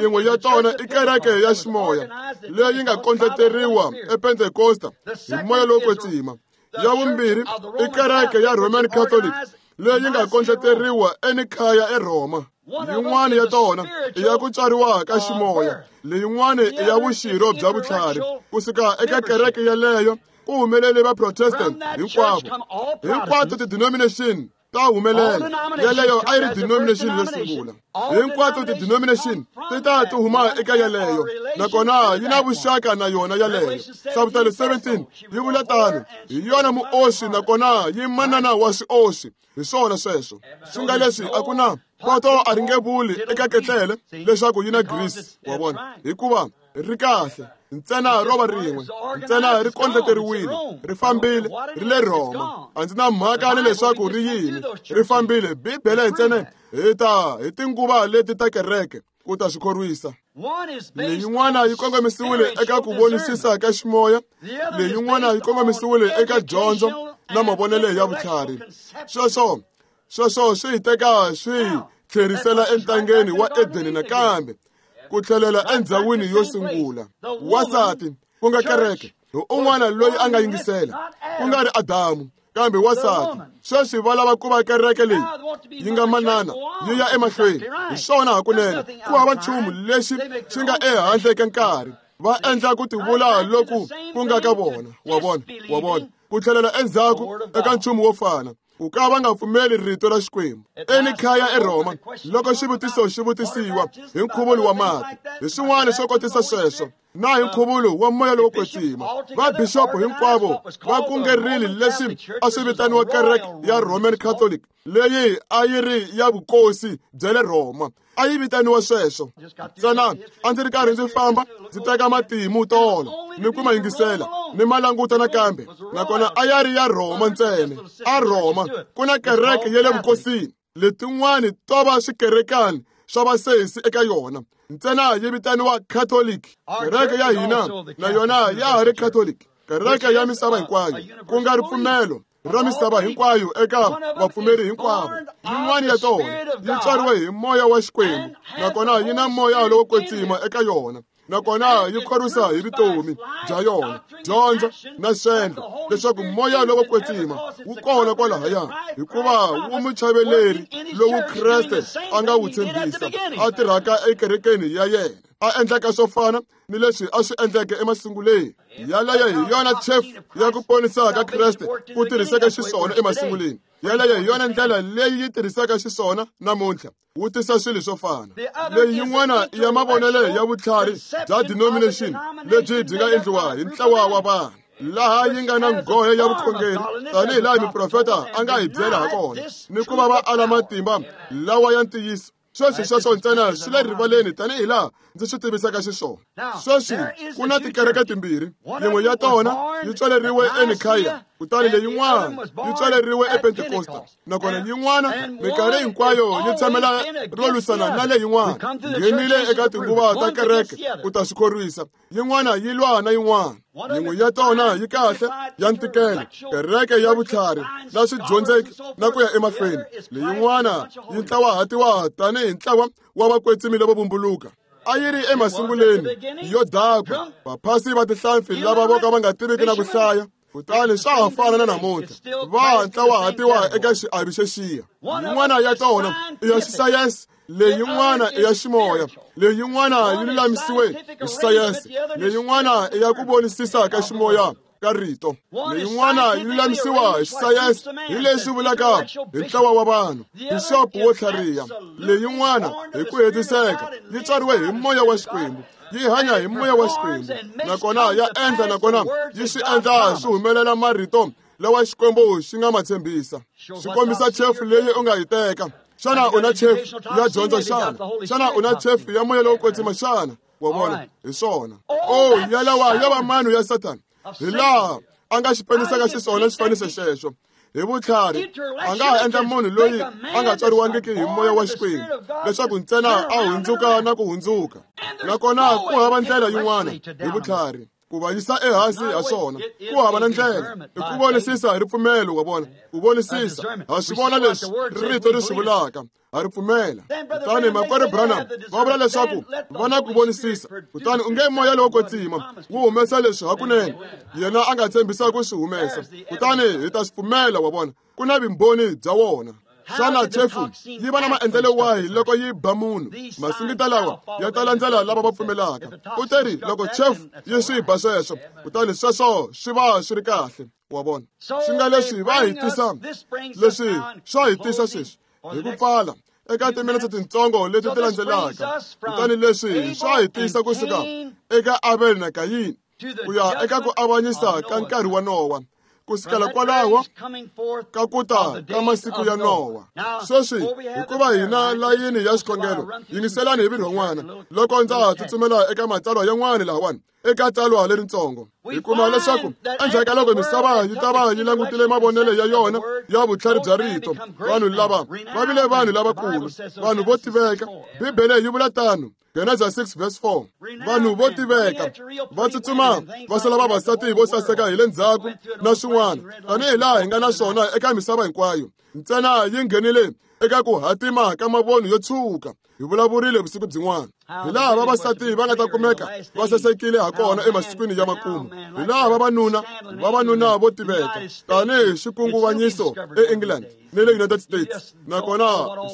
Yin'we ya tona i kereke ya ximoya leyi nga kondleteriwa ePentekosta hi moya lowo kwetsima. Ya vumbirhi i kereke ya Roman Catholic leyi nga kondleteriwa eNikhaya eRhoma. Yin'wana ya tona i ya ku tswariwa ka ximoya, leyin'wana i ya vuxirho bya vutlhari. Kusuka eka kereke yeleyo ku humelele va Protestant hinkwavo. Hinkwato ti-denomination ta humelela. Yeleyo a yi ri denomination yo sungula. Hinkwato ti-denomination ti ta ti huma eka yeleyo, nakona yi na vuxaka na yona yeleyo. Hlavutelo 17 yi vula tano, hi yona muoxi nakona yi manana wa swioxi. Hi swona sweswo. Swi nga leswi a ku na poto a ri nge vuli eka ketlele leswaku yi na grease, wa vona, hikuva ri kahle ntsena ro va rin'we, ntsena ri kondleteriwile, ri fambile, ri le Rhoma. A ndzi na mhaka ni leswaku ri yini, ri fambile. Bibele ntsena hi ta hi tinguva leti ta kereke ku ta swi khorwisa. Leyin'wana yi kongomisiwile eka ku vonisisa ka ximoya, leyin'wana yi kongomisiwile eka dyondzo na mavonelo ya vutlhari. Sweswo swi hi teka swi hi tlherisela entangeni wa Edeni nakambe, ku tlhelela endzhawini yo sungula. Wansati, ku nga kereke, hi un'wana loyi a nga yingisela, ku nga ri Adamu, kambe wansati. Sweswi va lava ku va kereke leyi yi nga manana yi ya emahlweni. Hi swona hakunene, ku hava nchumu lexi xi nga ehandle ka nkarhi. Va endla ku tivula loku ku nga ka vona, wa vona, wa vona, ku tlhelela endzhaku eka nchumu wo fana, ku ka va nga pfumeli rito ra Xikwembu. Enikhaya eRhoma, loko xivutiso xi vutisiwa hi nkhuvulo wa mati, hi swin'wana swo kotisa sweswo, na hi nkhuvulo wa moya lowo kwetsima, vabixopo hinkwavo va kungerile leswi a swi vitaniwa kereke ya Roman Catholic, leyi a yi ri ya vukosi bya le Rhoma. A yi vitaniwa sweswo. Ntsena a ndzi ri karhi ndzi famba ndzi teka matimu tolo ni ku ma yingisela ni ma languta nakambe, nakona a ya ri ya Rhoma ntsena. A Rhoma ku na kereke ya le vukosini, letin'wani to va swikerekani swa vasesi eka yona, ntsena yi vitaniwa Catholic. Kereke ya hina na yona ya ha ri Catholic, kereke ya misava hinkwayo, ku nga ripfumelo ra misava hinkwayo eka vapfumeri hinkwavo. Yin'wana ya tona yi tswariwe hi moya wa Xikwembu, nakona yi na moya lowo kwetsima eka yona, nakona yi khorwisa hi vutomi bya yona, dyondzo na swendlo, leswaku moya lowo kwetsima wu kona kwalahaya, hikuva wu muchaveleri lowu Kreste a nga wu tshembisa, a tirhaka ekerekeni ya yena, a endlaka swo fana ni leswi a swi endleke emasunguleni. Yaleyo hi yona chef ya ku ponisa ka Kreste ku tirhiseka xiswona emasunguleni. Yaleyo hi yona ndlela leyi yi tirhisaka xiswona namuntlha, wu tisa swilo swo fana. Leyi yin'wana ya mavonelo ya vutlhari bya denomination lebyi byi nga endliwa hi ntlawa wa vanhu, laha yi nga na nghohe ya vukhongeri, tanihi laha muprofeta a nga hi byela ha kona, ni ku va va ala matimba lawa ya ntiyiso. Sweswi sweswo ntsena swi le rivaleni tanihi laha ndzi swi tivisaka xiswona. Sweswi ku na tikereke timbirhi, yin'we ya tona yi tswaleriwe eNikhaya, kutani leyin'wana yi tswaleriwe ePentekosta, nakona yin'wana minkarhi hinkwayo yi tshamela ro lwisana na leyin'wana. Nghenile eka tinguva ta kereke ku ta swi khorwisa. Yin'wana yi lwa na yin'wana. Yin'we ya tona yi kahle ya ntikelo, kereke ya vutlhari na swidyondzeki na ku ya emahlweni. Leyin'wana yi ntlawahatiwa tanihi ntlawa wa vakwetsimi lavo vumbuluka. A yi ri emasunguleni yo dakwa, vaphasi va tihlampfi lava vo ka va nga tiviki na ku hlaya, kutani swa ha fana na namuntlha, va ntlawahatiwa eka xiavi xexiya. Yin'wana ya tona i ya xisayense, leyin'wana i ya ximoya, leyin'wana yi lulamisiwe hi xisayense, leyin'wana i ya ku vonisisa ka ximoya ka rito, leyin'wana yi lulamisiwa hi xisayense hi leswi vulaka hi ntlawa wa vanhu, bixopo wo tlhariha, leyin'wana hi ku hetiseka yi tswariwe hi moya wa Xikwembu, yi hanya hi moya wa Xikwembu, nakona ya endla, nakona yi swi endla swi humelela marito lawa Xikwembu xi nga ma tshembisa. Swi kombisa chefu leyi u nga yi teka. Xana u na chefu ya dyondzo xana? Xana u na chefu ya moya lowo kwetsima xana? Wa vona, hi swona. O yalawa ya va mano ya Sathana, hi laha a nga xi penisaka xiswona xifaniso xexo. Hi vutlhari a nga ha endla munhu loyi a nga tswariwangiki hi moya wa Xikwembu leswaku ntsena a hundzuka na ku hundzuka. Nakona ku hava ndlela yin'wana hi vutlhari ku va yisa ehansi ha swona. Ku hava na ndlela i ku vonisisa hi ripfumelo, wa vona, ku vonisisa. Ha swi vona leswi rito ri swi vulaka, ha ri pfumela. Kutani makwerhu Branham va vula leswaku va na ku vonisisa, kutani u nge moya lowo kwetsima wu humesa leswi hakunene yena a nga tshembisa ku swi humesa, kutani hi ta swi pfumela. Wa vona, ku na vumbhoni bya wona. Xana chefu yi va na maendlelo wahi loko yi ba munhu? Masingita lawa ya ta landzela lava va pfumelaka. U teri loko chefu yi swi ba sweswo, kutani sweswo swi va swi ri kahle. Wa vona, swi nga leswi va hi tisa leswi swa hi tisa sweswi hi ku pfala eka timinetse tintsongo leti ti landzelaka. Kutani leswi swa hi tisa kusuka eka Abel na Kayini ku ya eka ku avanyisa ka nkarhi wa Nowa, kusukela kwalaho ka ku ta ka masiku ya Nowa. Sweswi hikuva hina layini ya xikhongelo, yingiselani hi virhon'wana loko ndza ha tsutsumela eka matsalwa yan'wana lahawani. Eka tsalwa leritsongo hi kuma leswaku endzhaku ka loko misava yi ta va yi langutile mavonelo ya yona ya vutlhari bya rito, vanhu lava va vile vanhu lavakulu, vanhu vo tiveka. Bibele yi vula tano, Genesa 6 verse 4. Vanhu vo tiveka va tsutsuma va sala vavasati vo saseka hi le ndzhaku na swin'wana, tanihi laha hi nga na swona eka misava hinkwayo. Ntsena yi nghenile eka ku hatima ka mavoni yo tshuka. Hi vulavurile vusiku byin'wana hi laha vavasati va nga ta kumeka va sasekile ha kona emasikwini ya makumu, hi laha vavanuna vo tiveka tanihi xikunguvanyiso eEngland ni le United States, nakona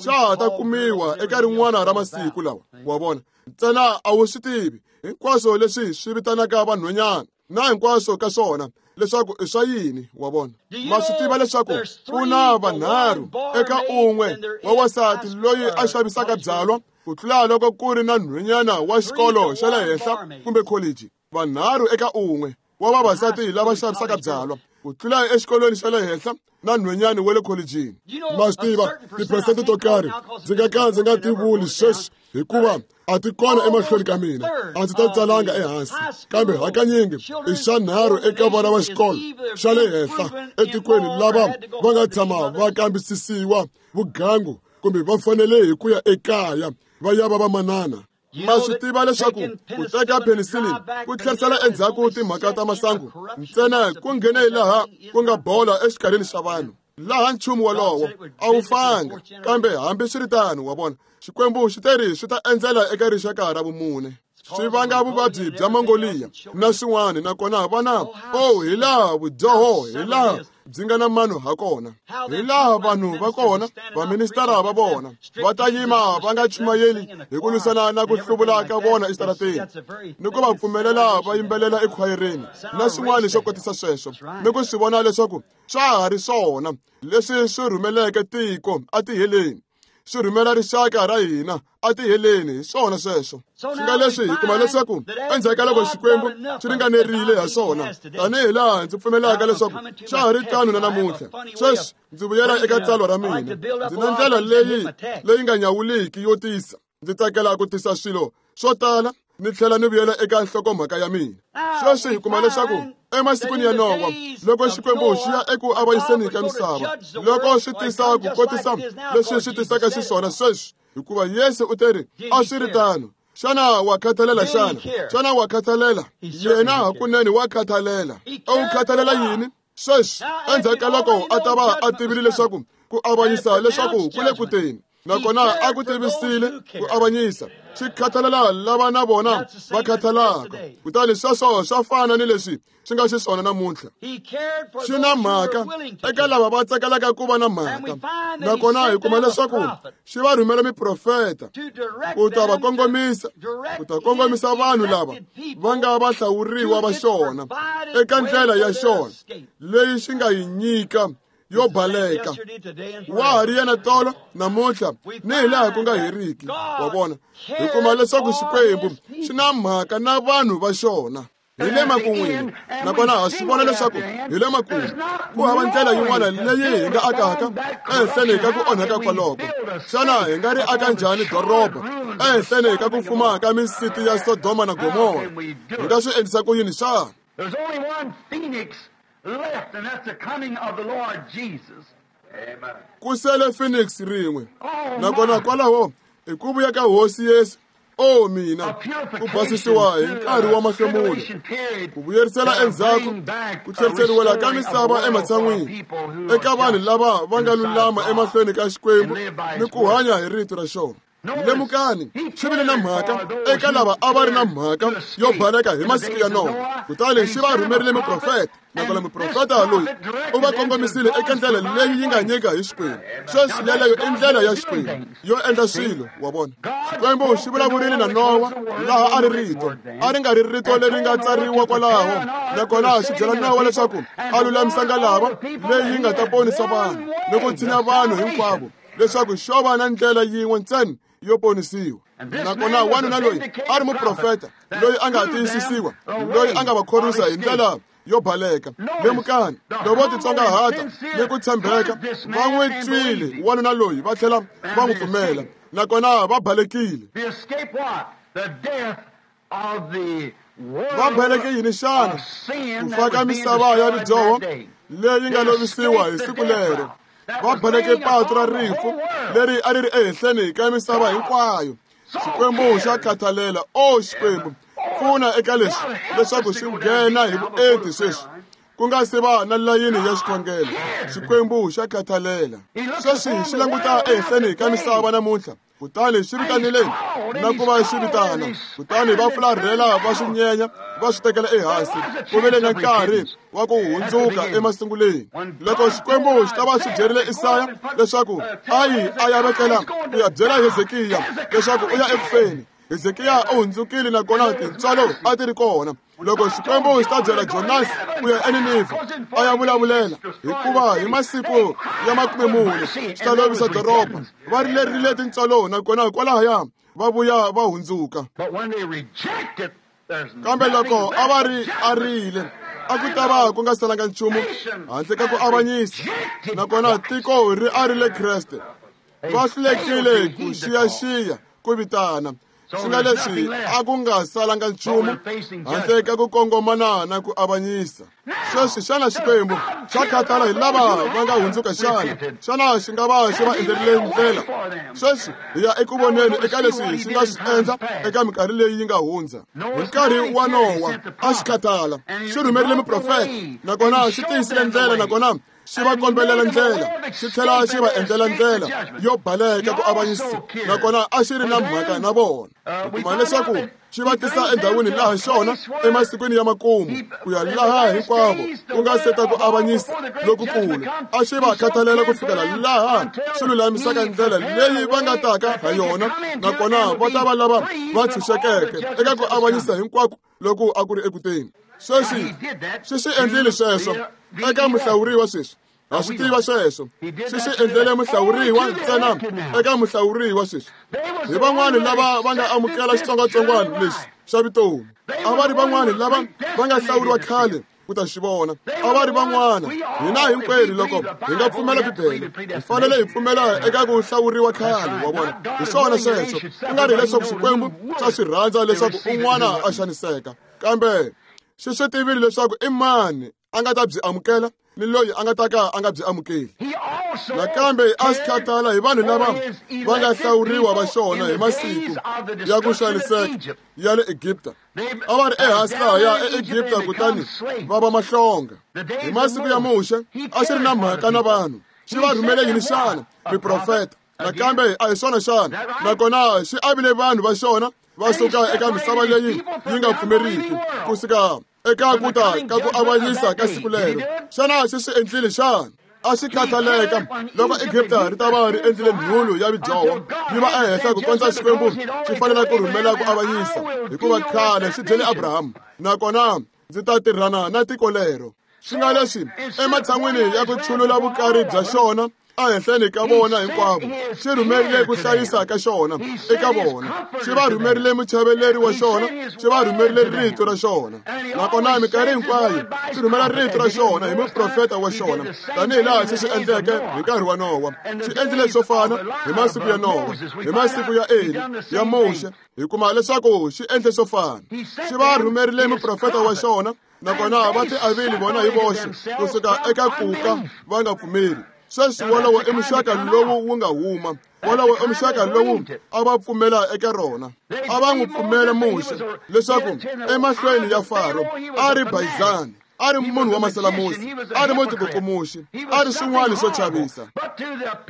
xa ha ta kumiwa eka rin'wana ra masiku lawa. Wa vona, ntsena a wu swi tivi hinkwaswo leswi swi vitanaka vanhwanyana na hinkwaswo ka swona leswaku i swa yini. Wa vona, ma swi tiva leswaku ku na vanharhu eka un'we wa wansati loyi a xavisaka byalwa ku tlula loko ku ri na nhwanyana wa xikolo xa le henhla kumbe college. Vanharhu eka un'we wa vavasati lava xavisaka byalwa ku tlula exikolweni xa le henhla na nhwanyana wa le kholejini. Ma swi tiva tiphesente to karhi ndzi nga ka ndzi nga ti vuli sweswi hikuva a ti kona emahlweni ka mina, a ndzi ta tsalanga ehansi, kambe hakanyingi i xa nharhu eka vana va xikolo xa le henhla etikweni lava va nga tshama va kambisisiwa vugangu kumbe va fanele hi ku ya ekaya va ya va vamanana. Ma swi tiva leswaku ku teka penicillin ku tlherisela endzhaku timhaka ta masangu ntsena ku nghene laha ku nga bola exikarhini xa vanhu, laha nchumu wolowo a wu fanga. Kambe hambiswiritano, wa vona, Xikwembu xi teri swi ta endzela eka rixaka ra vumune, swi vanga vuvabyi bya Mongolia na swin'wana. Nakona vana, oh, hi laha vudyoho hi laha byi nga na mano ha kona, hi laha vanhu va kona, vaministara va vona va ta yima va nga chumayeli hi ku lwisana na ku hluvula ka vona exitarateni, ni ku va pfumelela va yimbelela ekhwayereni na swin'wana swo kotisa sweswo, ni ku swi vona leswaku swa ha ri swona leswi swi rhumeleke tiko atiheleni, swi rhumela rixaka ra hina atiheleni. Hi swona sweswo. Swi nga leswi hi kuma leswaku endzhaku ka loko Xikwembu xi ringanerile ha swona, tanihi laha ndzi pfumelaka leswaku xa ha ri tano na namuntlha. Sweswi ndzi vuyela eka tsalwa ra mina. Ndzi na ndlela leyi nga nyawuliki yo tisa. Ndzi tsakela ku tisa swilo swo tala ni tlhela ni vuyela eka nhlokomhaka ya mina. Sweswi hi kuma leswaku emasikwini ya Nowa, loko Xikwembu xi ya eku avanyiseni ka misava, loko swi tisa ku kotisa leswi swi tisaka xiswona sweswi, hikuva Yesu u teri a swi ri tano. Xana wa khathalela xana? Xana wa khathalela? Yena hakunene wa khathalela. A wu khathalela yini? Sweswi endzhaku ka loko a ta va a tivile leswaku ku avanyisa leswaku ku le ku teni, nakona a ku tivisile ku avanyisa, xi khathalela lava na vona va khathalaka. Kutani sweswo swa fana ni leswi swi nga xiswona namuntlha. Xi na mhaka eka lava va tsakelaka ku va na mhaka, nakona hi kuma leswaku xi va rhumela miprofeta ku ta va kongomisa, ku ta kongomisa vanhu lava va nga va hlawuriwa va xona eka ndlela ya xona leyi xi nga yi nyika yo baleka. Wa ha ri yena tolo, namuntlha, ni hi laha ku nga heriki. Wa vona, hi kuma leswaku Xikwembu xi na mhaka na vanhu va xona. Hi le makun'wini, nakona ha swi vona leswaku hi le makumu. Ku hava ndlela yin'wana leyi hi nga akaka ehenhleni ka ku onhaka kwaloko. Xana hi nga ri aka njhani doroba ehenhleni ka ku fuma ka misiti ya Sodoma na Gomora? Hi nga swi endlisa ku yini xana?
There's only one phoenix left, and that's the coming of the Lord Jesus.
Amen.
Ku sele phoenix rin'we, nakona kwalaho i ku vuya ka Hosi Yesu. O mina, ku basisiwa hi nkarhi wa mahlomulo, ku vuyerisela endzhaku, ku tlheriseriwela ka misava ematshan'wini eka vanhu lava va nga lulama emahlweni ka Xikwembu ni ku hanya hi rito ra xona. Lemukani, xi vile na mhaka eka lava a va ri na mhaka yo baleka hi masiku ya Nowa, kutani xi va rhumerile muprofeta. Nakona muprofeta loyi u va kongomisile eka ndlela leyi yi nga nyika hi Xikwembu. Sweswi yeleyo i ndlela ya Xikwembu yo endla swilo, wa vona. Xikwembu xi vulavurile na Nowa laha a ri rito, a ri nga ri rito leri nga tsariwa kwalaho. Nakona xi byela Nowa leswaku a lulamisa ngalava leyi yi nga ta ponisa vanhu ni ku tshinya vanhu hinkwavo, leswaku xo va na ndlela yin'we ntsena yo ponisiwa. Nakona wanuna loyi a ri muprofeta loyi a nga tiyisisiwa, loyi a nga va khorwisa hi ndlela yo baleka. Lemukani, loko vo titsongahata ni ku tshembeka, va n'wi twile wanuna loyi va tlhela va n'wi pfumela, nakona va balekile.
The escape what? The death of the
Va baleke yini xana? Ku fa ka misava ya vudyoho leyi nga lovisiwa hi siku lero. Va baleke patu ra rifu leri a ri ri ehenhleni ka misava hinkwayo. Xikwembu xa khathalela. O Xikwembu, pfuna eka leswi leswaku xi nghena hi vuenti sweswi, ku nga se va na layini ya xikhongelo. Xikwembu xa khathalela. Sweswi xi languta ehenhleni ka misava namuntlha, kutani xi vitanile na ku va xi vitana, kutani va fularhela, va swi nyenya, va swi tekela ehansi. Ku vile na nkarhi wa ku hundzuka emasunguleni. Loko Xikwembu xi ta va xi byerile Isaya leswaku a yi a ya vekela ku ya byela Hezekiya leswaku u ya ekufeni, Hezekiya u hundzukile nakona tintswalo a ti ri kona. Loko Xikwembu xi ta byela Jonasi ku ya eNinivha a ya vulavulela, hikuva hi masiku ya 40 xi ta lovisa doroba, va rilerile tintswalo nakona kwalahaya va vuya va hundzuka.
But when they reject it, there's
Kambe loko
nothing
a va
left
ri
but
arile, a ku ta va ku nga salanga nchumu handle ka ku avanyisa. Nakona tiko ri arile Kreste, va hlulekile ku xiyaxiya ku vitana. Swi nga leswi a ku nga salanga nchumu handle ka ku kongomana na ku avanyisa. Sweswi xana Xikwembu xa khathala hi lava va nga hundzuka xana? Xana xi nga va xi va endlerile ndlela? Sweswi hi ya eku voneni eka leswi xi nga swi endla eka minkarhi leyi yi nga hundza. Hi nkarhi wa Nowa a xi khathala, xi rhumerile muprofeta, nakona xi tiyisile ndlela, nakona xi va kombelela ndlela, xi tlhela xi va endlela ndlela yo baleka ku avanyisa, nakona a xi ri na mhaka na vona. Hi kuma leswaku xi va tisa endhawini laha xona emasikwini ya makumu, ku ya laha hinkwavo ku nga seta ku avanyisa lokukulu. A xi va khathalela ku fikela laha xi lulamisaka ndlela leyi va nga taka ha yona, nakona va ta va lava va tshunxekeke eka ku avanyisa hinkwako loku a ku ri ekuteni. Sweswi xi swi endlile sweswo eka muhlawuriwa. Sweswi ha swi tiva sweswo. Xi swi endlele muhlawuriwa ntsena, eka muhlawuriwa. Sweswi hi van'wani lava va nga amukela xitsongwatsongwana lexi xa vutomi. A va ri van'wani lava va nga hlawuriwa khale ku ta xi vona. A va ri van'wana. Hina hinkwerhu loko hi nga pfumela Bibele, hi fanele hi pfumela eka ku hlawuriwa khale, wa vona. Hi swona sweswo. Ku nga ri leswaku Xikwembu xa swi rhandza leswaku un'wana a xaniseka, kambe xi swi tivile leswaku i mani a nga ta byi amukela ni loyi a nga ta ka a nga byi amukeli.
He also
Nakambe a xi khathala hi vanhu lava va nga hlawuriwa va xona hi masiku ya ku xaniseka ya le Egipta. A va ri ehansi lahaya eEgipta kutani va va mahlonga. Hi masiku ya Muxe a xi ri na mhaka na vanhu. Xi va rhumele yini xana? Miprofeta. Nakambe a hi swona xana? Nakona xi avile vanhu va xona va suka eka misava leyi yi nga pfumeriki ku suka eka ku ta ka ku avanyisa ka siku lero. Xana xi swi endlile xana? A xi khathaleka loko Egipta ri ta va ri endlile nhulu ya vudyoho yi va ehenhla ku kondza Xikwembu xi fanela ku rhumela ku avanyisa, hikuva khale xi byele Abrahamu, nakona ndzi ta tirhana na tiko lero. Swi nga leswi ematshan'wini ya ku chulula vukari bya xona Ehenhleni ka vona hinkwavo xi rhumerile ku hlayisa ka xona eka vona, xi va rhumerile muchaveleri wa xona, xi va rhumerile rito ra xona. Nakona minkarhi hinkwayo xi rhumela rito ra xona hi muprofeta wa xona, tanihi laha xi swi endleke hi nkarhi wa Nowa. Xi endlile swo fana hi masiku ya Nowa, hi masiku ya Eli, ya Muxe. Hi kuma leswaku xi endle swo fana. Xi va rhumerile muprofeta wa xona, nakona va ti avile vona hi voxe kusuka eka kuka va nga pfumeli. Sweswi wolowo i muxaka lowu wu nga huma, wolowo i muxaka lowu a va pfumela eka rona. A va n'wi pfumela Muxe leswaku emahlweni ya Faro a ri bayizani, a ri munhu wa masalamusi, a ri mutikukumuxi, a ri swin'wana swo chavisa.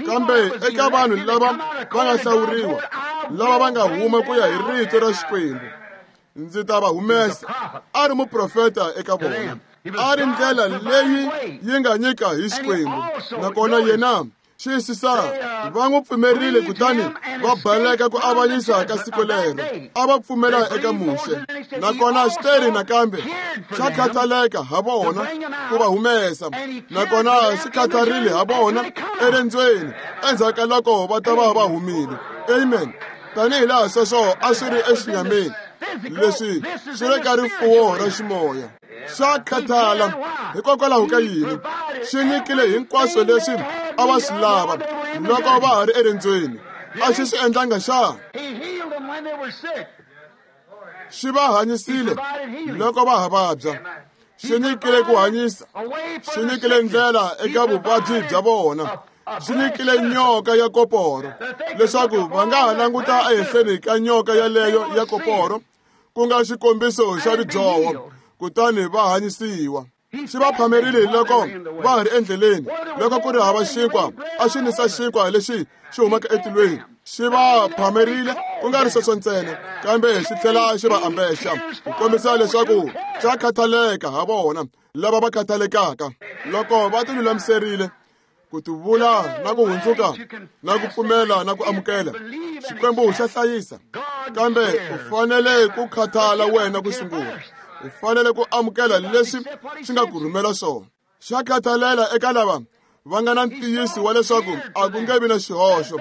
Kambe eka vanhu lava va nga hlawuriwa, lava va nga huma ku ya hi rito ra Xikwembu, ndzi ta va humesa. A ri muprofeta eka vona, a ri ndlela leyi yi nga nyika hi Xikwembu. Nakona yena xiyisisa va n'wi pfumerile, kutani va baleka ku avanyisa ka siku lero. A va pfumela eka Muxe. Nakona xiteri nakambe xa khathaleka ha vona ku va humesa, nakona xi khatharile ha vona erendzweni endzhaku ka loko va ta va va humile. Amen. Tanihi laha sweswo a swi ri exinyameni, leswi swi le ka rifuwo ra ximoya. Xa khathala hikokwalaho ka yini? Xi nyikile hinkwaswo leswi a va swi lava loko va ha ri erendzweni. A xi swi endlanga xa? Xi va hanyisile loko va ha vabya. Xi nyikile ku hanyisa, xi nyikile ndlela eka vuvabyi bya vona, xi nyikile nyoka ya koporo leswaku va nga ha languta ehenhleni ka nyoka yaleyo ya koporo, ku nga xikombiso xa ridyoho, kutani va hanyisiwa. Xi va phamerile loko va ha ri endleleni, loko ku ri hava xinkwa, a xi nisa xinkwa lexi xi humaka etilweni. Xi va phamerile ku nga ri sweswo ntsena, kambe xi tlhela xi va ambexa ku kombisa leswaku xa khathaleka ha vona lava va khathalekaka. Loko va tilulamiserile ku tivula na ku hundzuka na ku pfumela na ku amukela, Xikwembu xa hlayisa. Kambe u fanele ku khathala wena ku sungula. U fanele ku amukela leswi xi nga ku rhumela swona. Xa khathalela eka lava va nga na ntiyiso wa leswaku a ku nge vi na xihoxo.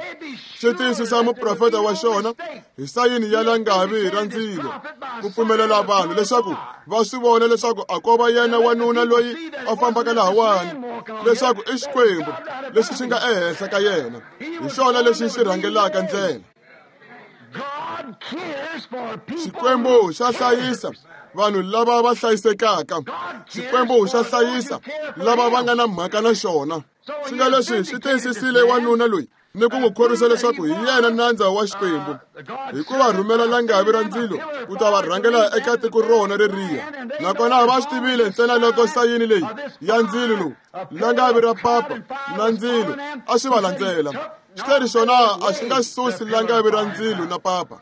Xi tiyisisa muprofeta wa xona hi sayini ya langavi ra ndzilo, ku pfumelela vanhu leswaku va swi vona leswaku a ko va yena wanuna loyi a fambaka lahawani, leswaku i Xikwembu lexi xi nga ehenhla ka yena, hi xona lexi xi rhangelaka ndlela. Xikwembu xa hlayisa vanhu lava va hlayisekaka. Xikwembu xa hlayisa lava va nga na mhaka na xona. Swi nga leswi swi tiyisisile wanuna loyi ni ku n'wi khorwisa leswaku hi yena nandza wa Xikwembu, hi ku va rhumela langavi ra ndzilo ku ta va rhangela eka tiko rona reriya. Nakona va swi tivile ntsena loko sayini leyi ya ndzilo lowu, langavi ra papa na ndzilo, a swi va landzela. Xiteri xona a xi nga susi langavi ra ndzilo na papa.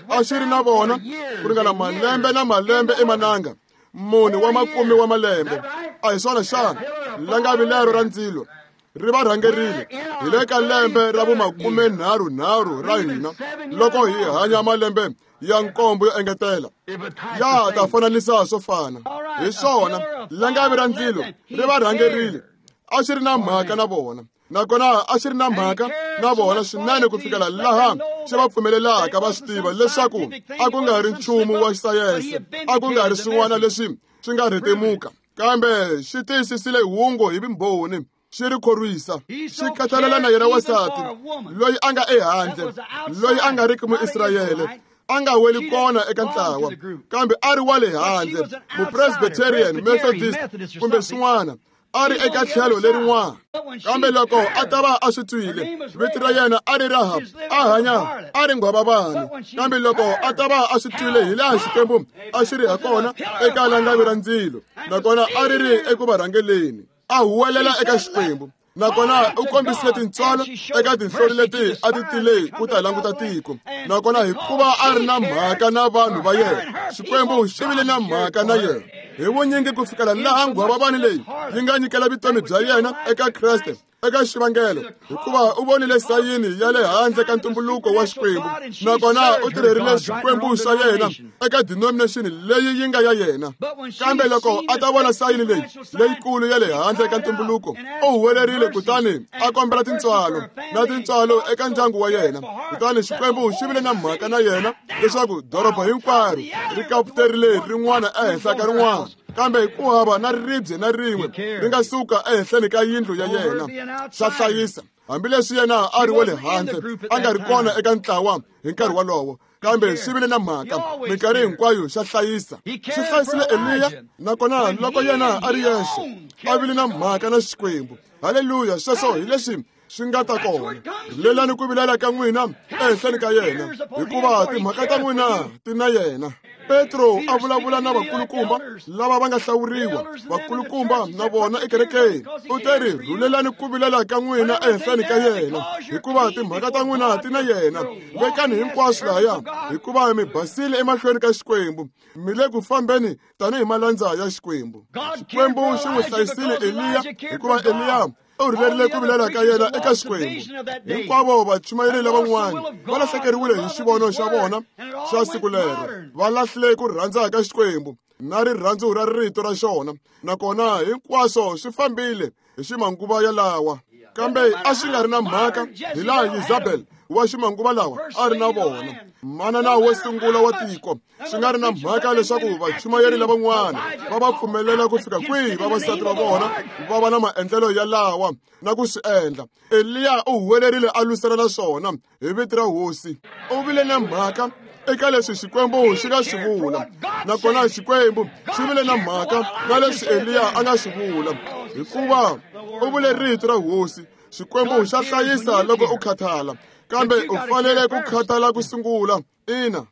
A xi ri na vona ku ringana malembe na malembe emananga, mune wa makume wa malembe. A hi swona xana? Langavi lero ra ndzilo ri va rhangerile hi le ka lembe ra vumakumenharhunharhu ra hina, loko hi hanya malembe ya nkombo yo engetela. Ya ta fananisa swo fana. Hi swona, langavi ra ndzilo ri va rhangerile. A xi ri na mhaka na vona, nakona a xi ri na mhaka na vona swinene ku fikela laha xi va pfumelelaka va swi tiva leswaku a ku nga ri nchumu wa sayense, a ku nga ri swin'wana leswi swi nga rhetemuka, kambe xi tiyisisile hungu hi vumbhoni, xi ri khorwisa. Xi khathalela na yena wansati loyi a nga ehandle, loyi a nga riki Muisrayele, a nga weli kona eka ntlawa, kambe a ri wa le handle, Mupresbyterian, Methodist kumbe swin'wana, a ri eka tlhelo lerin'wana. Kambe loko a ta va a swi twile, vito ra yena a ri Rahab, a hanya a ri nghwavavani. Kambe loko a ta va a swi twile hi laha Xikwembu a xi ri ha kona eka langavi ra ndzilo, nakona a ri ri eku va rhangeleni, a huwelela eka Xikwembu. Nakona u kombisile tintswalo eka tinhlori leti a ti tile ku ta languta tiko. Nakona hikuva a ri na mhaka na vanhu va yena, Xikwembu xi vile na mhaka na yena hi vunyingi ku fikela laha nghwavavani leyi yi nga nyikela vutomi bya yena eka Kreste. eka xivangelo hikuva u vonile sayini ya le handle ka ntumbuluko wa Xikwembu, nakona u tirherile Xikwembu xa yena eka denomination leyi yi nga ya yena. Kambe loko a ta vona sayini leyi leyikulu ya le handle ka ntumbuluko, u huwelerile kutani a kombela tintswalo na tintswalo eka ndyangu wa yena. Kutani Xikwembu xi vile na mhaka na yena leswaku doroba hinkwaro ri kaputerile rin'wana ehenhla ka rin'wana, kambe ku hava na ribye na rin'we ri nga suka ehenhleni ka yindlu ya yena. Swa hlayisa, hambileswi yena a ri wa le handle, a nga ri kona eka ntlawa hi nkarhi wolowo, kambe xi vile na mhaka minkarhi hinkwayo. Xa hlayisa, xi hlayisile Eliya, nakona loko yena a ri yexe a vile na mhaka na Xikwembu. Haleluya! Sweswo hi leswi swi nga ta kona. Rilelani ku vilela ka n'wina ehenhleni ka yena, hikuva timhaka ta n'wina ti na yena. Petro a vulavula na vakulukumba lava va nga hlawuriwa, vakulukumba na vona ekerekeni. U te ri, rhulelani ku vilela ka n'wina ehenhleni ka yena, hikuva timhaka ta n'wina ti na yena. Vekani hinkwaswo lahaya, hikuva mi basile emahlweni ka Xikwembu, mi le ku fambeni tanihi malandza ya Xikwembu. Xikwembu xi n'wi hlayisile Eliya, hikuva Eliya u rhulerile ku vilela ka yena eka Xikwembu. Hinkwavo vachumayeri lavan'wana va lahlekeriwile hi xivono xa vona xa siku lero, va lahlile ku rhandza ka Xikwembu na rirhandzu ra rito ra xona, nakona hinkwaswo swi fambile hi ximanguva yalawa. Kambe a swi nga ri na mhaka hi laha Yezabel wa ximanguva lawa a ri na vona, manana wo sungula wa tiko. Swi nga ri na mhaka leswaku vachumayeri lavan'wana va va pfumelela ku fika kwihi vavasati va vona va va na maendlelo yalawa na ku swi endla, Eliya u huwelerile a lwisana na swona hi vito ra Hosi. U vile na mhaka eka leswi Xikwembu xi nga swi vula, nakona Xikwembu xi vile na mhaka na leswi Eliya a nga swi vula, hikuva u vule rito ra Hosi. Xikwembu xa hlayisa loko u khathala, kambe u fanele ku khathala ku sungula. Ina,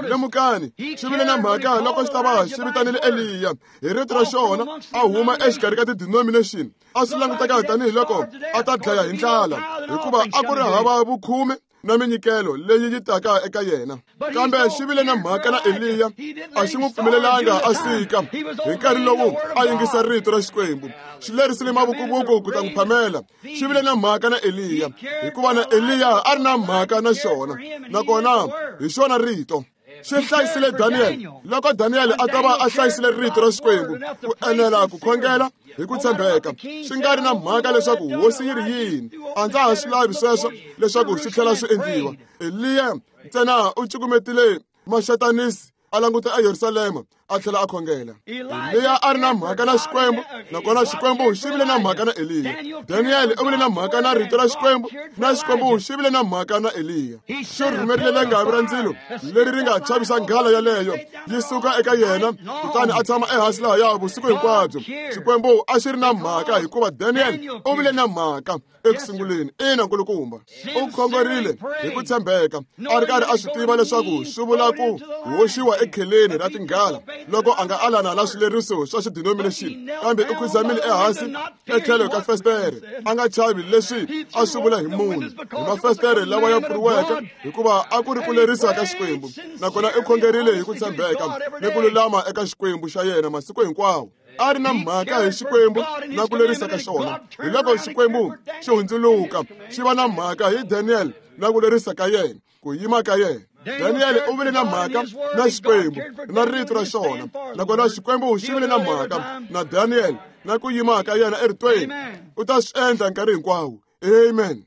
lemukani, xi vile na mhaka loko xi ta va xi vitanile Eliya hi rito ra xona a huma exikarhi ka ti-denomination. A swi languteka tanihiloko a ta dlaya hi ndlala, hikuva a ku ri hava vukhume na minyikelo leyi yi taka eka yena. Kambe xi vile na mhaka na Eliya, a xi n'wi pfumelelanga a sika hi nkarhi lowu a yingisa rito ra Xikwembu. Xi lerisile mavukuvuku ku ta n'wi phamela. Xi vile na mhaka na Eliya, hikuva na Eliya a ri na mhaka na xona, nakona hi xona rito. Xi hlayisile Daniel loko Daniel a ta va a hlayisile rito ra Xikwembu ku enela ku khongela hi ku tshembeka, swi nga ri na mhaka leswaku hosi yi ri yini. A ndza ha swi lavi sweswo leswaku swi tlhela swi endliwa. Eliya ntsena u cukumetile maxatanisi a languta eYerusalema a tlhela a khongela. Eliya a ri na mhaka na Xikwembu, nakona Xikwembu xi vile na mhaka na Eliya. Daniel u vile na mhaka na rito ra Xikwembu, na Xikwembu xi vile na mhaka na Eliya. Xi rhumerile langavi ra ndzilo leri ri nga chavisa nghala yaleyo yi suka eka yena, kutani a tshama ehansi lahaya vusiku hinkwabyo. Xikwembu a xi ri na mhaka hikuva Daniel u vile na mhaka eku sunguleni. Ina, nkulukumba, u khongerile hi ku tshembeka, a ri karhi a swi tiva leswaku swi vula ku hoxiwa ekheleni ra tinghala loko a nga alana na swileriso swa xidenomination, kambe u khuzamile ehansi etlhelo ka festere, a nga chavi leswi a swi vula hi munhu, hi mafestere lawa ya pfuriweke, hikuva a ku ri ku lerisa ka Xikwembu. Nakona u khongerile hi ku tshembeka ni ku lulama eka Xikwembu xa yena masiku hinkwawo. A ri na mhaka hi Xikwembu na ku lerisa ka xona. Hi loko Xikwembu xi hundzuluka xi va na mhaka hi Daniel na ku lerisa ka yena, ku yima ka yena. Daniel u vile na mhaka na Xikwembu na rito ra xona, nakona Xikwembu xi vile na mhaka na Daniel na ku yima ka yena eritweni. U ta swi endla nkarhi hinkwawo. Amen.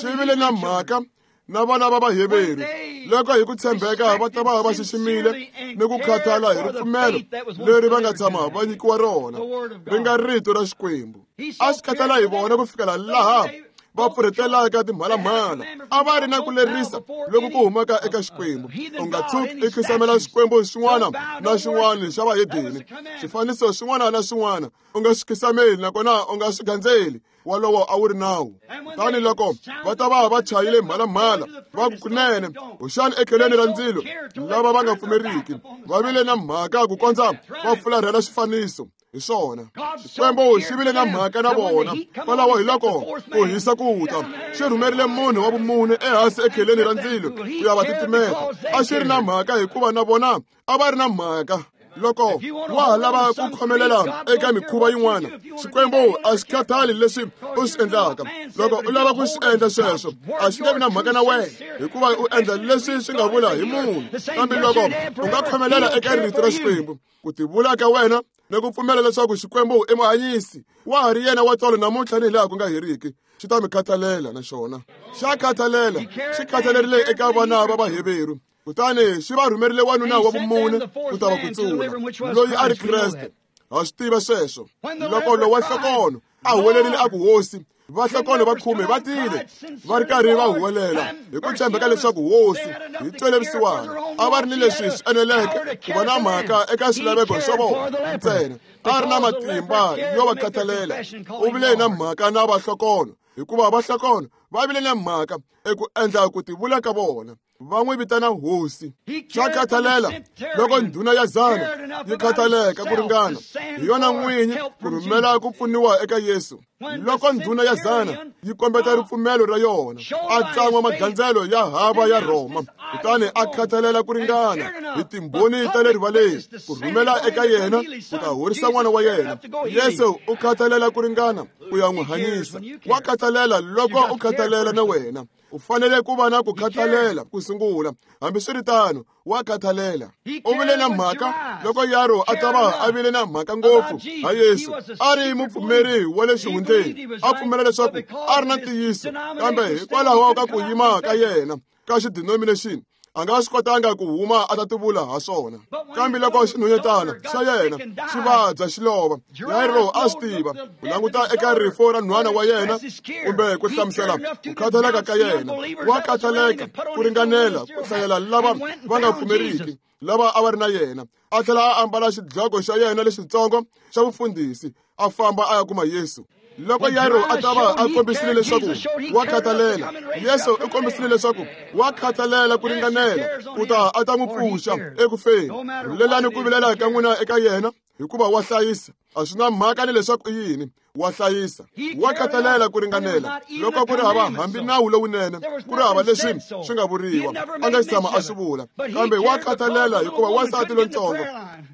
Xi vile na mhaka na vana va Vaheveru loko hi ku tshembeka va ta va va xiximile ni ku khathala hi ripfumelo leri va nga tshama va nyikiwa rona, ri nga rito ra Xikwembu. A swi khathala hi vona ku fikela laha va pfurhetelaka timhalamhala. A va ri na ku lerisa loku ku humaka eka Xikwembu. U nga tshuki i khisamela Xikwembu xin'wana na xin'wana xa vahedeni, xifaniso xin'wana na xin'wana u nga swi khisameli, nakona u nga swi gandzeli. Wolowo a wu ri nawu. Kutani loko va ta va va chayile mhalamhala va ku kunene hoxani ekheleni ra ndzilo, lava va nga pfumeriki va vile na mhaka ku kondza va fularhela xifaniso hi swona. Xikwembu xi vile na mhaka na vona kwalaho. Hi loko ku hisa ku ta, xi rhumerile munhu wa vumune ehansi ekheleni ra ndzilo ku ya va titimeta. A xi ri na mhaka hikuva na vona a va ri na mhaka. Loko wa ha lava ku khomelela eka mikhuva yin'wana, Xikwembu a xi khathali leswi u swi endlaka. Loko u lava ku swi endla sweswo, a xi nge vi na mhaka na wena, hikuva u endla leswi swi nga vula hi munhu. Kambe loko u nga khomelela eka rito ra Xikwembu, ku tivula ka wena ni ku pfumela leswaku Xikwembu i muhanyisi, wa ha ri yena wa tolo namuntlha ni hilaha ku nga heriki, xi ta mi khathalela na xona. Xa khathalela, xi khathalerile eka vana va Vaheveru. Kutani xi va rhumerile wanuna wa vumune ku ta va kutsula, loyi a ri Kreste. Ha swi tiva sweswo. Loko lowa nhlokono a huwelerile a ku hosi, vahlokono va khume va tile va ri karhi va huwelela hi ku tshembeka leswaku hosi hi twele vusiwana. A va ri ni leswi swi eneleke ku va na mhaka eka swilaveko swa vona ntsena. A ri na matimba yo va khathalela. U vile na mhaka na vahlokono, hikuva vahlokono va vile na mhaka eku endla ku tivula ka vona. Va n'wi vitana hosi. Swa khathalela loko ndhuna ya zana yi khathaleka ku ringana hi yona n'winyi ku rhumela ku pfuniwa eka Yesu. Loko ndhuna ya zana yi kombeta ripfumelo ra yona, a tsan'wa magandzelo ya hava ya Rhoma, kutani a khathalela ku ringana hi timbhoni ta le rivaleni ku rhumela eka yena ku ta horisa n'wana wa yena. Yesu u khathalela ku ringana ku ya n'wi hanyisa. Wa khathalela loko u khathalela na wena. U fanele ku va na ku khathalela ku sungula. Hambiswiritano, wa khathalela. U vile na mhaka loko Yaro a ta va a vile na mhaka ngopfu ha Yesu. A ri mupfumeri wa le xihundleni, a pfumela leswaku a ri na ntiyiso, kambe hikwalaho ka ku yima ka yena ka xidenomination, a nga swi kotanga ku huma a ta tivula ha swona. Kambe loko xinhwanyetana xa yena xi vabya xi lova, Yairo a swi tiva ku languta eka rifo ra nhwana wa yena kumbe ku hlamusela ku khathaleka ka yena. Wa khathaleka ku ringanela ku hlayela lava va nga pfumeriki lava a va ri na yena. A tlhela a ambala xidloko xa yena lexitsongo xa vufundhisi, a famba a ya kuma Yesu. Loko Yairo a ta va a kombisile leswaku wa khathalela, Yesu u kombisile leswaku wa khathalela ku ringanela ku ta a ta n'wi pfuxa eku feni. Rhulelani ku vilela ka n'wina eka yena, hikuva wa hlayisa. A swi na mhaka ni leswaku i yini, wa hlayisa. Wa khathalela ku ringanela. Loko ku ri hava hambi nawu lowunene, ku ri hava leswi swi nga vuriwa, a nga tshama a swi vula. Kambe wa khathalela hikuva wansati lontsongo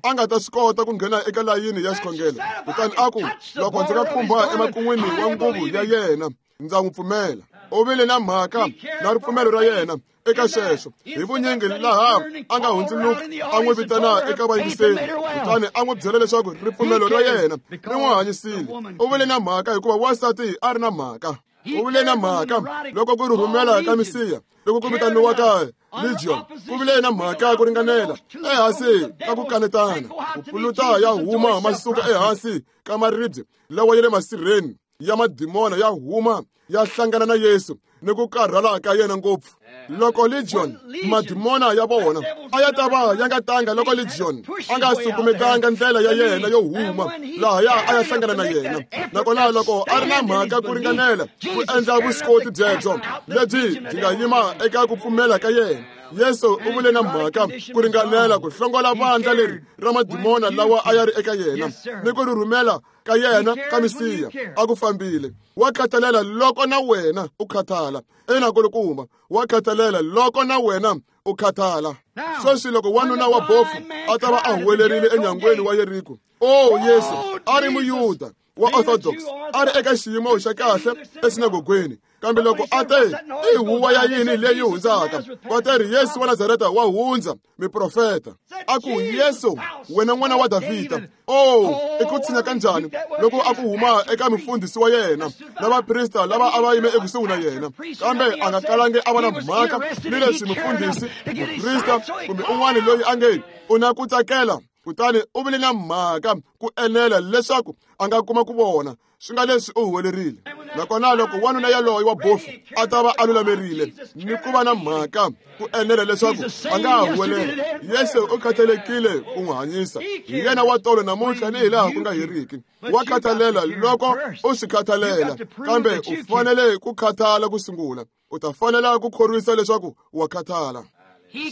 a nga ta swi kota ku nghena eka layini ya xikhongelo. Kutani a ku, loko ndzi nga khumba emakun'wini wa nguvu ya yena, ndza n'wi pfumela. U vile na mhaka na ripfumelo ra yena eka sweswo. Hi vunyingi laha a nga hundzuluka a n'wi vitana eka vayingiseri, kutani a n'wi byela leswaku ripfumelo ra yena ri n'wi hanyisile. U vile na mhaka hikuva wansati a ri na mhaka. U vile na mhaka loko ku rhumela ka Mesiya, loko ku vitaniwaka Legion, ku vile na mhaka ku ringanela ehansi ka ku kanetana. Ku puluta ya huma ma suka ehansi ka maribye lawa ya le masirheni ya madimona ya huma ya hlangana na Yesu ni ku karhala ka yena ngopfu. Loko Legion madimona ya vona a ya ta va ya nga tanga loko Legion a nga sukumetanga ndlela ya yena yo huma lahaya a ya hlangana na yena. Nakona loko a ri na mhaka ku ringanela ku endla vuswikoti byebyo lebyi byi nga yima eka ku pfumela ka yena, Yesu u vule na mhaka ku ringanela ku hlongola vandla leri ra madimona lawa a ya ri eka yena ni ku ri rhumela ka yena ka Mesiya. A ku fambile. Wa khathalela loko na wena u khathala. Ina kulukumba, wa khathalela loko na wena u khathala. Sweswi loko wanuna wa bofu a ta va a huwelerile enyangweni wa Yeriko, o Yesu a ri Muyuda wa Orthodox, a ri eka xiyimo xa kahle esinagogweni. Kambe loko a te, i huwa ya yini leyi hundzaka? Va te ri Yesu wa Nazareta wa hundza, miprofeta. A ku, Yesu, wena n'wana wa Davhida. Oh, i ku tshinya kanjhani loko a ku huma eka mufundhisi wa yena na vaprista lava a va yime ekusuhi na yena. Kambe a nga kalangi a va na mhaka ni leswi mufundhisi, muprista kumbe un'wana loyi a nge u na ku tsakela. Kutani u vile na mhaka ku enela leswaku a nga kuma ku vona. Swi nga leswi u huwelerile. Nakona loko wanuna yaloye wa bofu a ta va a lulamerile ni ku va na mhaka ku enela leswaku a nga ha huwelela, Yesu u khathalekile ku n'wi hanyisa. Hi yena wa tolo namuntlha ni hilaha ku nga heriki. Wa khathalela loko u swi khathalela, kambe u fanele ku khathala ku sungula. U ta fanela ku khorwisa leswaku wa khathala.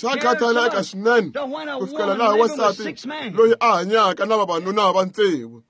Swa khathaleka swinene ku fikela laha wansati loyi a hanyaka na vavanuna va tsevu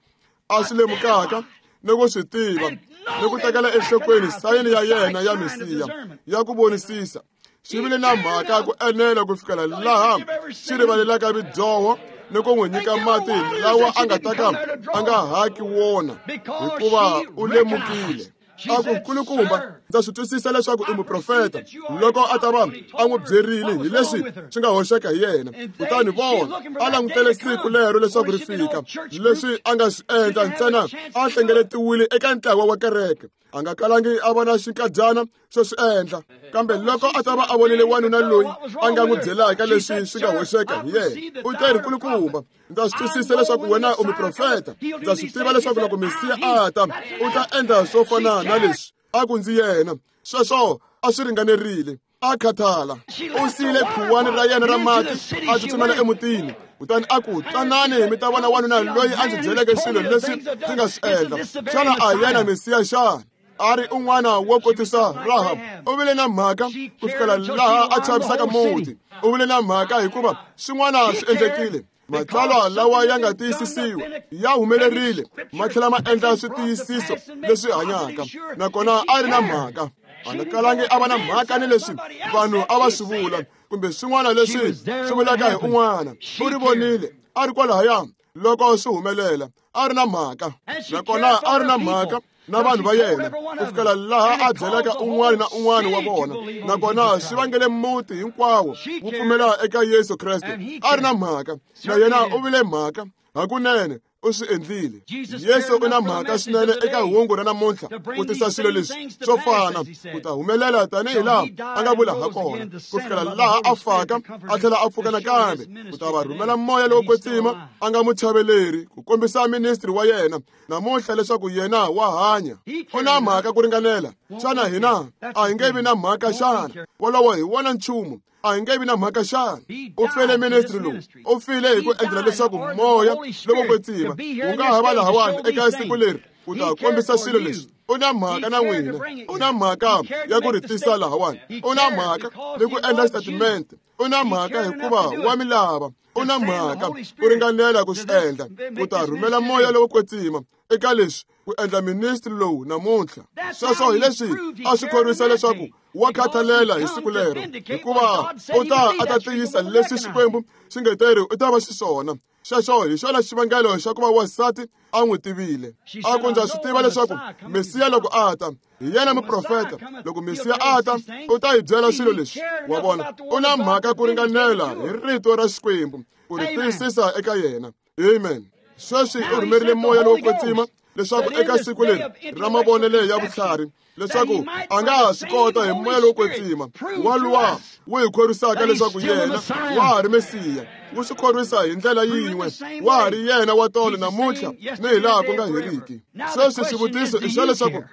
a swi lemukaka ni ku swi tiva ni ku tekela enhlokweni sayini ya yena ya Mesiya ya ku vonisisa. Xi vile na mhaka ku enela ku fikela laha xi rivalelaka vidyoho ni ku n'wi nyika mati lawa a nga ta ka a nga haki wona, hikuva u lemukile. A ku, nkulukumba, ndza swi twisisa leswaku i muprofeta. Loko a ta va a n'wi byerile hi leswi swi nga hoxeka hi yena, kutani vona a langutele siku lero leswaku ri fika. Leswi a nga swi endla ntsena a hlengeletiwile eka ntlawa wa kereke, a nga kalangi a vona xinkadyana xo swi endla. Kambe loko a ta va a vonile wanuna loyi a nga n'wi byelaka leswi swi nga hoxeka hi yena, u te ri, nkulukumba, ndza swi twisisa leswaku wena u muprofeta. Ndza swi tiva leswaku loko Mesiya a ta, u ta endla swo fana na leswi. A ku, ndzi yena. Sweswo a swi ringanerile. A khathala. U siyile khuwani ra yena ra mati, a tsutsumela emutini. Kutani a ku, tanani mi ta vona wanuna loyi a ndzi byeleke swilo leswi ndzi nga swi endla. Xana a hi yena Mesiya xana? A ri un'wana wo kotisa Rahab. U vile na mhaka ku fikela laha a chavisaka muti. U vile na mhaka hikuva swin'wana swi endlekile. Matsalwa lawa ya nga tiyisisiwa ya humelerile, ma tlhela ma endla switiyisiso leswi hanyaka. Nakona a ri na mhaka. A nga kalangi a va na mhaka ni leswi vanhu a va swi vula kumbe swin'wana leswi swi vulaka hi un'wana. U ri vonile a ri kwalahaya loko swi humelela. A ri na mhaka. Nakona a ri na mhaka na vanhu va yena ku fikela laha a byelaka un'wana na un'wana wa vona. Nakona swi vangele muti hinkwawo wu pfumela eka Yesu Kreste. A ri na mhaka. Na yena u vile mhaka. Hakunene u swi endlile. Yesu u na mhaka swinene eka hungu ra namuntlha ku tisa swilo leswi swo fana ku ta humelela tanihi laha a nga vula ha kona, ku fikela laha a faka a tlhela a pfuka nakambe, ku ta va rhumela moya lowo kwetsima a nga muchaveleri ku kombisa ministry wa yena namuntlha leswaku yena wa hanya. U na mhaka ku ringanela. Xana hina a hi nge vi na mhaka xana? Wolowo hi wona nchumu. A hi nge vi na mhaka xana? U fele ministry lowu. U file hi ku endlela leswaku moya lowo kwetsima wu nga ha va lahawani eka siku leri ku ta kombisa swilo leswi. U na mhaka na n'wina. U na mhaka ya ku ri tisa lahawani. U na mhaka ni ku endla xitatimende. U na mhaka hikuva wa mi lava. U na mhaka ku ringanela ku swi endla, ku ta rhumela moya lowo kwetsima eka leswi ku endla ministry lowu namuntlha. Sweswo hi leswi a swi khorwisa leswaku wa khathalela hi siku lero, hikuva u ta a ta tiyisa leswi Xikwembu xi nge teri u ta va xiswona. Xexo hi xona xivangelo xa ku va wansati a n'wi tivile. A ku, ndza swi tiva leswaku Mesiya loko a ta, hi yena muprofeta. Loko Mesiya a ta, u ta hi byela swilo leswi. Wa vona, u na mhaka ku ringanela hi rito ra Xikwembu ku ri tiyisisa eka yena. Amen. Sweswi u rhumerile moya lowo kwetsima leswaku eka siku leri ra mavonelo ya vutlhari, leswaku a nga ha swi kota hi moya lowo kwetsima waluwa wu hi khorwisaka leswaku yena wa ha ri Mesiya. Wu swi khorwisa hi ndlela yin'we, wa ha ri yena wa tolo namuntlha ni hi laha ku nga heriki. Sweswi xivutiso i xa leswaku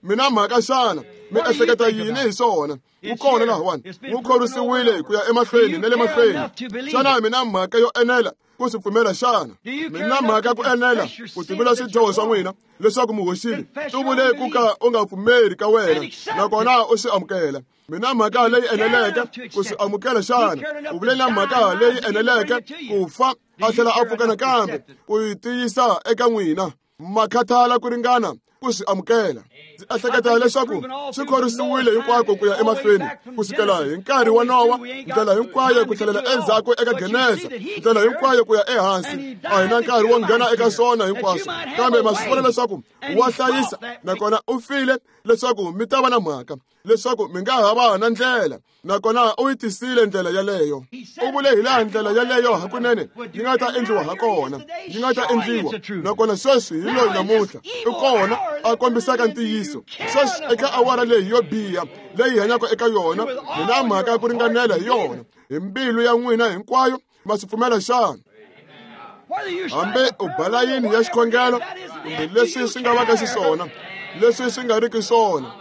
mina mhaka xana mi ehleketa yini hi swona? Wu kona lahawani, wu khorwisiwile ku ya emahlweni na le mahlweni. Xana mina mhaka yo enela ku swi pfumela xana? Mina mhaka ku enela ku tivula swidyoho swa n'wina leswaku mi hoxile, tivule ku ka u nga pfumeri ka wena nakona u swi amukela. Mina mhaka leyi eneleke ku swi amukela xana? U vule na mhaka leyi eneleke ku fa a tlhela a pfuka nakambe ku yi tiyisa eka n'wina. Makhathala ku ringana ku swi amukela. Ndzi ehleketa leswaku swi khorwisiwile hinkwako ku ya emahlweni ku sukela hi nkarhi wa Nowa, ndlela hinkwayo ku tlhelela endzhaku eka Genesa, ndlela hinkwayo ku ya ehansi. A hi na nkarhi wo nghena eka swona hinkwaswo, kambe ma swi vona leswaku wa hlayisa, nakona u file leswaku mi ta va na mhaka, leswaku mi nga ha va na ndlela. Nakona u yi tisile ndlela yaleyo. U vule hi laha ndlela yaleyo hakunene yi nga ta endliwa ha kona, yi nga ta endliwa. Nakona sweswi hi loyi namuntlha u kona a kombisaka ntiyiso. Sweswi eka awara leyi yo biha leyi hanyaka eka yona, hi na mhaka ku ringanela hi yona. Hi mbilu ya n'wina hinkwayo ma swi pfumela xana? Hambi u ba layini ya xikhongelo kumbe leswi swi nga vaka xiswona, leswi swi nga riki swona,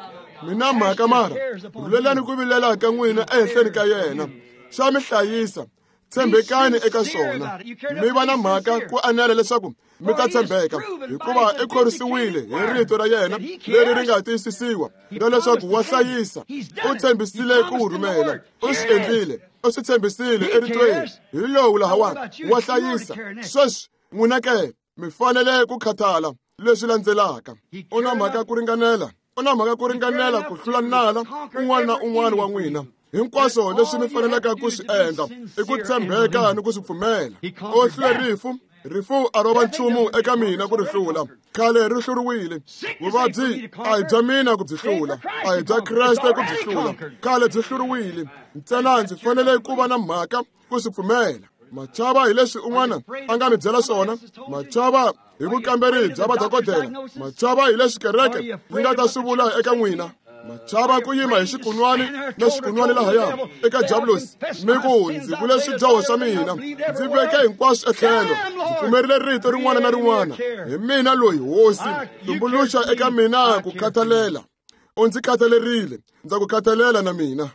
mina mhaka mara rhulelani ku vilela ka n'wina ehenhleni ka yena. Xa mi hlayisa, tshembekani eka swona. Mi va na mhaka ku anela leswaku mi ta tshembeka, hikuva i khorwisiwile hi rito ra yena leri ri nga tiyisisiwa na leswaku wa hlayisa. U tshembisile ku wu rhumela, u swi endlile, u swi tshembisile eritweni. Hi lowu lahawani wa hlayisa. Sweswi n'wina ke mi fanele ku khathala leswi landzelaka. U na mhaka ku ringanela, u na mhaka ku ringanela ku hlula nala un'wana na un'wana wa n'wina. Hinkwaswo leswi mi faneleke ku swi endla i ku tshembeka ni ku swi pfumela. O hlule rifu, rifu a ro va nchumu eka mina ku ri hlula. Khale ri hluriwile. Vuvabyi a hi bya mina ku byi hlula, a hi bya Kreste ku byi hlula. Khale byi hluriwile. Ntsena ndzi fanele ku va na mhaka ku swi pfumela. Machava hi leswi un'wana a nga mi byela swona, machava hi vukamberi bya vadokodela, machava hi leswi kereke yi nga ta swi vula eka n'wina, machava ku yima hi xikunwani na xikunwani lahaya eka diabulosi mi ku ndzi vule swidyoho swa mina, ndzi veke hinkwaswo etlhelo, ndzi pfumerile rito rin'wana na rin'wana. Hi mina loyi hosi, tumbuluxa eka mina ku khathalela. U ndzi khathalerile, ndza ku khathalela na mina.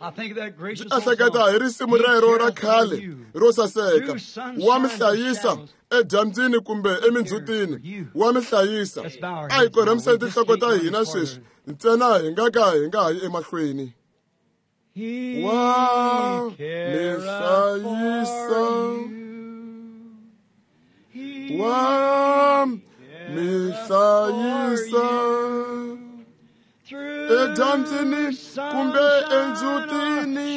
Ndzi ehleketa hi risimu rero ra khale ro saseka, wa mi hlayisa edyambyini kumbe emindzhutini, wa mi hlayisa. A hi korhamiseni tinhloko ta hina sweswi ntsena hi nga ka hi nga ha yi emahlweni. Wa mi hlayisa, wa mi hlayisa edyambyini kumbe endzhutini,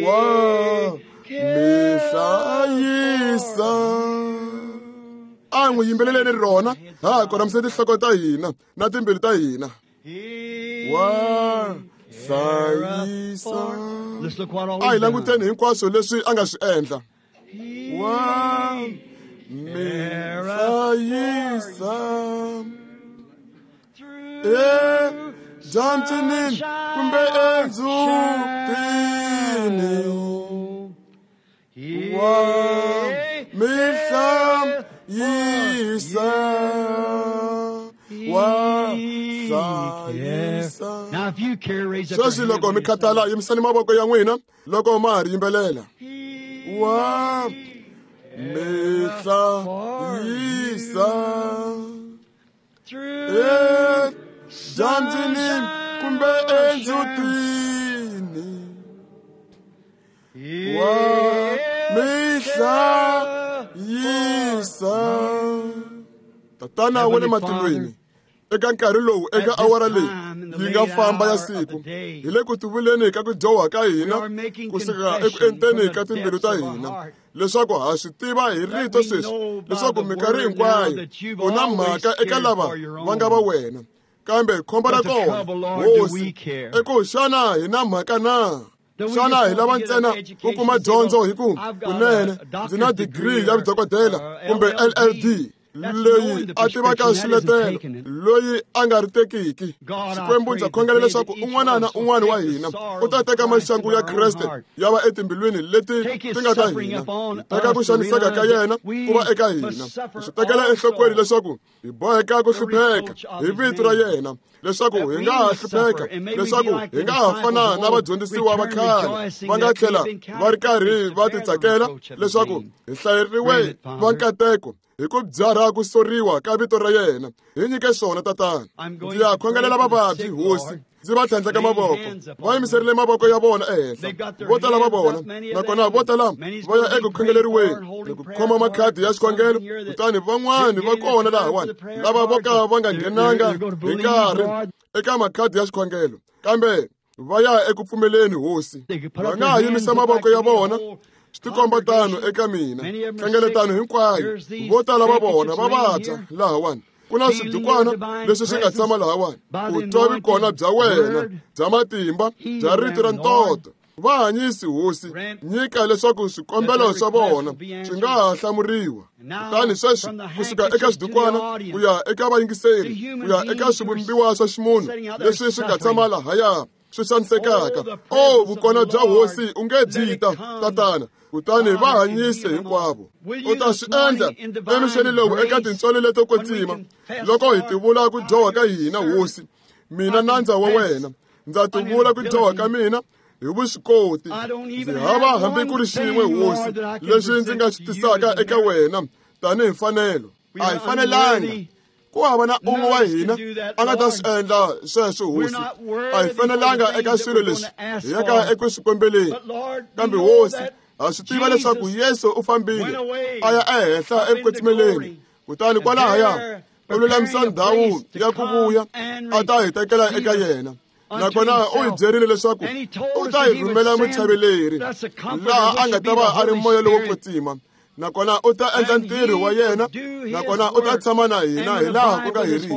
wa mi hlayisa. A n'wi yimbeleleni rona, ha korhamise tinhloko ta hina na timbilu ta hina. Wa hlayisa. A hi languteni hinkwaswo leswi a nga swi endla. Wa mi hlayisa edyambyini kumbe endzhutini, wa mi hlayisa, wa hlayisa. Sweswi loko mi khathala, yimisani mavoko ya n'wina loko ma ha ri yimbelela. Wa mi hlayisa edyambyini kumbe endzhutini, wa mi hlayisa. Tatana wa le matilweni, eka nkarhi lowu, eka awara leyi yi nga famba ya siku, hi le ku tivuleni ka ku dyoha ka hina kusuka eku enteni ka timbilu ta hina, leswaku ha swi tiva hi rito sweswi leswaku minkarhi hinkwayo u na mhaka eka lava va nga va wena. Kambe khombo ra kona, hosi, i ku xana hi na mhaka na? Xana hi lava ntsena ku kuma dyondzo hi ku kunene ndzi na digiri ya vudokodela kumbe LLD leyi a tivaka swiletelo, loyi a nga ri tekiki? Xikwembu, ndza khongela leswaku un'wana na un'wana wa hina u ta teka maxangu ya Kreste ya va etimbilwini leti ti nga ta hina, teka ku xaniseka ka yena ku va eka hina, hi swi tekela enhlokweni leswaku hi boheka ku hlupheka hi vito ra yena, leswaku hi nga ha hlupheka, leswaku hi nga ha fana na vadyondzisiwa va khale va nga tlhela va ri karhi va titsakela leswaku hi hlayeriwe va nkateko hi ku byarha ku soriwa ka vito ra yena. Hi nyike swona, Tatana. Ndzi ya khongelela vavabyi, hosi, ndzi va tlhandleka mavoko. Va yimiserile mavoko ya vona ehenhla, vo tala va vona, nakona vo tala va ya eku khongeleriweni ni ku khoma makhadi ya xikhongelo. Kutani van'wani va kona lahawani lava vo ka va nga nghenanga hi nkarhi eka makhadi ya xikhongelo, kambe va ya eku pfumeleni, hosi. Va nga ha yimisa mavoko ya vona, swi tikomba tano eka mina. Hlengeletano hinkwayo, vo tala va vona va vabya lahawani. Ku na swidukwana leswi swi nga tshama lahawani. Ku twa vikona bya wena bya matimba bya rito ra ntoto. Va hanyisi, hosi, nyika leswaku swikombelo swa vona swi nga ha hlamuriwa. Kutani sweswi kusuka eka swidukwana ku ya eka vayingiseri, ku ya eka swivumbiwa swa ximunhu leswi swi nga tshama lahaya swi xanisekaka, o vukona bya hosi u nge byi ta, Tatana, kutani va hanyise hinkwavo. U ta swi endla emixeni lowu eka tintswalo leto kwetsima, loko hi tivula ku dyoha ka hina, hosi. Mina nandza wa wena, ndza tivula ku dyoha ka mina hi vuswikoti. Ndzi hava hambi ku ri xin'we, hosi, lexi ndzi nga xi tisaka eka wena tanihi mfanelo. A hi fanelanga. Ku hava na un'we wa hina a nga ta swi endla sweswo, hosi. A hi fanelanga eka swilo leswi hi yaka eku swi kombeleni. Kambe hosi, ha swi tiva leswaku Yesu u fambile a ya ehenhla eku kwetsimeleni, kutani kwalahaya U lulamisa ndhawu ya ku vuya a ta hi tekela eka yena. Nakona u hi byerile leswaku u ta hi rhumela muchaveleri laha a nga ta va a ri moya lowo kwetsima, nakona u ta endla ntirho wa yena, nakona u ta tshama na hina hi laha ku nga heriki.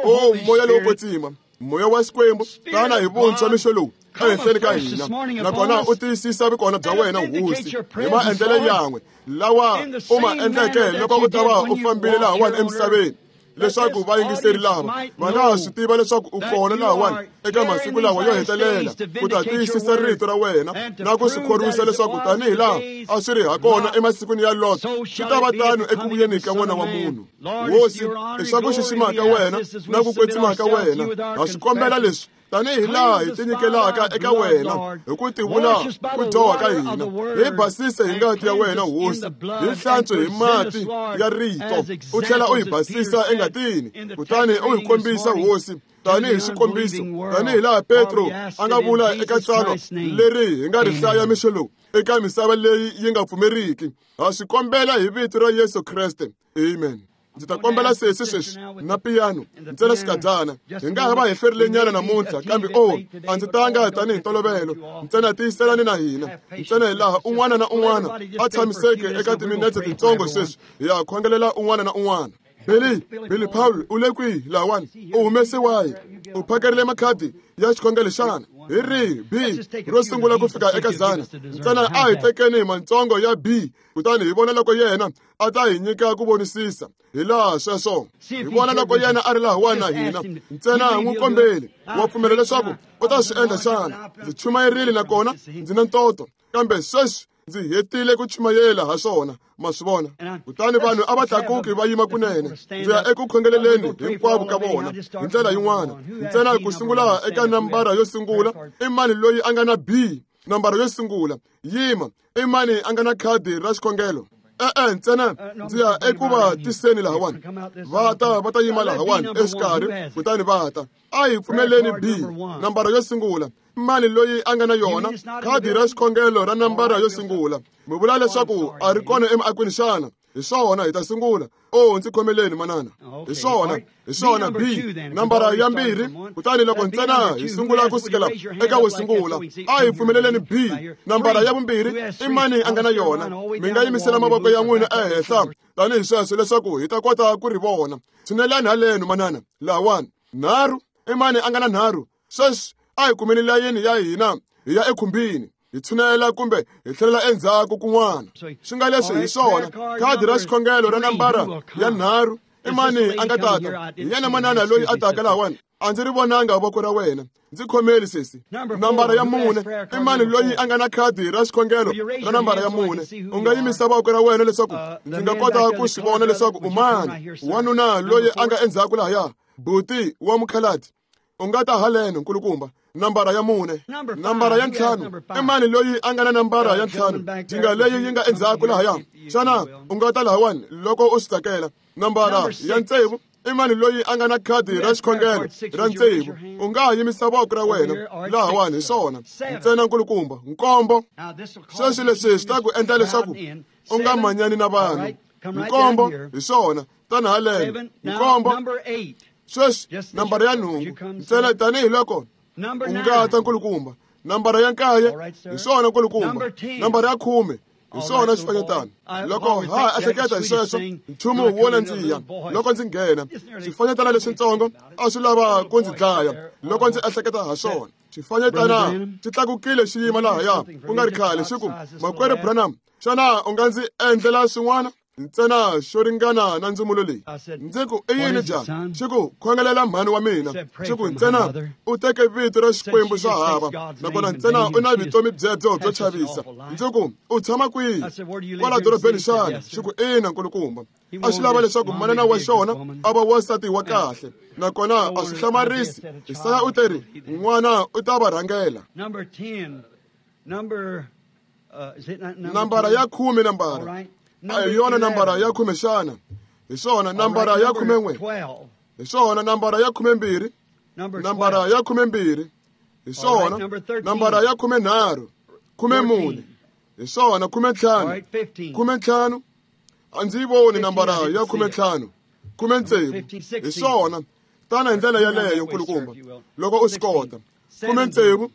O moya lowo kwetsima, moya wa Xikwembu, tana hi vuntshwa mixo lowu ehenhleni ka hina, nakona u tiyisisa vukona bya wena Hosi hi maendlelo yan'we lawa u ma endleke loko u ta va u fambile lahawani emisaveni, leswaku vayingiseri lava va nga ha swi tiva leswaku u kona lahawani eka masiku lawa yo hetelela ku ta tiyisisa rito ra wena na ku swi khorwisa leswaku tanihi laha a swi ri hakona emasikwini ya Lot, swi ta va tano eku vuyeni ka N'wana wa Munhu. Hosi, i swa ku xixima ka wena na ku kwetsima ka wena, ha swi kombela leswi tanihi laha hi tinyikelaka eka wena hi ku tivula ku dyoha ka hina. Hi basise hi ngati ya wena Hosi, hi hlantswe hi mati ya rito, u tlhela u hi basisa engatini, kutani u hi kombisa Hosi tanihi xikombiso, tanihi laha Petro a nga vula eka tsalwa leri hi nga ri hlaya mixo lowu eka misava leyi yi nga pfumeriki. Ha swi kombela hi vito ra Yesu Kreste, amen. Ndzi ta kombela sesi sweswi na piyano ntsena xikadyana. Hi nga ha va hi hlwerile nyana namuntlha, kambe o a ndzi tanga tanihi ntolovelo, ntsena tiyiselani na hina ntsena hi laha un'wana na un'wana a tshamiseke eka timinetse tintsongo sweswi hi ya khongelela un'wana na un'wana. Billy Paul u le kwihi lahawani? U humese wahi? U phakerile makhadi ya xikhongelo xana? Hi rihi B ro sungula ku fika eka zana? Ntsena a hi tekeni mantsongo ya B, kutani hi vona loko yena a ta hi nyika ku vonisisa hi laha sweswo. Hi vona loko yena a ri lahawani na hina, ntsena n'wi kombeli. Wa pfumela leswaku u ta swi endla xana? Ndzi chumayerile nakona ndzi na ntoto, kambe sweswi ndzi hetile ku chumayela ha swona, ma swi vona. Kutani vanhu a va tlakuki va yima kunene. Ndzi ya eku khongeleleni hinkwavo ka vona hi ndlela yin'wana. Ntsena ku sungula eka nambara yo sungula, i mani loyi a nga na B? Nambara yo sungula, yima. I mani a nga na khadi ra xikhongelo? E-e, ntsena ndzi ya eku va tiseni lahawani. Va ta yima lahawani exikarhi, kutani va ta. A hi pfumeleni B, nambara yo sungula. Mani loyi a nga na yona khadi ra xikhongelo ra nambara yo sungula? Mi vula leswaku a ri kona emiakweni xana? Hi swona, hi ta sungula. O ndzi khomeleni manana. Hi swona, hi swona, B, nambara ya mbirhi. Kutani loko ntsena hi sungula ku sukela eka wo sungula, a hi pfumeleleni B, nambara ya vumbirhi. I mani a nga na yona? Mi nga yimisela mavoko ya n'wina ehenhla tanihi sweswo leswaku hi ta kota ku ri vona. Tshinelani haleno manana, lahawani. Nharhu, i mani a nga na nharhu? Sweswi a hi kumeni layeni ya hina hi ya ekhumbini, hi tshunela kumbe hi tlhelela endzhaku kun'wana. Swi nga leswi hi swona, khadi ra xikhongelo ra nambara ya nharhu. I mani a nga tata? Hi yena manana loyi a taka lahawani. A ndzi ri vonanga voko ra wena, ndzi khomeli sesi. Nambara ya mune, i mani loyi a nga na khadi ra xikhongelo ra nambara ya mune? U nga yimisa voko ra wena leswaku ndzi nga kota ku swi vona leswaku u mani. Wanuna loyi a nga endzhaku lahaya, buti wa mukhaladi, u nga ta haleno nkulukumba. Nambara ya mune. Nambara ya ntlhanu, i mani loyi a nga na nambara ya ntlhanu? Jinga leyi yi nga endzhaku lahaya, xana u nga ta lahawani loko u swi tsakela? Nambara ya tsevu, i mani loyi a nga na khadi ra xikhongelo ra tsevu? U nga ha yimisa voko ra wena lahawani. Hi swona, ntsena nkulukumba. Nkombo, sweswi leswi swi ta ku endla leswaku u nga manyani na vanhu. Nkombo, hi swona, tani haleno. Nkombo, sweswi nambara ya nhungu, ntsena tanihi loko u nga ta nkulukumba. Nambara ya nkaye, hi swona nkulukumba. Nambara ya khume, hi swona xifanyetana. Loko ha ehleketa hi sweswo, nchumu wo nandziha loko ndzi nghena. Xifanyetana lexitsongo a swi lava ku ndzi dlaya loko ndzi ehleketa ha swona. Xifanyetana xi tlakukile xi yima lahaya ku nga ri khale, xi ku, Makwerhu Branham, xana u nga ndzi endlela swin'wana ntsena xo ringana na ndzumulo leyi? Ndzi ku, i yini jaha? Xi ku, khongelela mhani wa mina. Xi ku, ntsena u teke vito ra Xikwembu swa hava, nakona ntsena u na vutomi byebyo byo chavisa. Ndzi ku, u tshama kwihi? Kwala dorobeni xana? Xi ku, ina nkulukumba. A swi lava leswaku manana wa xona a va wansati wa kahle, nakona a swi hlamarisi. Isaya u teri, n'wana u ta va rhangela. Nambara ya khume, nambara a hi yona nambara ya khume xana? Hi swona, nambara ya khumen'we. Hi swona, nambara ya khumembirhi. Nambara ya khumembirhi. Hi swona, nambara ya khumenharhu. Khumemune. Hi swona, khumentlhanu. Khumentlhanu. A ndzi yi voni nambara ya khumentlhanu. 16 hi swona tana hi ndlela yeleyo nkulukumba loko u swi kota 16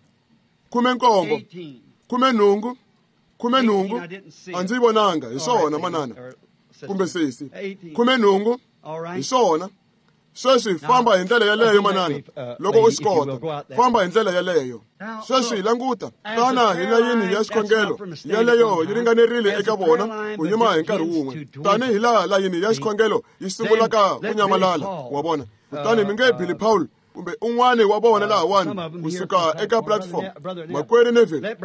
17 18 18 a ndzi yi vonanga hi swona manana kumbe sesi 18 hi swona sweswi famba hi ndlela yeleyo manana loko u swi kota famba hi ndlela yeleyo sweswi languta tana hi layini ya xikhongelo yeleyo yi ringanerile eka vona ku yima hi nkarhi wun'we tanihi laha layini ya xikhongelo yi sungulaka ku nyamalala wa vona kutani mi nge Billy Paul kumbe un'wani wa vona lahawani kusuka eka platform makwerhu Neville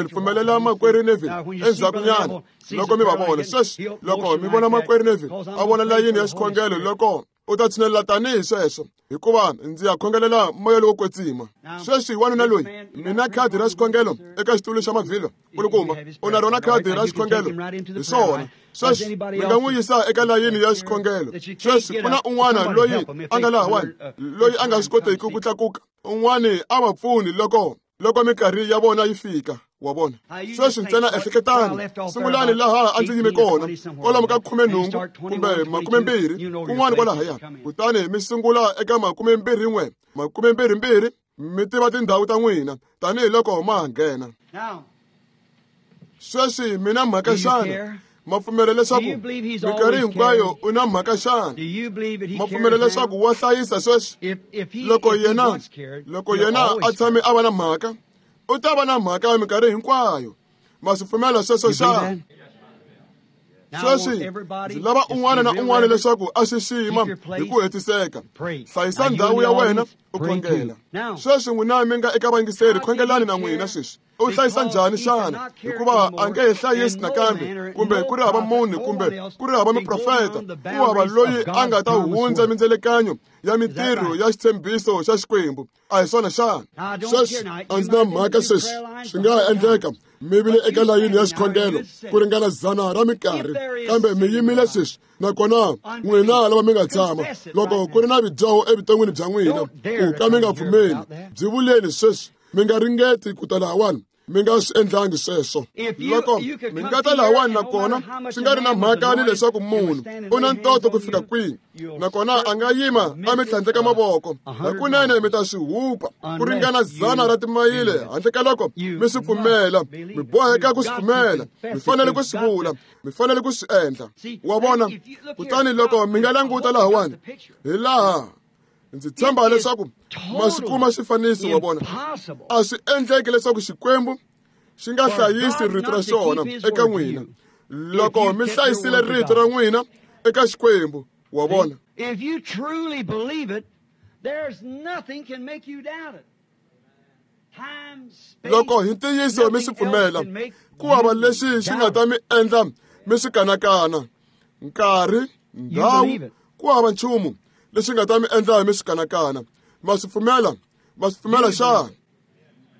pfumelela makwerhu Neville endzhakunyana loko mi va vona sweswi loko mi vona makwerhu Neville a vona layini ya xikhongelo loko u ta tshinelela tanihi sweswo hikuva ndzi ya khongelela moya lowo kwetsima sweswi wanuna loyi mina khadi ra xikhongelo eka xitulu xa mavhilwa nkulukumba u na rona khadi ra xikhongelo hi swona sweswi mi nga n'wi yisa eka layini ya xikhongelo sweswi ku na un'wana loyi a nga lahawani loyi a nga swi koteki ku tlakuka un'wani a va pfuni loko minkarhi ya vona yi fika wa vona sweswi ntsena ehleketani sungulani laha a ndzi yime kona kwalomu ka 18 kumbe 20 kun'wana kwalahaya kutani mi sungula eka 21 22 mi tiva tindhawu ta n'wina tanihiloko ma ha nghena sweswi mina mhaka xana ma pfumela leswaku minkarhi hinkwayo u na mhaka xana ma pfumela leswaku wa hlayisa sweswi loko yena a tshame a va na mhaka u ta va na mhaka minkarhi hinkwayo ma swi pfumela sweswo xana sweswi ndzi lava un'wana na un'wana leswaku a xixima hi ku hetiseka hlayisa ndhawu ya wena u khongela sweswi n'wina mi nga eka vayingiseri khongelani na n'wina sweswi u hlayisa njhani xana hikuva a nge he hlayisi nakambe kumbe ku ri hava munhu kumbe ku ri hava muprofeta ku hava loyi a nga ta hundza mindzelekanyo ya mintirho ya xitshembiso xa Xikwembu a hi swona xana sweswi a ndzi na mhaka sweswi swi nga ha endleka mi vile eka layini ya xikhongelo ku ringana 100 ra minkarhi kambe mi yimile sweswi nakona n'wina lava mi nga tshama loko ku ri na vidyoho evuton'wini bya n'wina ku ka mi nga pfumeli byi vuleni sweswi mi nga ringeti ku ta lahawani mi nga swi endlangi sweswo loko mi nga ta lahawani nakona swi nga ri na mhaka ni leswaku munhu u na ntoto ku fika kwihi nakona a nga yima a mi tlhandleka mavoko hakunene mi ta swi hupa ku ringana 100 ra timayile handle ka loko mi swi pfumela mi boheka ku swi pfumela mi fanele ku swi vula mi fanele ku swi endla wa vona kutani loko mi nga languta lahawani hi laha ndzi tshemba leswaku ma swi kuma xifaniso wa vona a swi endleki leswaku Xikwembu xi nga hlayisi rito ra xona eka n'wina loko mi hlayisile rito ra n'wina eka Xikwembu wa vona
If you truly believe it, there's nothing can make you doubt it.
Loko hi ntiyiso mi swi pfumela ku hava lexi xi nga ta mi endla mi swi kanakana nkarhi ndhawu ku hava nchumu lexi nga ta mi endla mi swi kanakana ma swi pfumela xana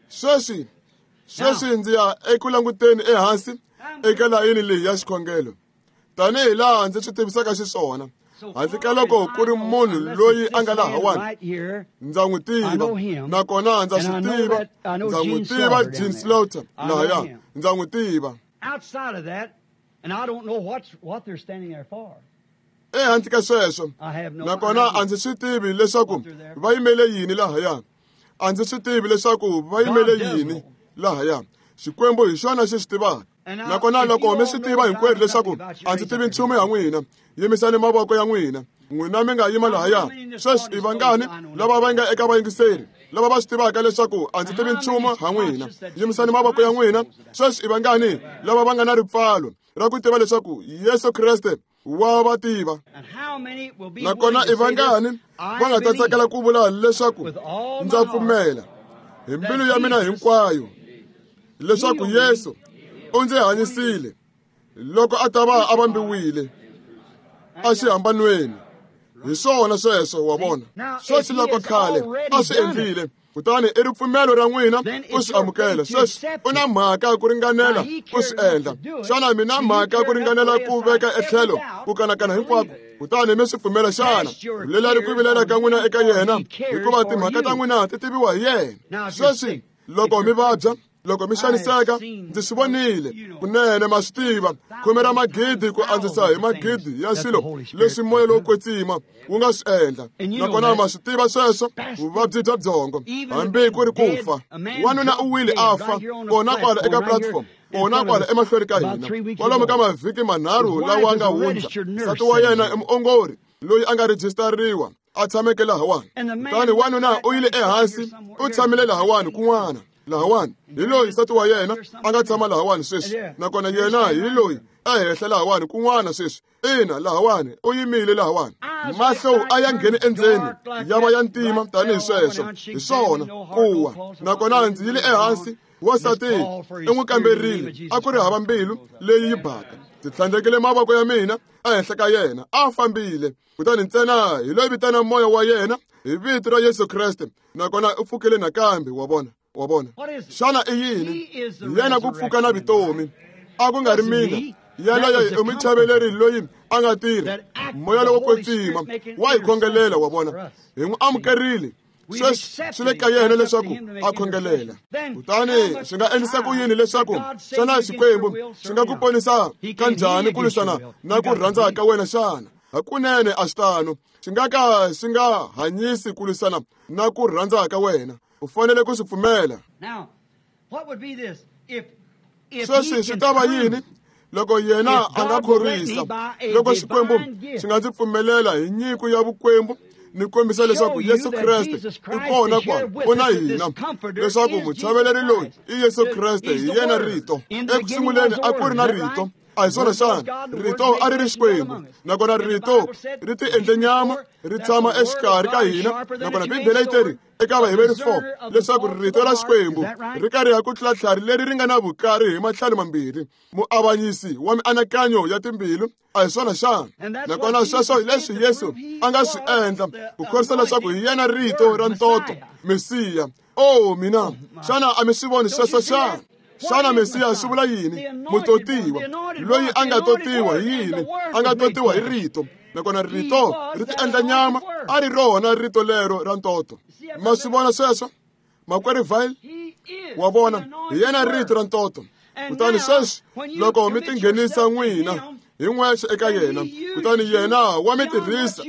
sweswi ndzi ya eku languteni ehansi eka layini leyi ya xikhongelo tanihi laha ndzi swi tivisaka xiswona handle ka loko ku ri munhu loyi a nga lahawani ndza n'wi tiva nakona ndza swi tiva ndza n'wi tiva Gene Slaughter lahaya ndza n'wi tiva ehandle ka sweswo nakona a ndzi swi tivi leswaku va yimele yini lahaya a ndzi swi tivi leswaku va yimele yini lahaya Xikwembu hi xona xi swi tivaka nakona loko mi swi tiva hinkwerhu leswaku a ndzi tivi nchumu ya n'wina yimisani mavoko ya n'wina n'wina mi nga yima lahaya sweswi i vangani lava va nga eka vayingiseri lava va swi tivaka leswaku a ndzi tivi nchumu ha n'wina yimisani mavoko ya n'wina sweswi i vangani lava va nga na ripfalo ra ku tiva leswaku Yesu Kreste wa va tiva nakona i vangani va nga ta tsakela ku vula leswaku ndza pfumela hi mbilu ya mina hinkwayo leswaku Yesu u ndzi hanyisile loko a ta va a vambiwile exihambanweni hi swona sweswo wa vona sweswi loko khale a swi endlile kutani i ripfumelo ra n'wina ku swi amukela sweswi u na mhaka ku ringanela ku swi endla xana mi na mhaka ku ringanela ku veka etlhelo ku kanakana hinkwako kutani mi swi pfumela xana vulelani ku vilela ka n'wina eka yena hikuva timhaka ta n'wina ti tiviwa hi yena sweswi loko mi vabya Loko mi xaniseka, ndzi swi vonile. Kunene ma swi tiva, khume ra magidi ku andzisa hi magidi ya swilo leswi moya lowo kwetsima wu nga swi endla. Nakona ma swi tiva sweswo, vuvabyi bya byongo, hambi ku ri ku fa. Wanuna u wile a fa, kona kwala eka platform, kona kwala emahlweni ka hina. Kwalomu ka mavhiki manharhu lawa nga hundza, nsati wa yena i muongori loyi a nga rejistariwa, a tshameke lahawani. Kutani wanuna u yile ehansi, u tshamile lahawani kun'wana. Lahawani hi loyi nsati wa yena a nga tshama lahawani sweswi, nakona yena hi loyi ehenhla lahawani kun'wana sweswi. Ina, lahawani u yimile lahawani. Mahlo a ya ngheni endzeni, ya va ya ntima tanihi sweswo. Hi swona kuwa. Nakona ndzi yile ehansi, wansati i n'wi kamberile, a ku ri hava mbilu leyi yi baka. Ndzi tlhandlekile mavoko ya mina ehenhla ka yena, a fambile. Kutani ntsena hi loyi vitana moya wa yena hi vito ra Yesu Kreste, nakona u pfukile nakambe. Wa vona? Wa vona? Xana i yini? Yena ku pfuka na vutomi. A ku nga ri mina. Yaloye i muchaveleri loyi a nga tirha. Moya lowo kwetsima wa hi khongelela, wa vona. Hi n'wi amukerile. Sweswi swi le ka yena leswaku a khongelela. Kutani swi nga endlisa ku yini leswaku xana Xikwembu xi nga ku ponisa kanjhani ku lwisana na ku rhandza ka wena xana? Hakunene a swi tano. Xi nga ka xi nga hanyisi ku lwisana na ku rhandza ka wena. U fanele ku swi pfumela. Sweswi swi ta va yini loko yena a nga khorwisa? Loko Xikwembu xi nga ndzi pfumelela hi nyiko ya vukwembu ni kombisa leswaku Yesu Kreste i kona kwala, u na hina, leswaku muchaveleri loyi i Yesu Kreste, hi yena Rito. Eku sunguleni a ku ri na Rito. A hi swona xana? Rito a ri ri Xikwembu, nakona Rito ri ti endle nyama, ri tshama exikarhi ka hina. Nakona Bibele yi teri eka Vaheberi 4 leswaku Rito ra Xikwembu ri kariha ku tlula tlhari leri ri nga na vukari hi matlhelo mambirhi, muavanyisi wa mianakanyo ya timbilu. A hi swona xana? Nakona sweswo hi leswi Yesu a nga swi endla ku khorwisa leswaku hi yena Rito ra ntoto, Mesiya. Oh mina, xana a mi swi voni sweswo xana? Xana Mesiya swi vula yini? Mutotiwa, loyi a nga totiwa hi yini? A nga totiwa hi Rito. Nakona Rito ri ti endla nyama, a ri rona Rito lero ra ntoto. Ma swi vona sweswo? Makwerhu Vile, wa vona, hi yena Rito ra ntoto. Kutani sweswi loko mi tinghenisa n'wina hi n'wexe eka yena, kutani yena wa mi tirhisa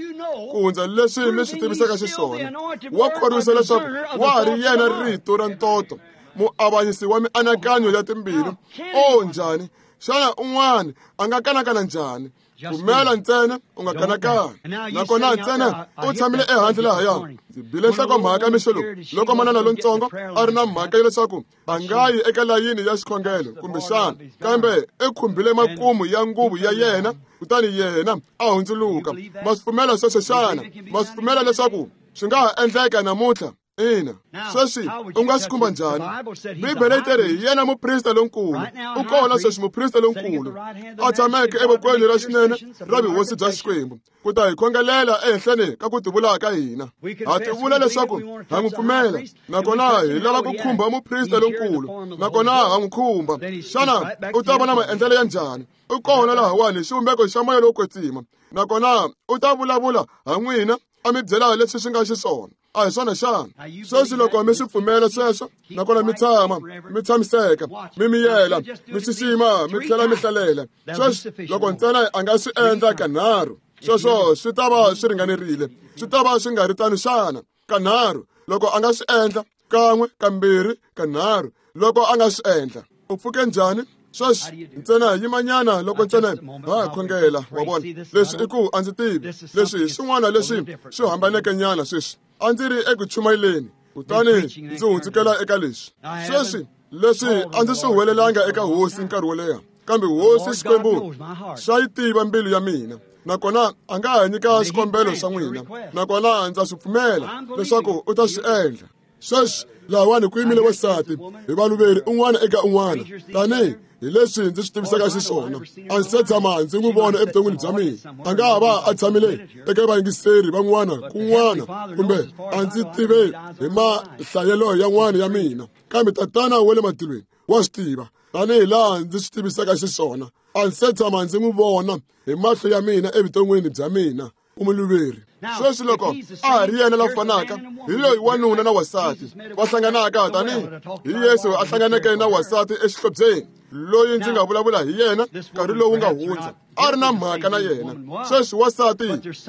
ku hundza leswi mi swi tivisaka xiswona. Wa khorwisa leswaku wa ha ri yena Rito ra ntoto, muavanyisi wa mianakanyo ya timbilu. O njhani? Xana un'wana a nga kanakana njhani? Pfumela ntsena, u nga kanakani. Nakona ntsena u tshamile ehandle lahaya. Ndzi bile nhlokomhaka mixo lowu loko manana lontsongo a ri na mhaka ya leswaku a nga yi eka layini ya xikhongelo kumbexana, kambe i khumbile makumu ya nguvu ya yena, kutani yena a hundzuluka. Ma swi pfumela sweswo xana? Ma swi pfumela leswaku swi nga ha endleka namuntlha? Ina. Sweswi u nga swi khumba njhani? Bibele yi teri hi yena muprista lonkulu. U kona sweswi muprista lonkulu a tshameke evokweni ra xinene ra vuhosi bya Xikwembu ku ta hi khongelela ehenhleni ka ku tivula ka hina. Ha tivula leswaku ha n'wi pfumela, nakona hi lava ku khumba muprista lonkulu, nakona ha n'wi khumba. Xana u ta va na maendlelo ya njhani? U kona lahawani hi xivumbeko xa moya lowo kwetsima, nakona u ta vulavula ha n'wina a mi byela leswi swi nga xiswona. A hi swona xana? Sweswi loko mi swi pfumela sweswo, nakona mi tshama mi tshamiseka, mi miyela, mi xixima, mi tlhela mi hlalela. Sweswi loko ntsena a nga swi endla kanharhu, sweswo swi ta va swi ringanerile. Swi ta va swi nga ri tano xana? Kanharhu loko a nga swi endla, kan'we, kambirhi, kanharhu loko a nga swi endla. U pfuke njhani? Sweswi ntsena yimanyana loko ntsena ha khongela. Wa vona, leswi i ku a ndzi tivi. Leswi hi swin'wana leswi swi hambaneke nyana sweswi. A ndzi ri eku chumayeleni, kutani ndzi hundzukela eka leswi. Sweswi leswi a ndzi swi huwelelanga eka Hosi nkarhi wo leha, kambe Hosi Xikwembu xa yi tiva mbilu ya mina, nakona a nga ha nyika xikombelo xa n'wina, nakona ndza swi pfumela leswaku u ta swi endla. Sweswi lahawani ku yimile wasati hi valuveri un'wana eka un'wana, tanihi hi leswi ndzi swi tivisaka xiswona. A ndzi se tshama ndzi n'wi vona evuton'wini bya mina. A nga ha va a tshamile eka vayingiseri van'wana kun'wana, kumbe a ndzi tive hi mahlayelo yan'wana ya mina, kambe Tatana wa le matilweni wa swi tiva tanihi laha ndzi swi tivisaka xiswona. A ndzi se tshama ndzi n'wi vona hi mahlo ya mina evuton'wini bya mina. U muluveri. Sweswi loko a ha ri yena la fanaka, hi loyi wanuna na wasati va hlanganaka tanihi hi Yesu a hlanganeke na wasati exihlobyeni, loyi ndzi nga vulavula hi yena nkarhi lowu nga hundza, a ri na mhaka na yena. Sweswi wasati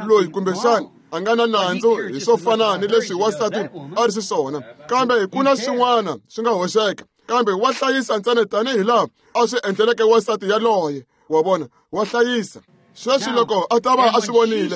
loyi kumbexana a nga na nandzu hi swo fana ni leswi wasati a ri xiswona, kambe ku na swin'wana swi nga hoxeka, kambe wa hlayisa ntsena tanihi laha a swi endleleke wasati yaloye. Wa vona, wa hlayisa. Sweswi loko a ta va a swi vonile,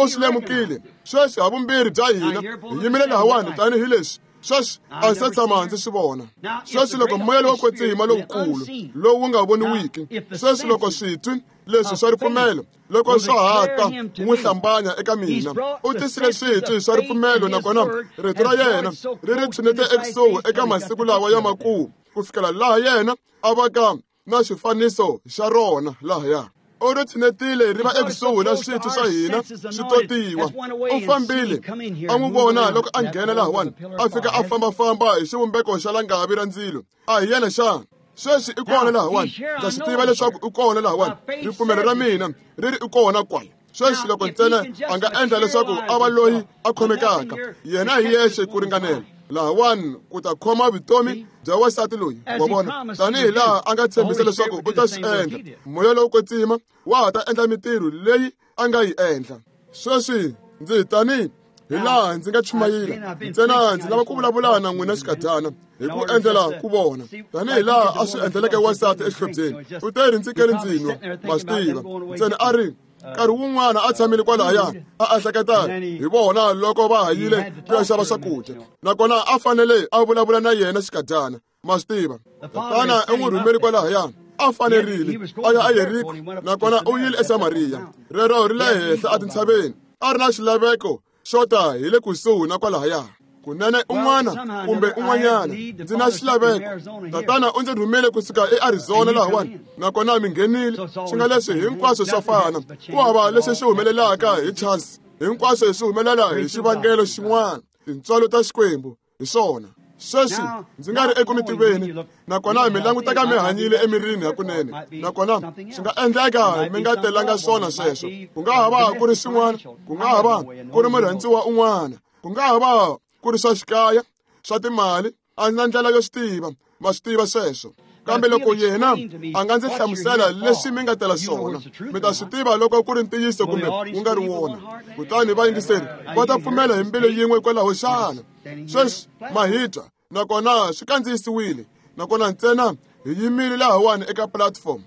u swi lemukile. Sweswi havumbirhi bya hina hi yimile lahawani tanihileswi sweswi a se tshama ndzi swi vona. Sweswi loko moya lowo kwetsima lowukulu lowu nga voniwiki, sweswi loko switwi leswi swa ripfumelo loko swa ha ta n'wi hlambanya eka mina, u tisile switwi swa ripfumelo, nakona rito ra yena ri ri tshunete ekusuhi eka masiku lawa ya makumu, ku fikela laha yena a va ka na xifaniso xa rona lahaya. U ri tshunetile ri va ekusuhi na switwi swa hina swi totiwa. U fambile a n'wi vona loko a nghena lahawani, a fika a fambafamba hi xivumbeko xa langavi ra ndzilo. A hi yena xana? Sweswi i kona lahawani, ndza swi tiva leswaku i kona lahawani. Ripfumelo ra mina ri ri i kona kwala. Sweswi loko ntsena a nga endla leswaku a va loyi a khomekaka, yena hi yexe ku ringanela lahawani ku ta khoma vutomi bya wasati loyi. Wa vona, tanihi laha a nga tshembisa leswaku u ta swi endla, moya lowo kwetsima wa ha ta endla mitirho leyi a nga yi endla. Sweswi ndzi tanihi hi laha ndzi nga chumayela ntsena, ndzi lava ku vulavula na n'wina xikadyana hi ku endlela ku vona tanihi laha a swi endleleke wasati exihlobyeni. U te ri ndzi kele ndzi nwa, ma swi tiva ntsena a ri nkarhi wun'wana a tshamile kwalahaya a ehleketa hi vona loko va ha yile ku ya xava swakudya, nakona a fanele a vulavula na yena xikadyana, ma swi tiva. Tatana u n'wi rhumeli kwalahaya, a fanerile a ya eYeriko, nakona u yile eSamariya. Rero ri le henhla etintshaveni, a ri na xilaveko xo ta hi le kusuhi na kwalahaya. Kunene un'wana kumbe un'wanyana ndzi na xilaveko. Tatana u ndzi rhumele kusuka eArizona lahawani, nakona mi nghenile. Swi nga leswi hinkwaswo swa fana, ku hava leswi swi humelelaka hi chance, hinkwaswo swi humelela hi xivangelo xin'wana. Tintswalo ta Xikwembu hi swona. Sweswi ndzi nga ri eku mi tiveni, nakona mi languteka mi hanyile emirini hakunene, nakona swi nga endleka mi nga telanga swona sweswo. Ku nga ha va ku ri swin'wana, ku nga ha va ku ri murhandziwa un'wana, ku nga ha va ku ri swa xikaya, swa timali, a ndzi na ndlela yo swi tiva, ma swi tiva sweswo. Kambe loko yena a nga ndzi hlamusela leswi mi nga tela swona, mi ta swi tiva loko ku ri ntiyiso kumbe wu nga ri wona. Kutani vayingiseri va ta pfumela hi mbilu yin'we kwalaho xana. Sweswi ma hi twa, nakona swi kandziyisiwile, nakona ntsena hi yimile lahawani eka platform.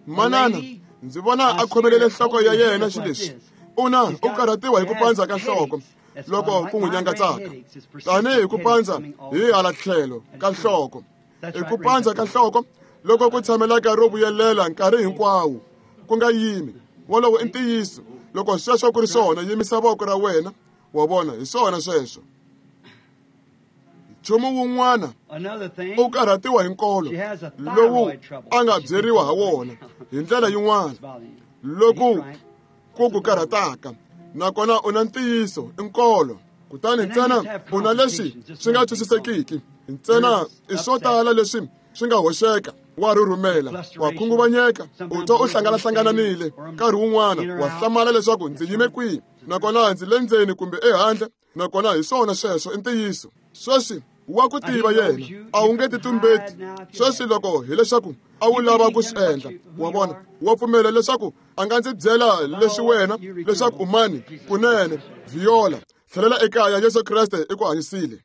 Manana ndzi vona a khomelele nhloko ya yena xileswi, u na u karhatiwa hi ku pandza ka nhloko loko ku n'wi nyangatsaka, tanihi ku pandza hi hala tlhelo ka nhloko. I ku pandza ka nhloko loko ku tshamelaka ro vuyelela nkarhi hinkwawo, ku nga yimi. Wolowo i ntiyiso. Loko sweswo ku ri swona, yimisa voko ra wena. Wa vona, hi swona sweswo. Nchumu wun'wana, u karhatiwa hi nkolo lowu a nga byeriwa ha wona hi ndlela yin'wana loku ku ku karhataka, nakona u na ntiyiso, i nkolo. Kutani ntsena u na leswi swi nga twisisekiki, ntsena i swo tala leswi swi nga hoxeka. Wa rhurhumela, wa khunguvanyeka, u twa u hlangana-hlangananile nkarhi wun'wana, wa hlamala leswaku ndzi yime kwihi, nakona ndzi le ndzeni kumbe ehandle, nakona hi swona sweswo i ntiyiso. Sweswi wa ku tiva yena, a wu nge titumbeti. Sweswi loko hileswaku a wu lava ku swi endla, wa vona, wa pfumela leswaku a nga ndzi byela leswi wena leswaku u mani? Kunene, Viola, tlhelela ekaya, Yesu Kreste i ku hanyisile.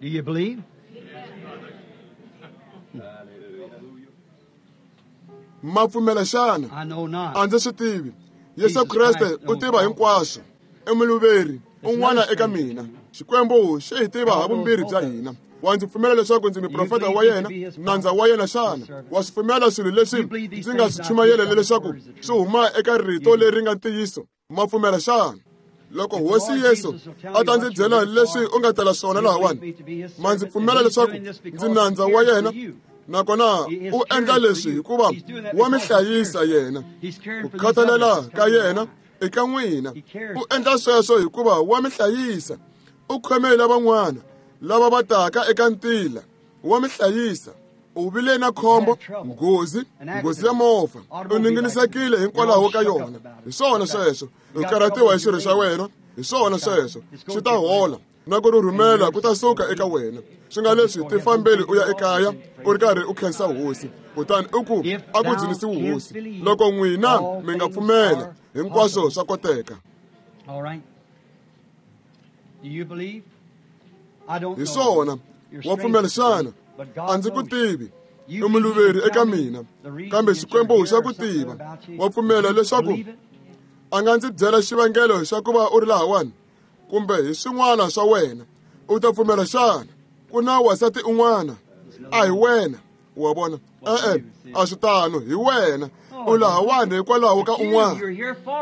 Do you believe?
Ma pfumela xana?
I know not.
A ndzi swi tivi. Yesu Kreste u tiva hinkwaswo. I muluveri un'wana eka mina. Xikwembu xi hi tiva havumbirhi bya hina. Wa ndzi pfumela leswaku ndzi muprofeta wa yena, nandza wa yena xana? Wa swi pfumela swilo leswi ndzi nga swi chumayela leswaku swi huma eka rito leri nga ntiyiso? Ma pfumela xana? Loko Hosi Yesu a ta ndzi byela leswi u nga tela swona lahawani, ma ndzi pfumela leswaku ndzi nandza wa yena, nakona u endla leswi hikuva wa mi hlayisa yena. Ku khathalela ka yena eka n'wina, u endla sweswo hikuva wa mi hlayisa. U khomele van'wana lava va taka eka ntila, wa mi hlayisa. U vile na khombo, nghozi ya movha. U ninginisekile hinkwalaho ka yona. Hi swona sweswo. U karhatiwa hi xirho xa wena. Hi swona sweswo. Swi ta hola na ku rhurhumela ku ta suka eka wena. Swi nga leswi tifambeli u ya ekaya u ri karhi u khensa hosi, kutani u ku a ku dzunisiwi hosi. Loko n'wina mi nga pfumela, hinkwaswo swa koteka. Hi swona, wa pfumela xana? A ndzi ku tivi, i muluveri eka mina, kambe Xikwembu xa ku tiva. Wa pfumela leswaku a nga ndzi byela xivangelo xa ku va u ri lahawani, kumbe hi swin'wana swa wena, u ta pfumela xana? Ku na wansati un'wana, a hi wena. Wa vona? E-e, a swi tano, hi wena. U lahawani hikwalaho ka un'wana.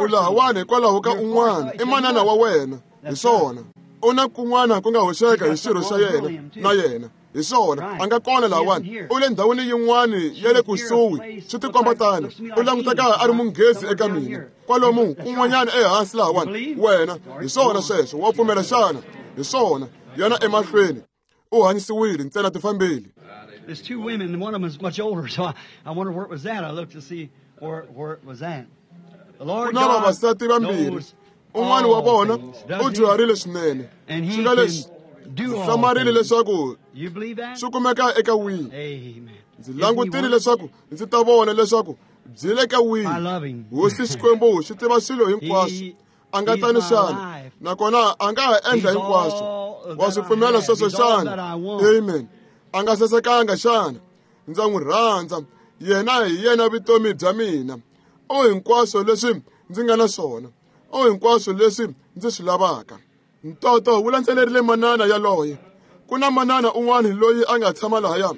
U lahawani hikwalaho ka un'wana. I manana wa wena. Hi swona. U na kun'wana ku nga hoxeka hi xirho xa yena na yena. Hi swona, a nga kona lahawani. U le ndhawini yin'wana ya le kusuhi, swi tikomba tano. U languteka a ri munghezi eka mina. Kwalomu kun'wanyana ehansi lahawani. Wena, hi swona sweswo. Wa pfumela xana? Hi swona. Yana emahlweni. U hanyisiwile, ntsena tifambeli.
There's two women, and one of them is much older, so I wonder where it was at. I looked to see where it was at. The Lord
Ku na
God
vavasati vambirhi.
knows
Un'wana wa
all
vona
things,
u
does he?
dyuharile swinene.
And
Swi
he
nga leswi
can do all
hlamarile
things.
leswaku
You believe that?
swi kumeka eka wihi.
Amen.
Ndzi
Isn't he
langutile
wonderful?
leswaku ndzi ta vona leswaku byi le ka
I
wihi.
love him.
Hosi Xikwembu xi tiva swilo hinkwaswo. A nga
He's
tani
my
xana,
life.
nakona a nga ha endla
He's
hinkwaswo.
all
Wa
that
swi
I
pfumela
have.
sweswo
He's all
xana?
that I want.
Amen. A nga sasekanga xana? Ndza n'wi rhandza. Yena hi yena vutomi bya mina. U hinkwaswo leswi ndzi nga na swona. U hinkwaswo leswi ndzi swi lavaka. Ntoto wu landzelerile manana yaloye. Ku na manana un'wana loyi a nga tshama lahaya,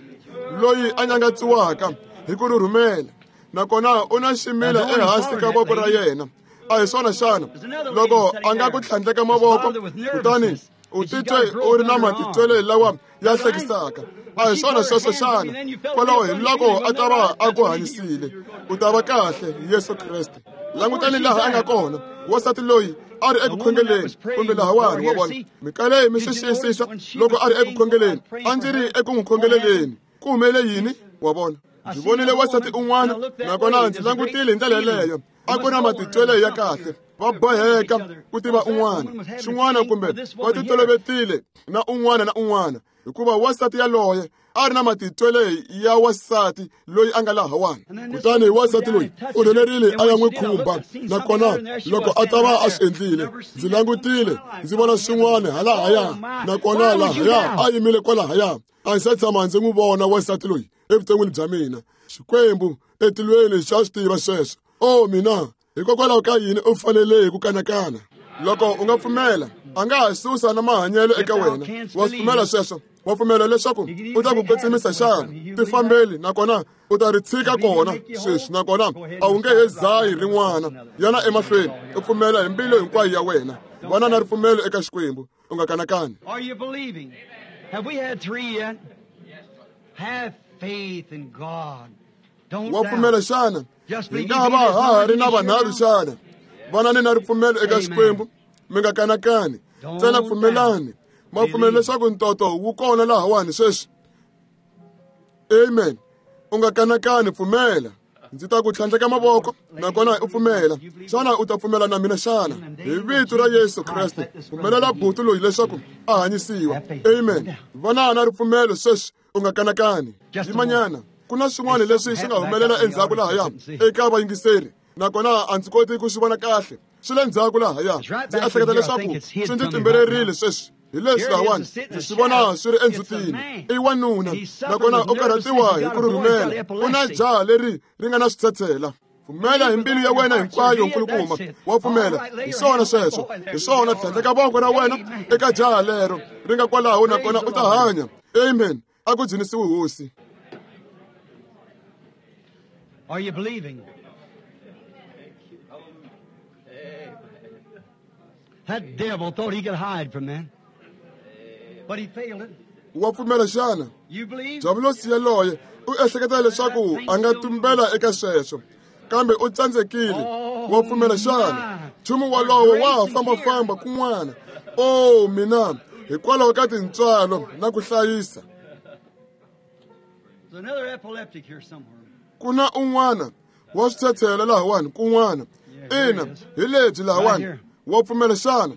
loyi a nyangatsiwaka hi ku rhurhumela, nakona u na ximila ehansi ka voko ra yena. A hi swona xana? Loko a nga ku tlhandleka mavoko, kutani u titwe u ri na matitwelo lawa ya hlekisaka. A hi swona sweswo xana? Kwalaho hi loko a ta va a ku hanyisile, u ta va kahle hi Yesu Kreste. Langutani laha a nga kona. Wansati loyi a ri eku khongeleni, kumbe lahawani, wa vona. Mikaleyi mi swi xiyisisa loko a ri eku khongeleni. A ndzi ri eku n'wi khongeleleni. Ku humelele yini? Wa vona. Ndzi vonile wansati un'wana, nakona ndzi langutile hi ndlela yeleyo. A ku na matitwelo ya kahle. Va boheka ku tiva un'wana, xin'wana kumbe va titolovetile na un'wana na un'wana, hikuva wansati yaloye a ri na matitwelo ya wansati loyi a nga lahawani. Kutani wansati loyi u rhelerile a ya n'wi khumba, nakona loko a ta va a swi endlile, ndzi langutile ndzi vona swin'wana halahaya, nakona lahaya a yimile kwalahaya. A ndzi se tshama ndzi n'wi vona wansati loyi evuton'wini bya mina. Xikwembu etilweni xa swi tiva sweswo. O mina, hikokwalaho ka yini u fanele hi ku kanakana? Loko u nga pfumela, a nga ha susa na mahanyelo eka wena. Wa swi pfumela sweswo? Wa pfumela leswaku u ta ku kwetsimisa xana? Tifambeli, nakona u ta ri tshika kona sweswi, nakona a wu nge he zahi rin'wana. Yana emahlweni, u pfumela hi mbilu hinkwayo ya wena. Vana na ripfumelo eka Xikwembu, u nga kanakani.
Are you believing? Have we had three yet? Have faith in God. Don't
Wa pfumela
doubt.
xana?
Just
Hi
believe.
nga va ha ha ri na vanharhu xana? Vanani na ripfumelo eka Xikwembu, mi nga kanakani. Ntsena pfumelani. Ma pfumela leswaku ntoto wu kona lahawani sweswi. Amen. U nga kanakani, pfumela. Ndzi ta ku tlhandleka mavoko, nakona u pfumela. Xana u ta pfumela na mina xana? Hi vito ra Yesu Kreste, pfumelela buti loyi leswaku a hanyisiwa. Amen. Vana na ripfumelo sweswi, u nga kanakani. Yimanyana. Ku na swin'wana leswi swi nga humelela endzhaku lahaya eka vayingiseri, nakona a ndzi koti ku swi vona kahle. Swi le ndzhaku lahaya. Ndzi ehleketa leswaku swi ndzi timbelerile sweswi. Hi leswi lahawani, ndzi swi vona swi ri endzhutini. I wanuna, nakona u karhatiwa hi ku rhurhumela. U na jaha leri ri nga na switshetshela. Pfumela hi mbilu ya wena hinkwayo, nkulukumba. Wa pfumela? Hi swona sweswo. Hi swona, tlhandleka voko ra wena eka jaha lero ri nga kwalaho, nakona u ta hanya. Amen. A ku dzunisiwe Hosi.
Are you believing? That devil thought he could hide from that, but he failed it.
Wa pfumela xana?
You believe?
Diabulosi yaloye u ehleketa leswaku a nga tumbela eka sweswo, kambe u tsandzekile. Wa pfumela xana? Nchumu walowo wa ha fambafamba kun'wana. O mina, hikwalaho ka tintswalo na ku hlayisa. Ku na un'wana wa switshetshela lahawani kun'wana. Ina, hi lebyi lahawani. Wa pfumela xana?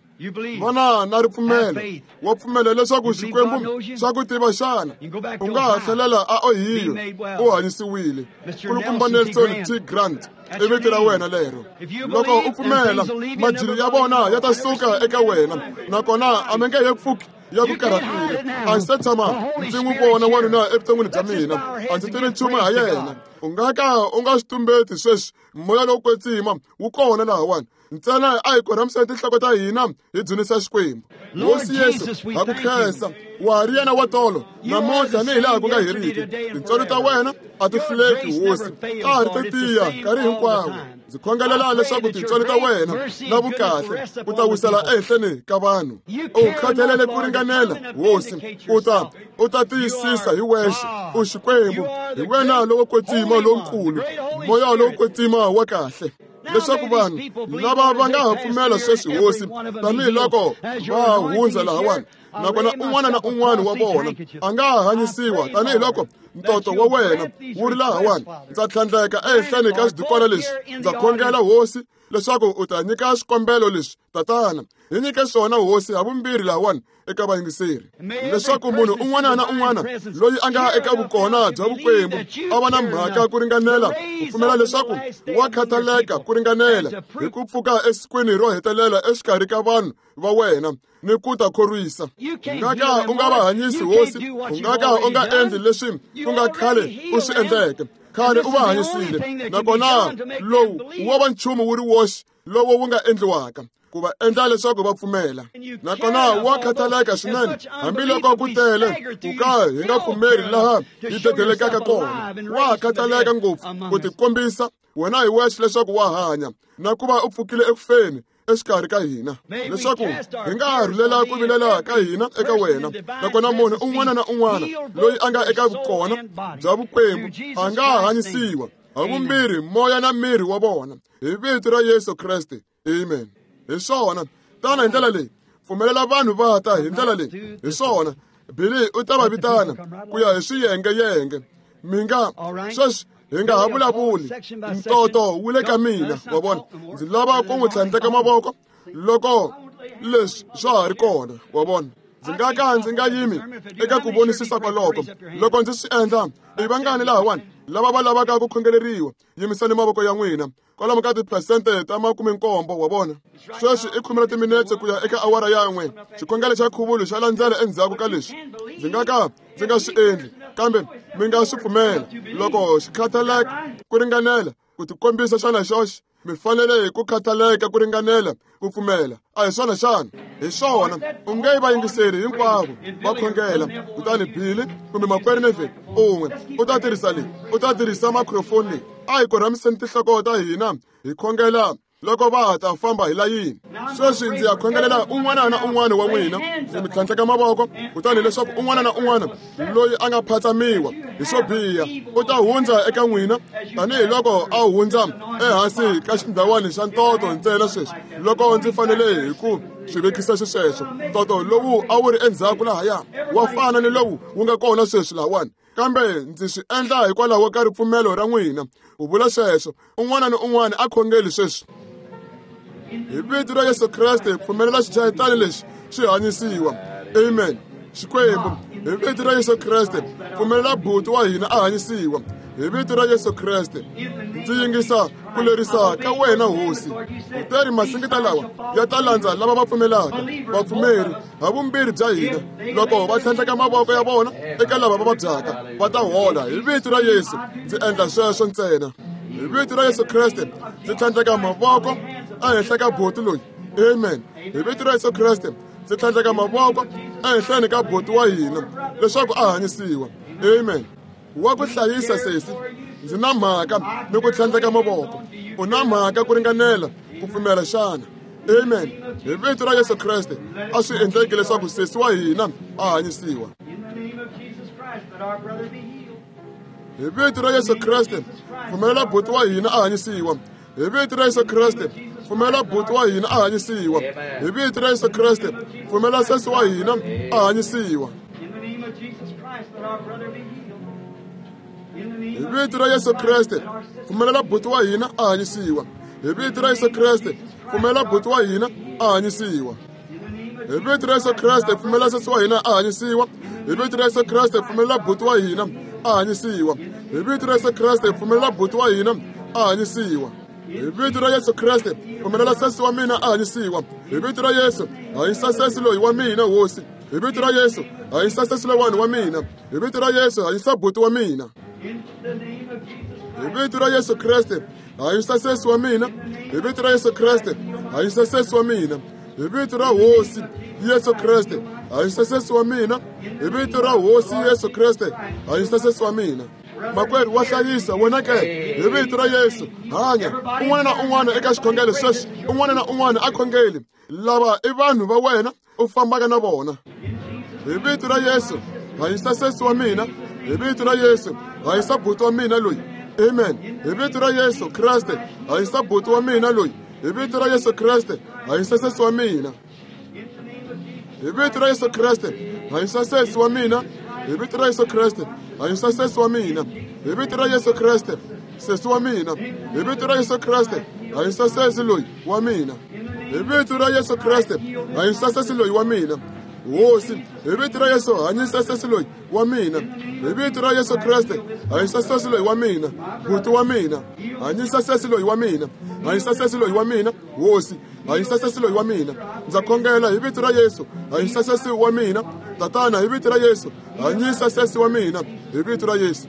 Vana na ripfumelo. Wa pfumela leswaku Xikwembu xa ku tiva xana? U nga ha tlhelela a Ohio u hanyisiwile. Kulukumba Nelson T. Grant i vito ra wena lero. Loko u pfumela, majiri ya vona ya ta suka eka wena, nakona a mi nge he pfuki ya ku karhatile. A ndzi se tshama ndzi n'wi vona wanuna evuton'wini bya mina, a ndzi tivi nchumu ha yena. U nga ka u nga swi tumbeti sweswi, moya lowo kwetsima wu kona lahawani. Ntsena a hi korhamiseni tinhloko ta hina hi dzunisa Xikwembu. Hosi Yesu, ha ku khensa, wa ha ri yena wa tolo namuntlha ni hi laha ku nga heriki. Tintswalo ta wena a ti hluleki, Hosi, ta ha ri to tiya nkarhi hinkwawo. Ndzi khongelela leswaku tintswalo ta wena na vukahle u ta wisela ehenhleni ka vanhu. U khathalele ku ringanela, Hosi, u ta tiyisisa hi wexe. U Xikwembu, hi wena lowo kwetsima lowukulu, moya lowo kwetsima wa kahle. Leswaku vanhu lava va nga ha pfumela sweswi, Hosi, tanihiloko va hundza lahawani, nakona un'wana na un'wana wa vona a nga ha hanyisiwa tanihiloko ntoto wa wena wu ri lahawani. Ndza tlhandleka ehenhleni ka xidukwana lexi. Ndza khongela, Hosi, leswaku u ta nyika swikombelo leswi, Tatana. Hi nyike swona, Hosi, havumbirhi lahawani eka vayingiseri, leswaku munhu un'wana na un'wana loyi a nga eka vukona bya Vukwembu a va na mhaka ku ringanela ku pfumela leswaku wa khathaleka ku ringanela hi ku pfuka esikwini ro hetelela exikarhi ka vanhu va wena ni ku ta khorwisa. U nga ka u nga va hanyisi, Hosi, u nga ka u nga endli leswi ku nga khale u swi endleke. Khale u va hanyisile, nakona lowu wo va nchumu wu ri woxe lowu wu nga endliwaka ku va endla leswaku va pfumela. Nakona wa khathaleka swinene, hambiloko ku tele ku ka hi nga pfumeri laha hi dedelekaka kona. Wa khathaleka ngopfu ku tikombisa wena hi wexe leswaku wa hanya na ku va u pfukile ekufeni exikarhi ka hina, leswaku hi nga ha rhulela ku vilela ka hina eka wena. Nakona munhu un'wana na un'wana loyi a nga eka vukona bya Vukwembu a nga ha hanyisiwa havumbirhi moya na miri wa vona, hi vito ra Yesu Kreste. Amen. Hi swona, tana hi ndlela leyi, pfumelela vanhu va ta hi ndlela leyi. Hi swona, Billy u ta va vitana ku ya hi swiyengeyenge. Mi nga sweswi hi nga ha vulavuli, ntoto wu le ka mina, wa vona. Ndzi lava ku n'wi tlhandleka mavoko loko leswi swa ha ri kona, wa vona. Ndzi nga ka ndzi nga yimi eka ku vonisisa kwaloko. Loko ndzi swi endla, i vangani lahawani lava va lavaka ku khongeleriwa? Yimisani mavoko ya n'wina. Kwalomu ka tiphesente ta 70, wa vona. Sweswi i 10 timinetse ku ya eka awara ya 1. Xikhongelo xa khuvulo xa landzela endzhaku ka leswi. Ndzi nga ka ndzi nga swi endli, kambe mi nga swi pfumela loko xi khathaleka ku ringanela ku tikombisa xana xoxe. Mi fanele hi ku khathaleka ku ringanela ku pfumela. A hi swona xana? Hi swona. U nge vayingiseri hinkwavo va khongela, kutani Billy kumbe makwerhu Neville un'we u ta tirhisa leyi, u ta tirhisa microphone leyi. A hi korhamiseni tinhloko ta hina hi khongela loko va ta famba hi layini. Sweswi ndzi ya khongelela un'wana na un'wana wa n'wina, ndzi mi tlhandleka mavoko, kutani leswaku un'wana na un'wana loyi a nga phatsamiwa hi swo biha u ta hundza eka n'wina tanihiloko a hundza ehansi ka xindhawani xa ntoto ntsena. Sweswi loko ndzi fanele hi ku swi vekisa xisweswo, ntoto lowu a wu ri endzhaku lahaya wa fana ni lowu wu nga kona sweswi lahawani, kambe ndzi swi endla hikwalaho ka ripfumelo ra n'wina. U vula sweswo, un'wana ni un'wana a khongeli sweswi. Hi vito ra Yesu Kreste, pfumelela xichayitani lexi xi hanyisiwa. Amen. Xikwembu, hi vito ra Yesu Kreste, pfumelela buti wa hina a hanyisiwa. Hi vito ra Yesu Kreste, ndzi yingisa ku lerisa ka wena, Hosi. Kutani masingita lawa ya ta landza lava va pfumelaka, vapfumeri havumbirhi bya hina. Loko va tlhandleka mavoko ya vona eka lava va vabyaka, va ta hola. Hi vito ra Yesu, ndzi endla sweswo ntsena. Hi vito ra Yesu Kreste, ndzi tlhandleka mavoko ehenhla ka buti loyi. Amen. Hi vito ra Yesu Kreste, ndzi tlhandleka mavoko ehenhleni ka buti wa hina leswaku a hanyisiwa. Amen. Wa ku hlayisa sesi, ndzi na mhaka ni ku tlhandleka mavoko. U na mhaka ku ringanela ku pfumela xana? Amen. Hi vito ra Yesu Kreste, a swi endleki leswaku sesi wa hina a hanyisiwa. Hi vito ra Yesu Kreste, pfumelela buti wa hina a hanyisiwa. Hi vito ra Yesu Kreste, pfumelela buti wa hina a hanyisiwa. Hi vito ra Yesu Kreste, pfumelela sesi wa hina a hanyisiwa. Hi vito ra Yesu Kreste, pfumelela buti wa hina a hanyisiwa. Hi vito ra Yesu Kreste, pfumelela buti wa hina a hanyisiwa. Hi vito ra Yesu Kreste, pfumelela sesi wa hina a hanyisiwa. Hi vito ra Yesu Kreste, pfumelela buti wa hina a hanyisiwa. Hi vito ra Yesu Kreste, pfumelela buti wa hina a hanyisiwa. Hi vito ra Yesu Kreste, pfumelela sesi wa mina a hanyisiwa. Hi vito ra Yesu, hanyisa sesi loyi wa mina, Hosi. Hi vito ra Yesu, hanyisa sesi lowani wa mina. Hi vito ra Yesu, hanyisa buti wa mina. Hi vito ra Yesu Kreste, hanyisa sesi wa mina. Hi vito ra Yesu Kreste, hanyisa sesi wa mina. Hi vito ra Hosi Yesu Kreste, hanyisa sesi wa mina. Hi vito ra Hosi Yesu Kreste, hanyisa sesi wa mina. Makwerhu wa hlayisa wena ke, hi vito ra Yesu, hanya. Un'wana na un'wana eka xikhongelo sweswi, un'wana na un'wana a khongeli. Lava i vanhu va wena u fambaka na vona. Hi vito ra Yesu, hanyisa sesi wa mina. Hi vito ra Yesu, hanyisa buti wa mina loyi. Amen. Hi vito ra Yesu Kreste, hanyisa buti wa mina loyi. Hi vito ra Yesu Kreste, hanyisa sesi wa mina. Hi vito ra Yesu Kreste, hanyisa sesi wa mina. Hi vito ra Yesu Kreste, hanyisa sesi wa mina. Hi vito ra Yesu Kreste, sesi wa mina. Hi vito ra Yesu Kreste, hanyisa sesi loyi wa mina. Hi vito ra Yesu Kreste, hanyisa sesi loyi wa mina. Hosi, hi vito ra Yesu, hanyisa sesi loyi wa mina. Hi vito ra Yesu Kreste, hanyisa sesi loyi wa mina. Buti wa mina, hanyisa sesi loyi wa mina. Hanyisa sesi loyi wa mina, Hosi, hanyisa sesi loyi wa mina. Ndza khongela hi vito ra Yesu, hanyisa sesi wa mina. Tatana, hi vito ra Yesu, hanyisa sesi wa mina, hi vito ra Yesu.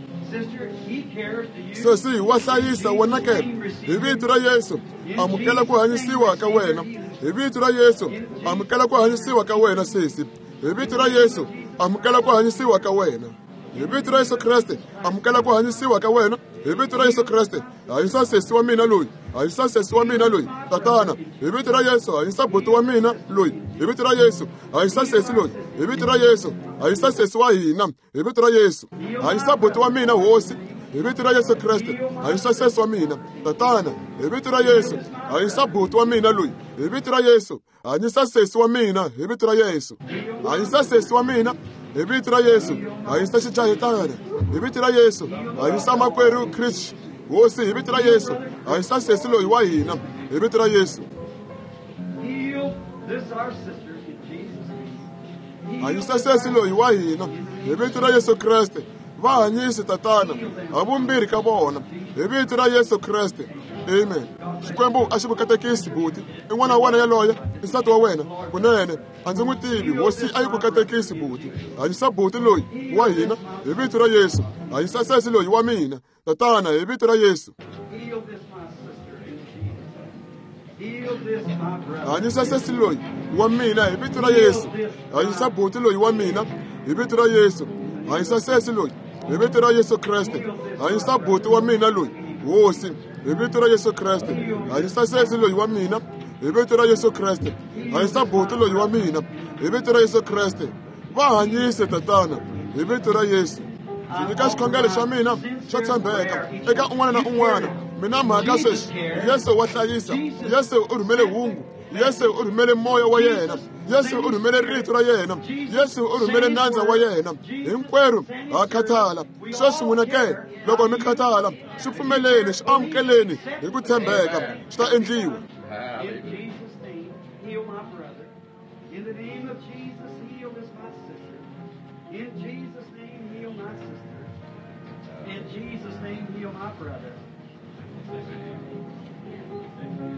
Sesi wa hlayisa wena ke, hi vito ra Yesu, amukela ku hanyisiwa ka wena. Hi vito ra Yesu, amukela ku hanyisiwa ka wena sesi. Hi vito ra Yesu, amukela ku hanyisiwa ka wena. Hi vito ra Yesu Kreste, amukela ku hanyisiwa ka wena. Hi vito ra Yesu Kreste, hanyisa sesi wa mina loyi. Hanyisa sesi wa mina loyi. Tatana, hi vito ra Yesu, hanyisa buti wa mina loyi. Hi vito ra Yesu, hanyisa sesi loyi. Hi vito ra Yesu, hanyisa sesi wa hina. Hi vito ra Yesu, hanyisa buti wa mina, Hosi. Hi vito ra Yesu Kreste, hanyisa sesi wa mina. Tatana, hi vito ra Yesu, hanyisa buti wa mina loyi. Hi vito ra Yesu, hanyisa sesi wa mina. Hi vito ra Yesu, hanyisa sesi wa mina. Hi vito ra Yesu, hanyisa xichayetana. Hi vito ra Yesu, hanyisa makwerhu Chris. Hosi, hi vito ra Yesu, hanyisa sesi loyi wa hina. Hi vito ra Yesu. Hanyisa sesi loyi wa hina. Hi vito ra Yesu Kreste. Va hanyisi Tatana, ha vumbirhi ka vona. Hi vito ra Yesu Kreste. Amen. Xikwembu a xi ku katekisi buti. I n'wana wa wena yaloye, i nsati wa wena. Kunene, a ndzi n'wi tivi. Hosi a yi ku katekisi buti. Hanyisa buti loyi wa hina hi vito ra Yesu. Hanyisa sesi loyi wa mina. Tatana, hi vito ra Yesu. Hanyisa sesi loyi wa mina hi vito ra Yesu. Hanyisa buti loyi wa mina hi vito ra Yesu. Hanyisa sesi loyi hi vito ra Yesu Kreste. Hanyisa buti wa mina loyi, Hosi, hi vito ra Yesu Kreste. Hanyisa sesi loyi wa mina hi vito ra Yesu Kreste. Hanyisa buti loyi wa mina hi vito ra Yesu Kreste. Va hanyise Tatana hi vito ra Yesu. Ndzi nyika xikhongelo xa mina xo tshembeka eka un'wana na un'wana. Mina mhaka sweswi, Yesu wa hlayisa. Yesu u rhumele hungu. Yesu u rhumele moya wa yena. Yesu u rhumele rito ra yena. Yesu u rhumele nandza wa yena. Hinkwerhu ha khathala. Sweswi n'wina ke, loko mi khathala, swi pfumeleni, swi amukeleni hi ku tshembeka, swi ta endliwa.
In the name of Jesus, heal this my sister. In Jesus' name, heal my sister. In Jesus' name, heal my brother.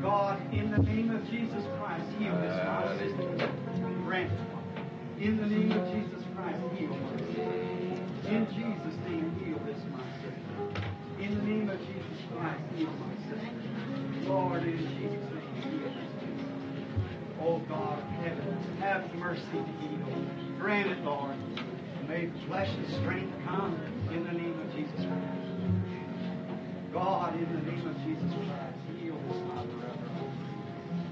God, in the name of Jesus Christ, heal this my sister. Grant it. In the name of Jesus Christ, heal my sister. In Jesus' name, heal this my sister. In the name of Jesus Christ, heal my sister. Lord, in Jesus' name, heal this sister. Oh God of heaven, have mercy to heal. Grant it, Lord. May flesh and strength come in the name of Jesus Christ. God, in the name of Jesus Christ, heal this my brother.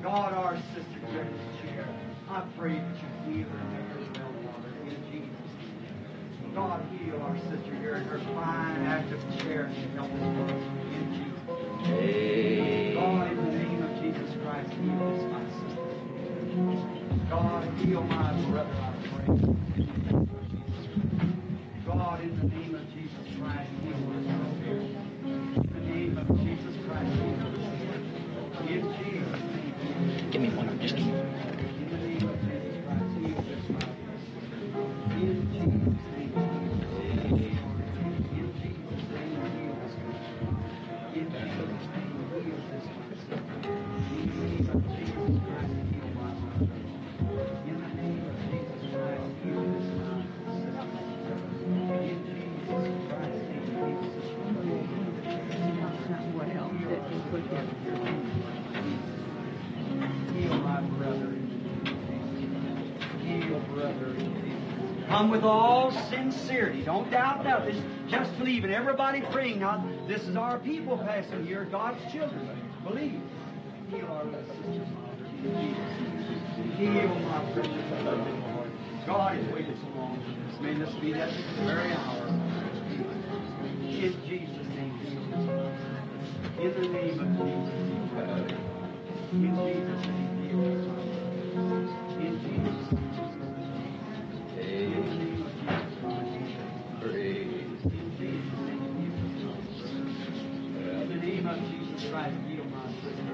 God, our sister here in this chair, I pray that you heal her and make her well, Father, in Jesus' name. God, heal our sister here in her fine, active chair and help us, in Jesus' name. God, in the name of Jesus Christ, heal this my sister. God, heal my brother, I pray, in the name of Jesus Christ. God, in the name of Jesus Christ, heal this brother. In the name of Jesus Christ, heal this brother. In Jesus' name.
Give me one. Just give me one.
In the name of Jesus Christ, heal this brother. In Jesus' name. In Jesus' name, heal this brother. In Jesus' name, heal this brother. In the name of Jesus Christ, heal my brother. In the name of Jesus Christ, heal this brother. In Jesus Christ's name, heal this brother.
What else that you put here?
Heal my brother in the name of Jesus. Heal brother in Jesus. Come with all sincerity. Don't doubt nothing. Just believe it. Everybody praying now. This is our people passing here, God's children. Believe. Heal our little sister, Father, in Jesus. Heal my precious brother, Lord. God has waited so long for this. May this be that very hour. In Jesus' name, heal this brother. In the name of Jesus, heal this. In Jesus' name, heal this brother. In Jesus' name. In the name of Jesus Christ.
Praise.
In Jesus' name, heal this brother. In the name of Jesus Christ, heal my sister.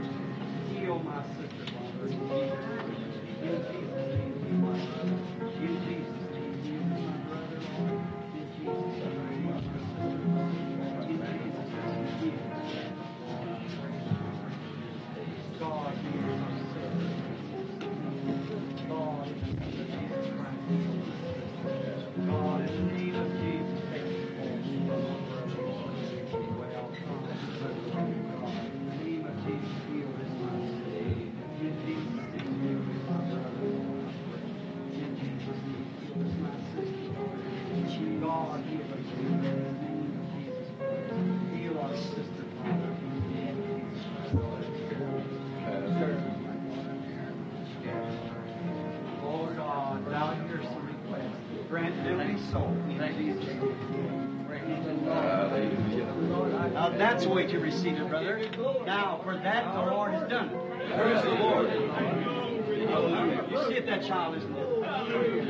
Heal my sister, Father. In Jesus' name. In Jesus' name, heal my brother. In Jesus' name, heal my brother, Lord. In Jesus' name, heal my sister. In Jesus' name, heal. God, heal my sister. God, in the name of Jesus Christ, heal my sister. God, in the name of Jesus, take the fall from my brother, Lord. Well, God, in the name of Jesus, heal this my sister. In Jesus' name, heal this my brother, Lord. In Jesus' name, heal this my sister, Lord. God, heal us in the name of Jesus Christ. Heal our sister, Father, in the name of Jesus Christ. Oh God, thou hearest the request. Grant them be so in Jesus' name. Now that's the way to receive it, brother. Now, for that the Lord has done it. Praise the Lord. Hallelujah. You see if that child isn't it. Hallelujah.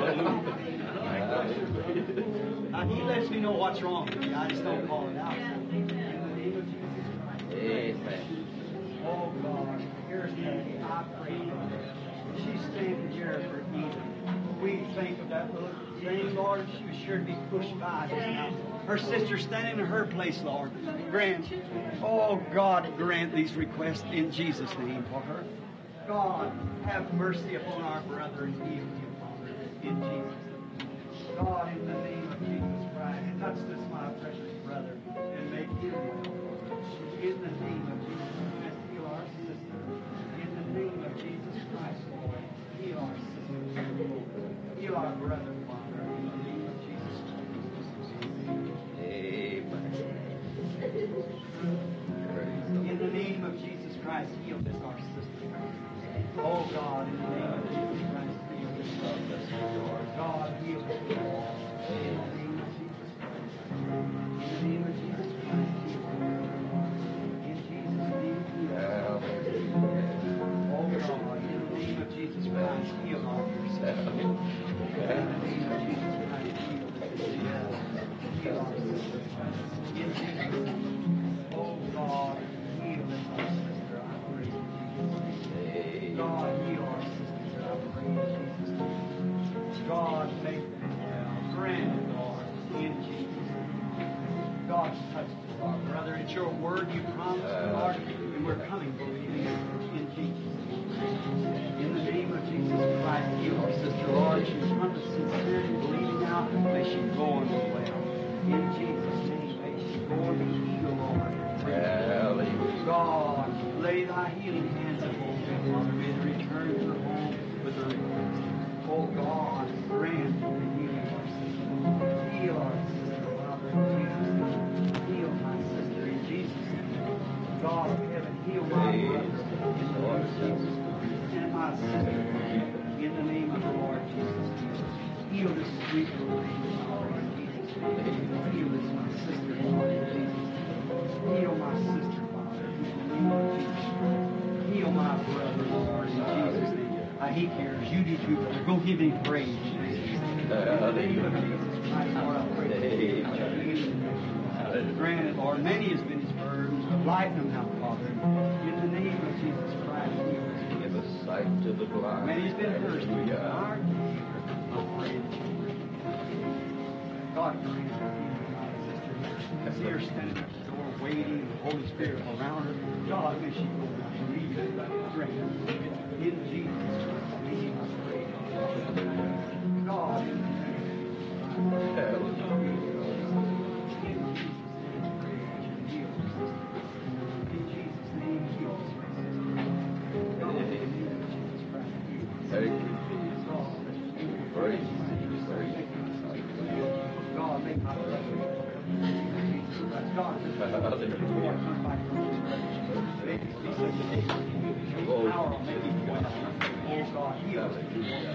Now he lets me know what's wrong with me. I just don't call it out. In the name of Jesus Christ.
Amen.
Oh God, here's Peggy. I pray for her. She's standing here for healing. We think of that little thing, Lord. She was sure to be pushed by just now. Her sister standing in her place, Lord. Grant, oh God, grant these requests in Jesus' name for her. God, have mercy upon our brother and heal him, Father, in Jesus' name. God, in the name of Jesus Christ, touch this my precious brother and make him well, Father. In the name of Jesus Christ, heal our sister. In the name of Jesus Christ, Lord, heal our sister. Heal our brother, Father, in the name of Jesus Christ.
Amen.
In the name of Jesus Christ, heal this our sister. Oh God, in the name of Jesus Christ, heal this our sister. God, heal this brother. In the name of Jesus Christ. In the name of Jesus Christ, heal her. In Jesus' name, heal her. Oh God, in the name of Jesus Christ, heal our dear sister. In the name of Jesus Christ, heal this sister. Heal our sister. In Jesus' name. Oh God, heal this our sister, I pray in Jesus' name. God, heal our sister, I pray in Jesus' name. God, make them well. Grant it, Lord, in Jesus' name. God, touch us, our brother. It's your word you promised, Lord, and we're coming believing it in Jesus' name. In the name of Jesus Christ, heal our sister, Lord. She's come to sincerity, believing now. May she go and be well. In Jesus' name, may she go and be healed, Lord.
Hallelujah.
God, lay thy healing hands upon them, Father. May they return to her home with a request. Oh God, grant the healing of our sister. Heal our sister, Father, in Jesus' name. Heal my sister in Jesus' name. God of heaven, heal my brother in the name of Jesus Christ. And my sister, in the name of the Lord Jesus Christ. Heal this sweet little lady, Father, in Jesus' name. Heal this my sister, Lord, in Jesus' name. Heal my sister, Father, in the name of Jesus Christ. Heal my brother, Lord, in Jesus' name. He cares. You do too, brother. Go give him praise. In the name of Jesus. Christ, Lord, I pray that you heal. Grant it, Lord. Many has been his burdens, but lighten them now, Father. In the name of Jesus Christ, heal us.
Give us sight to the blind.
Many has been thirsty.
Hallelujah.
I pray that you grant. God grant her healing, my sister. I see her standing at the door waiting, the Holy Spirit around her. God, may she go down and leave it. Grant it. In Jesus Christ's name, I pray. God, in the name of Jesus. In Jesus' name, I pray that you heal her sister. In Jesus' name, heal her sister. God, in the name of Jesus Christ, heal her sister.
Thank you, Jesus. Praise you, praise you.
God, make my brother. Jesus Christ. God, Lord, come by your May it be such a day. Power will make it well. Oh, God, heal us.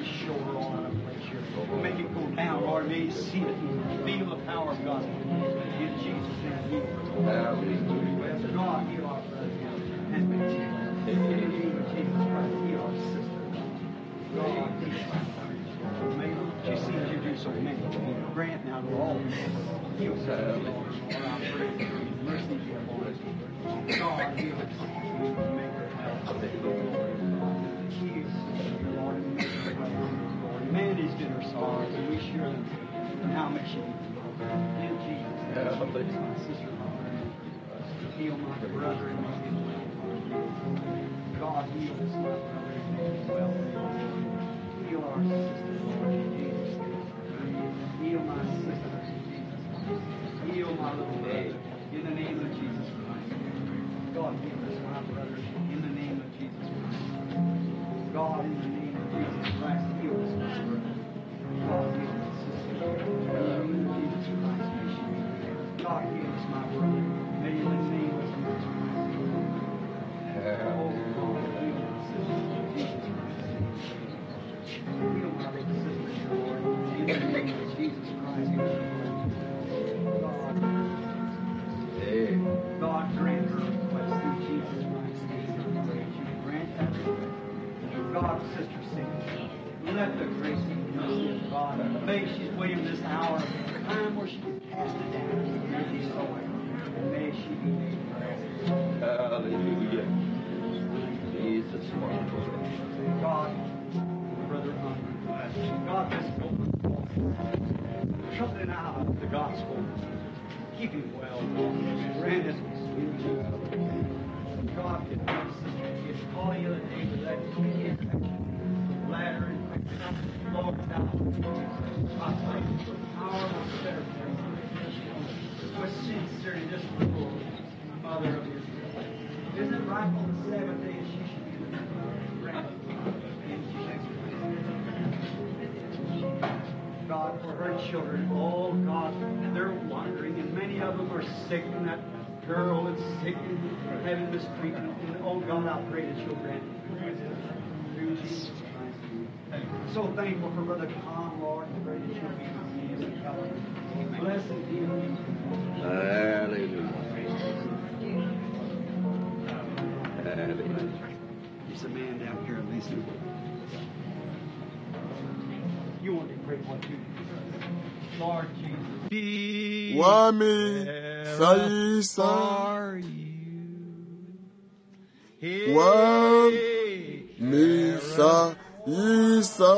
Show her all out of place here. Make it go down, Lord. May you see it and feel the power of God. In Jesus' name, heal us. God, heal our brother. And in the name of Jesus Christ, heal our sister. God, heal our brother. May she seems to do so many. Grant now to all heal sister, Lord. Lord, I pray for your mercy be upon us. God, heal us. Make her healthy. Heal sister, Lord, and make her well. Lord, many's been her sorrows, and we share them. And how may she be healed? In Jesus' name, my sister, Lord. Heal my brother and make him well. God, heal us, my brother, and make him well. Heal our sister, Lord, in Jesus' name. Heal my sister, in Jesus' name. Heal my little brother, in the name of Jesus Christ. God, heal us, my brother, in the name of Jesus Christ. God, in the name of Jesus Christ, heal us, my brother. God, heal my sister. In the name of Jesus Christ, may she be healed. God, heal us, my brother. May in the name of Jesus Christ. Oh, God, heal my sister, in Jesus Christ. Heal my little sister, Lord, in the name of Jesus Christ. God, God, grant her request through Jesus Christ's name. I pray that you grant that request. God, Sister Cindy, let the grace and mercy of God, may she's waiting this hour, time where she can cast it down and be soil, and may she be made well.
Hallelujah. Jesus, wonderful.
God, Brother Hunter, God, this open trumpeting out the gospel. Keep him well, Lord. Grant us in Jesus' name. God, if my sister gets called the other day with that infection, bladder infection, Lord, thou, I pray for the power of set her free. With sincerity, this little mother of Israel. Isn't it right on the Sabbath day that she should be granted in Jesus Christ? God, for her children, oh God, they're wandering, and many of them are sick, and that girl is sick and having mistreatment. And oh God, I pray that you'll grant it through Jesus Christ. I'm so thankful for Brother Tom, Lord, and pray that you'll be with him and help him. Bless and heal him.
Hallelujah. Hallelujah.
There's a man down here, Lisa. You want to pray for too. Lord Jesus.
Wa mi hlayisa. Wa mi hlayisa.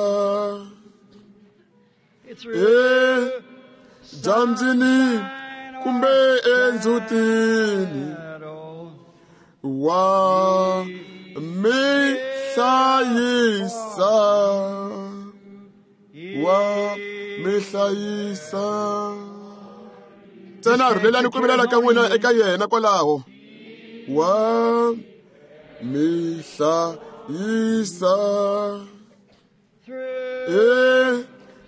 Edyambyini kumbe endzhutini. Wa mi hlayisa. Wa mi hlayisa. Ntsena rhulelani ku vilela ka n'wina eka yena kwalaho. Wa mi hlayisa.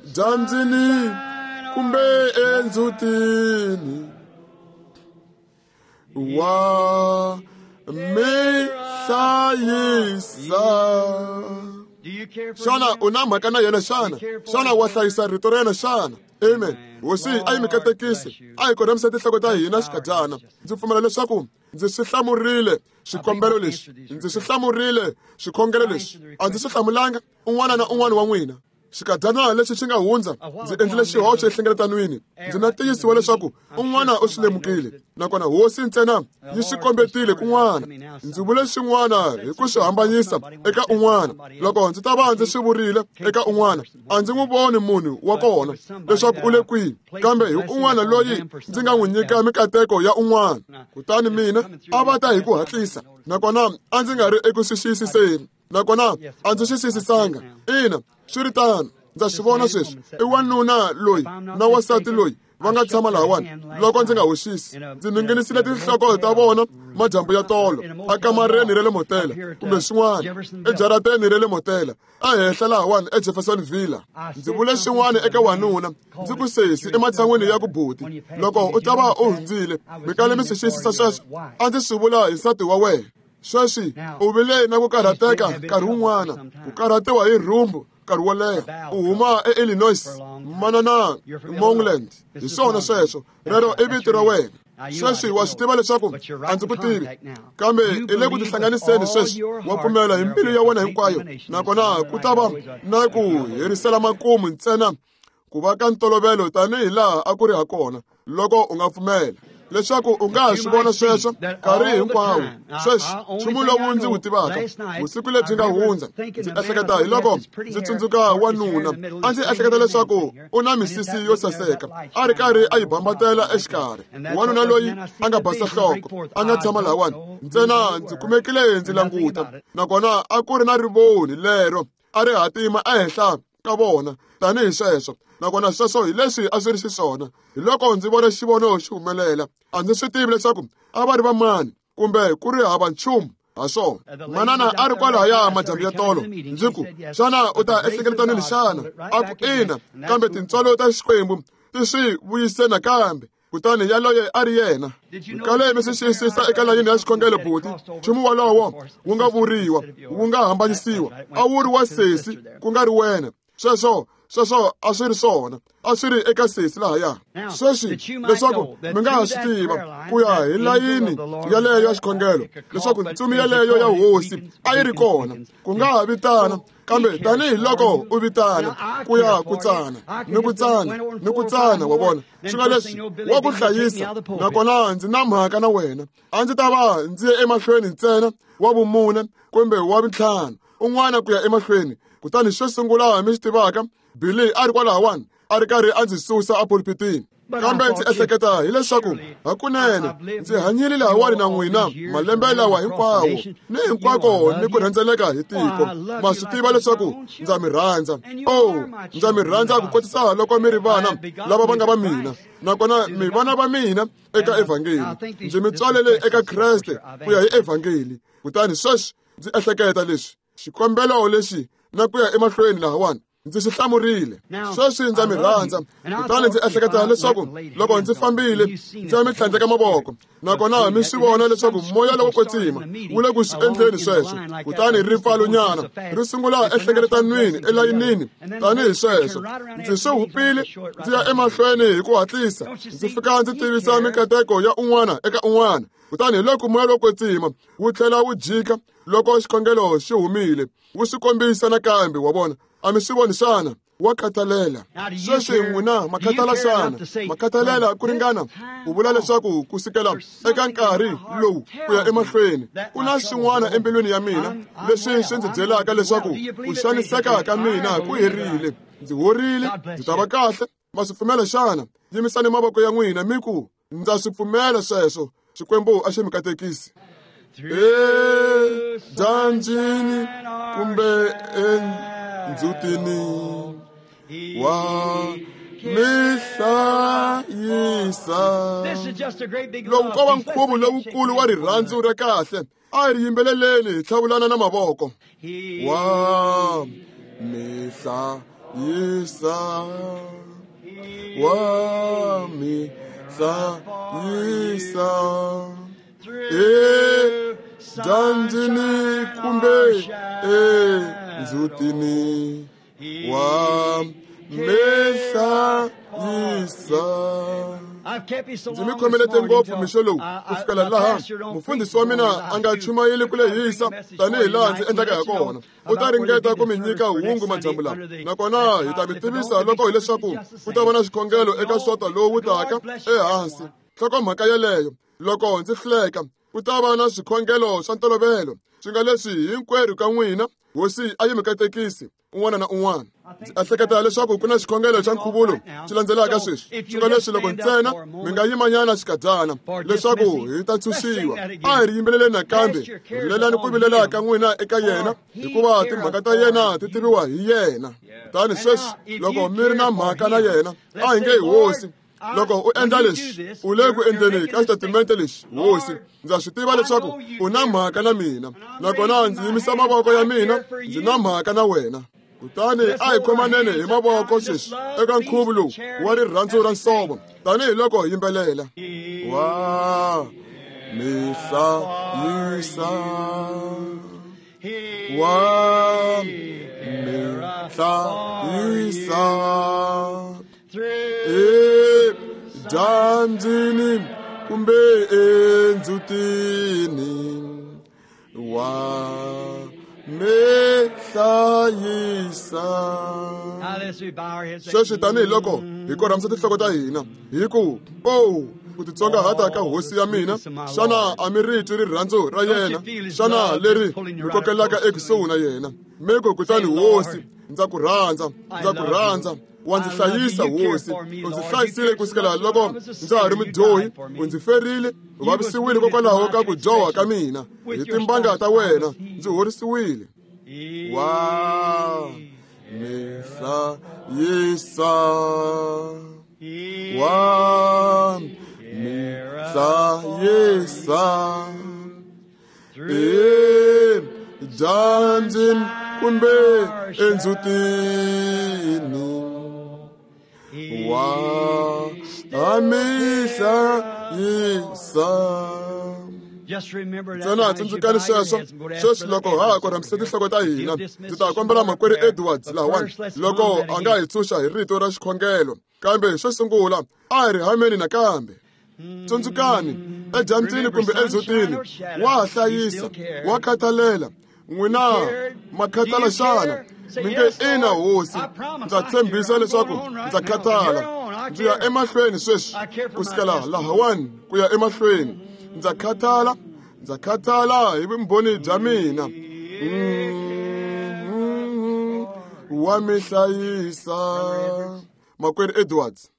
Edyambyini kumbe endzhutini. Wa mi hlayisa. Xana u na mhaka na yena xana? Xana wa hlayisa rito ra yena xana? Amen. Hosi a yi mi katekisi, a hi korhamisa tinhloko ta hina xikadyana. Ndzi pfumela leswaku ndzi swi hlamurile xikombelo lexi, ndzi swi hlamurile xikhongelo lexi. A ndzi swi hlamulanga un'wana na un'wana wa n'wina. Xikadyana lexi xi nga hundza ndzi endlile xihoxo enhlengeletanweni. Ndzi na tiyisiwa leswaku un'wana u swi lemukile, nakona hosi ntsena yi swi kombetile kun'wana. Ndzi vule swin'wana hi ku swi hambanyisa eka un'wana. Loko ndzi ta va ndzi swi vurile eka un'wana, a ndzi n'wi voni munhu wa kona leswaku u le kwihi, kambe hi un'wana loyi ndzi nga n'wi nyika mikateko ya un'wana. Kutani mina a va ta hi ku hatlisa, nakona a ndzi nga ri eku swi xiyisiseni, nakona a ndzi swi xiyisisanga. Ina, swi ri tano, ndza swi vona sweswi. I wanuna loyi na wansati loyi va nga tshama lahawani. Loko ndzi nga hoxisi, ndzi ninginisile tinhloko ta vona madyambu ya tolo akamareni ra le motela kumbe swin'wana ejarateni ra le motela ehenhla lahawani eJefferson Villa. Ndzi vule swin'wana eka wanuna, ndzi ku sesi ematshan'wini ya ku buti, loko u ta va u hundzile mi kale mi swi xiyisisa sweswo. A ndzi swi vula hi nsati wa wena. Sweswi u vile na ku karhateka nkarhi wun'wana, ku karhatiwa hi rhumbu nkarhi wo leha. U huma eIllinois, manana Mongland. Hi swona sweswo, rero i vito ra wena. Sweswi wa swi tiva leswaku a ndzi ku tivi, kambe i le ku tihlanganiseni sweswi. Wa pfumela hi mbilu ya wena hinkwayo, nakona ku ta va na ku herisela makumu ntsena ku va ka ntolovelo tanihi laha a ku ri ha kona loko u nga pfumela leswaku u nga ha swi vona sweswo nkarhi hinkwawo. Sweswi nchumu lowu ndzi wu tivaka, vusiku lebyi nga hundza ndzi ehleketa hi loko ndzi tsundzuka wanuna. A ndzi ehleketa leswaku u na misisi yo saseka, a ri karhi a yi bambatela exikarhi. Wanuna loyi a nga basa nhloko, a nga tshama lahawani ntsena. Ndzi kumekile ndzi languta, nakona a ku ri na rivoni lero a ri hatima ehenhla ka vona tanihi sweswo, nakona sweswo hi leswi a swi ri xiswona. Hi loko ndzi vona xivono xi humelela, a ndzi swi tivi leswaku a va ri vamani kumbe ku ri hava nchumu ha swona. Manana a ri kwalahaya madyambu ya tolo. Ndzi ku, xana u ta ehlekeletanini xana? A ku, ina, kambe tintswalo ta Xikwembu ti swi vuyise nakambe. Kutani yaloye a ri yena. Kale mi swi xiyisisa eka layini ya xikhongelo buti, nchumu wolowo wu nga vuriwa, wu nga hambanyisiwa, a wu ri wa sesi ku nga ri wena. Sweswo a swi ri swona, a swi ri eka sesi lahaya. Sweswi leswaku mi nga ha swi tiva ku ya hi layini yaleyo ya xikhongelo leswaku ntsumi yaleyo ya hosi a yi ri kona, ku nga ha vitana, kambe tanihi loko u vitana ku ya ku tsana ni ku tsana ni ku tsana, wa vona swi nga leswi wa ku hlayisa. Nakona ndzi na mhaka na wena, a ndzi ta va ndzi ye emahlweni ntsena wa vumune kumbe wa vintlhanu un'wana ku ya emahlweni. Kutani xo sungula mi swi tivaka, Billy a ri kwalahawani a ri karhi a ndzi susa epulpitini. Kambe ndzi ehleketa hileswaku hakunene ndzi hanyile lahawani na n'wina malembe lawa hinkwawo ni hinkwako ni ku rhendzeleka hi tiko. Ma swi tiva leswaku ndza mi rhandza. Oh, ndza mi rhandza ku kotisa loko mi ri vana lava va nga va mina, nakona mi vana va mina eka evhangeli. Ndzi mi tswalele eka Kreste ku ya hi evhangeli. Kutani sweswi ndzi ehleketa leswi xikombelo lexi na ku ya emahlweni lahawani ndzi swi hlamurile. Sweswi ndza mi rhandza. Kutani ndzi ehleketa leswaku loko ndzi fambile ndzi ya mi tlhandleka mavoko, nakona mi swi vona leswaku moya lowo kwetsima wu le ku swi endleni sweswo. Kutani ripfalonyana ri sungula ehlengeletanwini elayinini tanihi sweswo. Ndzi swi hupile ndzi ya emahlweni hi ku hatlisa, ndzi fika ndzi tivisa mikateko ya un'wana eka un'wana. Kutani hi loko moya lowo kwetsima wu tlhela wu jika loko xikhongelo xi humile, wu swi kombisa nakambe. Wa vona, a mi swi voni xana? Wa khathalela. Sweswi n'wina ma khathala xana? Ma khathalela ku ringana ku vula leswaku ku sukela eka nkarhi lowu ku ya emahlweni ku na swin'wana embilwini ya mina leswi swi ndzi byelaka leswaku ku xaniseka ka mina ku herile, ndzi horile, ndzi ta va kahle. Ma swi pfumela xana? Yimisani mavoko ya n'wina mi ku, ndza swi pfumela sweswo. Xikwembu a xi mi katekisi. Edyambyini kumbe endzhutini wa mi hlayisa. Lowu ko va nkhuvo lowukulu wa rirhandzu ra kahle, a hi ri yimbeleleni hi tlhavulana na mavoko. Wa mi hlayisa, wa mi hlayisa edyambyini kumbe endzhutini wa mi hlayisa.
Ndzi mi khomelete ngopfu mixo lowu ku fikela laha mufundhisi wa mina a nga chumayeli ku lehisa tanihi laha ndzi endlaka hi kona. U ta ringeta ku mi nyika hungu madyambu lawa, nakona hi ta mi tivisa loko hileswaku ku ta va na xikhongelo eka Sonto lowu taka ehansi. Nhlokomhaka yeleyo, loko ndzi hluleka, ku ta va na swikhongelo swa ntolovelo, swi nga leswi hinkwerhu ka n'wina Hosi a yi mi katekisi un'wana na un'wana. Ndzi ehleketa leswaku ku na xikhongelo xa nkhuvulo xi landzelaka sweswi, swi nga leswi loko ntsena mi nga yimanyana xikadyana leswaku hi ta tshunxiwa. A hi ri yimbeleleni nakambe, rilelani ku vilela ka n'wina eka yena, hikuva timhaka ta yena ti tiviwa hi yena. Kutani sweswi loko mi ri na mhaka na yena, a hi nge Hosi, loko u endla leswi, u le ku endleni ka xitatimente lexi, Hosi, ndza swi tiva leswaku u na mhaka na mina, nakona ndzi yimisa mavoko ya mina, ndzi na mhaka na wena. Kutani a hi khomanene hi mavoko sweswi eka nkhuvo lowu wa rirhandzu ra nsovo, tanihiloko hi yimbelela. Wa mi hlayisa, wa mi hlayisa edyambyini kumbe endzhutini, wa mi hlayisa. Sweswi tanihiloko hi korhamisa tinhloko ta hina hi ku, o ku titsongahata ka Hosi ya mina, xana a mi ri twi rirhandzu ra yena? Xana leri mi kokelaka ekusuhi na yena? Mi ku, kutani Hosi, ndza ku rhandza, ndza ku rhandza, wa ndzi hlayisa Hosi, u ndzi hlayisile ku sukela loko ndza ha ri mudyohi, u ndzi ferile, u vavisiwile hikokwalaho ka ku dyoha ka mina, hi timbanga ta wena ndzi horisiwile. Wa mi hlayisa, wa mi hlayisa edyambyini kumbe endzhutini, wa mi hlayisa. Ntsena tsundzukani sweswo sweswi loko ha ha korhamisa tinhloko ta hina. Ndzi ta kombela makwerhu Edwards lahawani loko a nga hi tshunxa hi rito ra xikhongelo, kambe xo sungula a hi ri hameni nakambe. Tsundzukani, edyambyini kumbe endzhutini, wa ha hlayisa, wa khathalela. N'wina ma khathala xana? Mi nge, ina Hosi, ndza tshembisa leswaku ndza khathala. Ndzi ya emahlweni sweswi, ku sukela lahawani ku ya emahlweni. Ndza khathala, ndza khathala hi vumbhoni bya mina. Wa mi hlayisa. Makwerhu Edwards.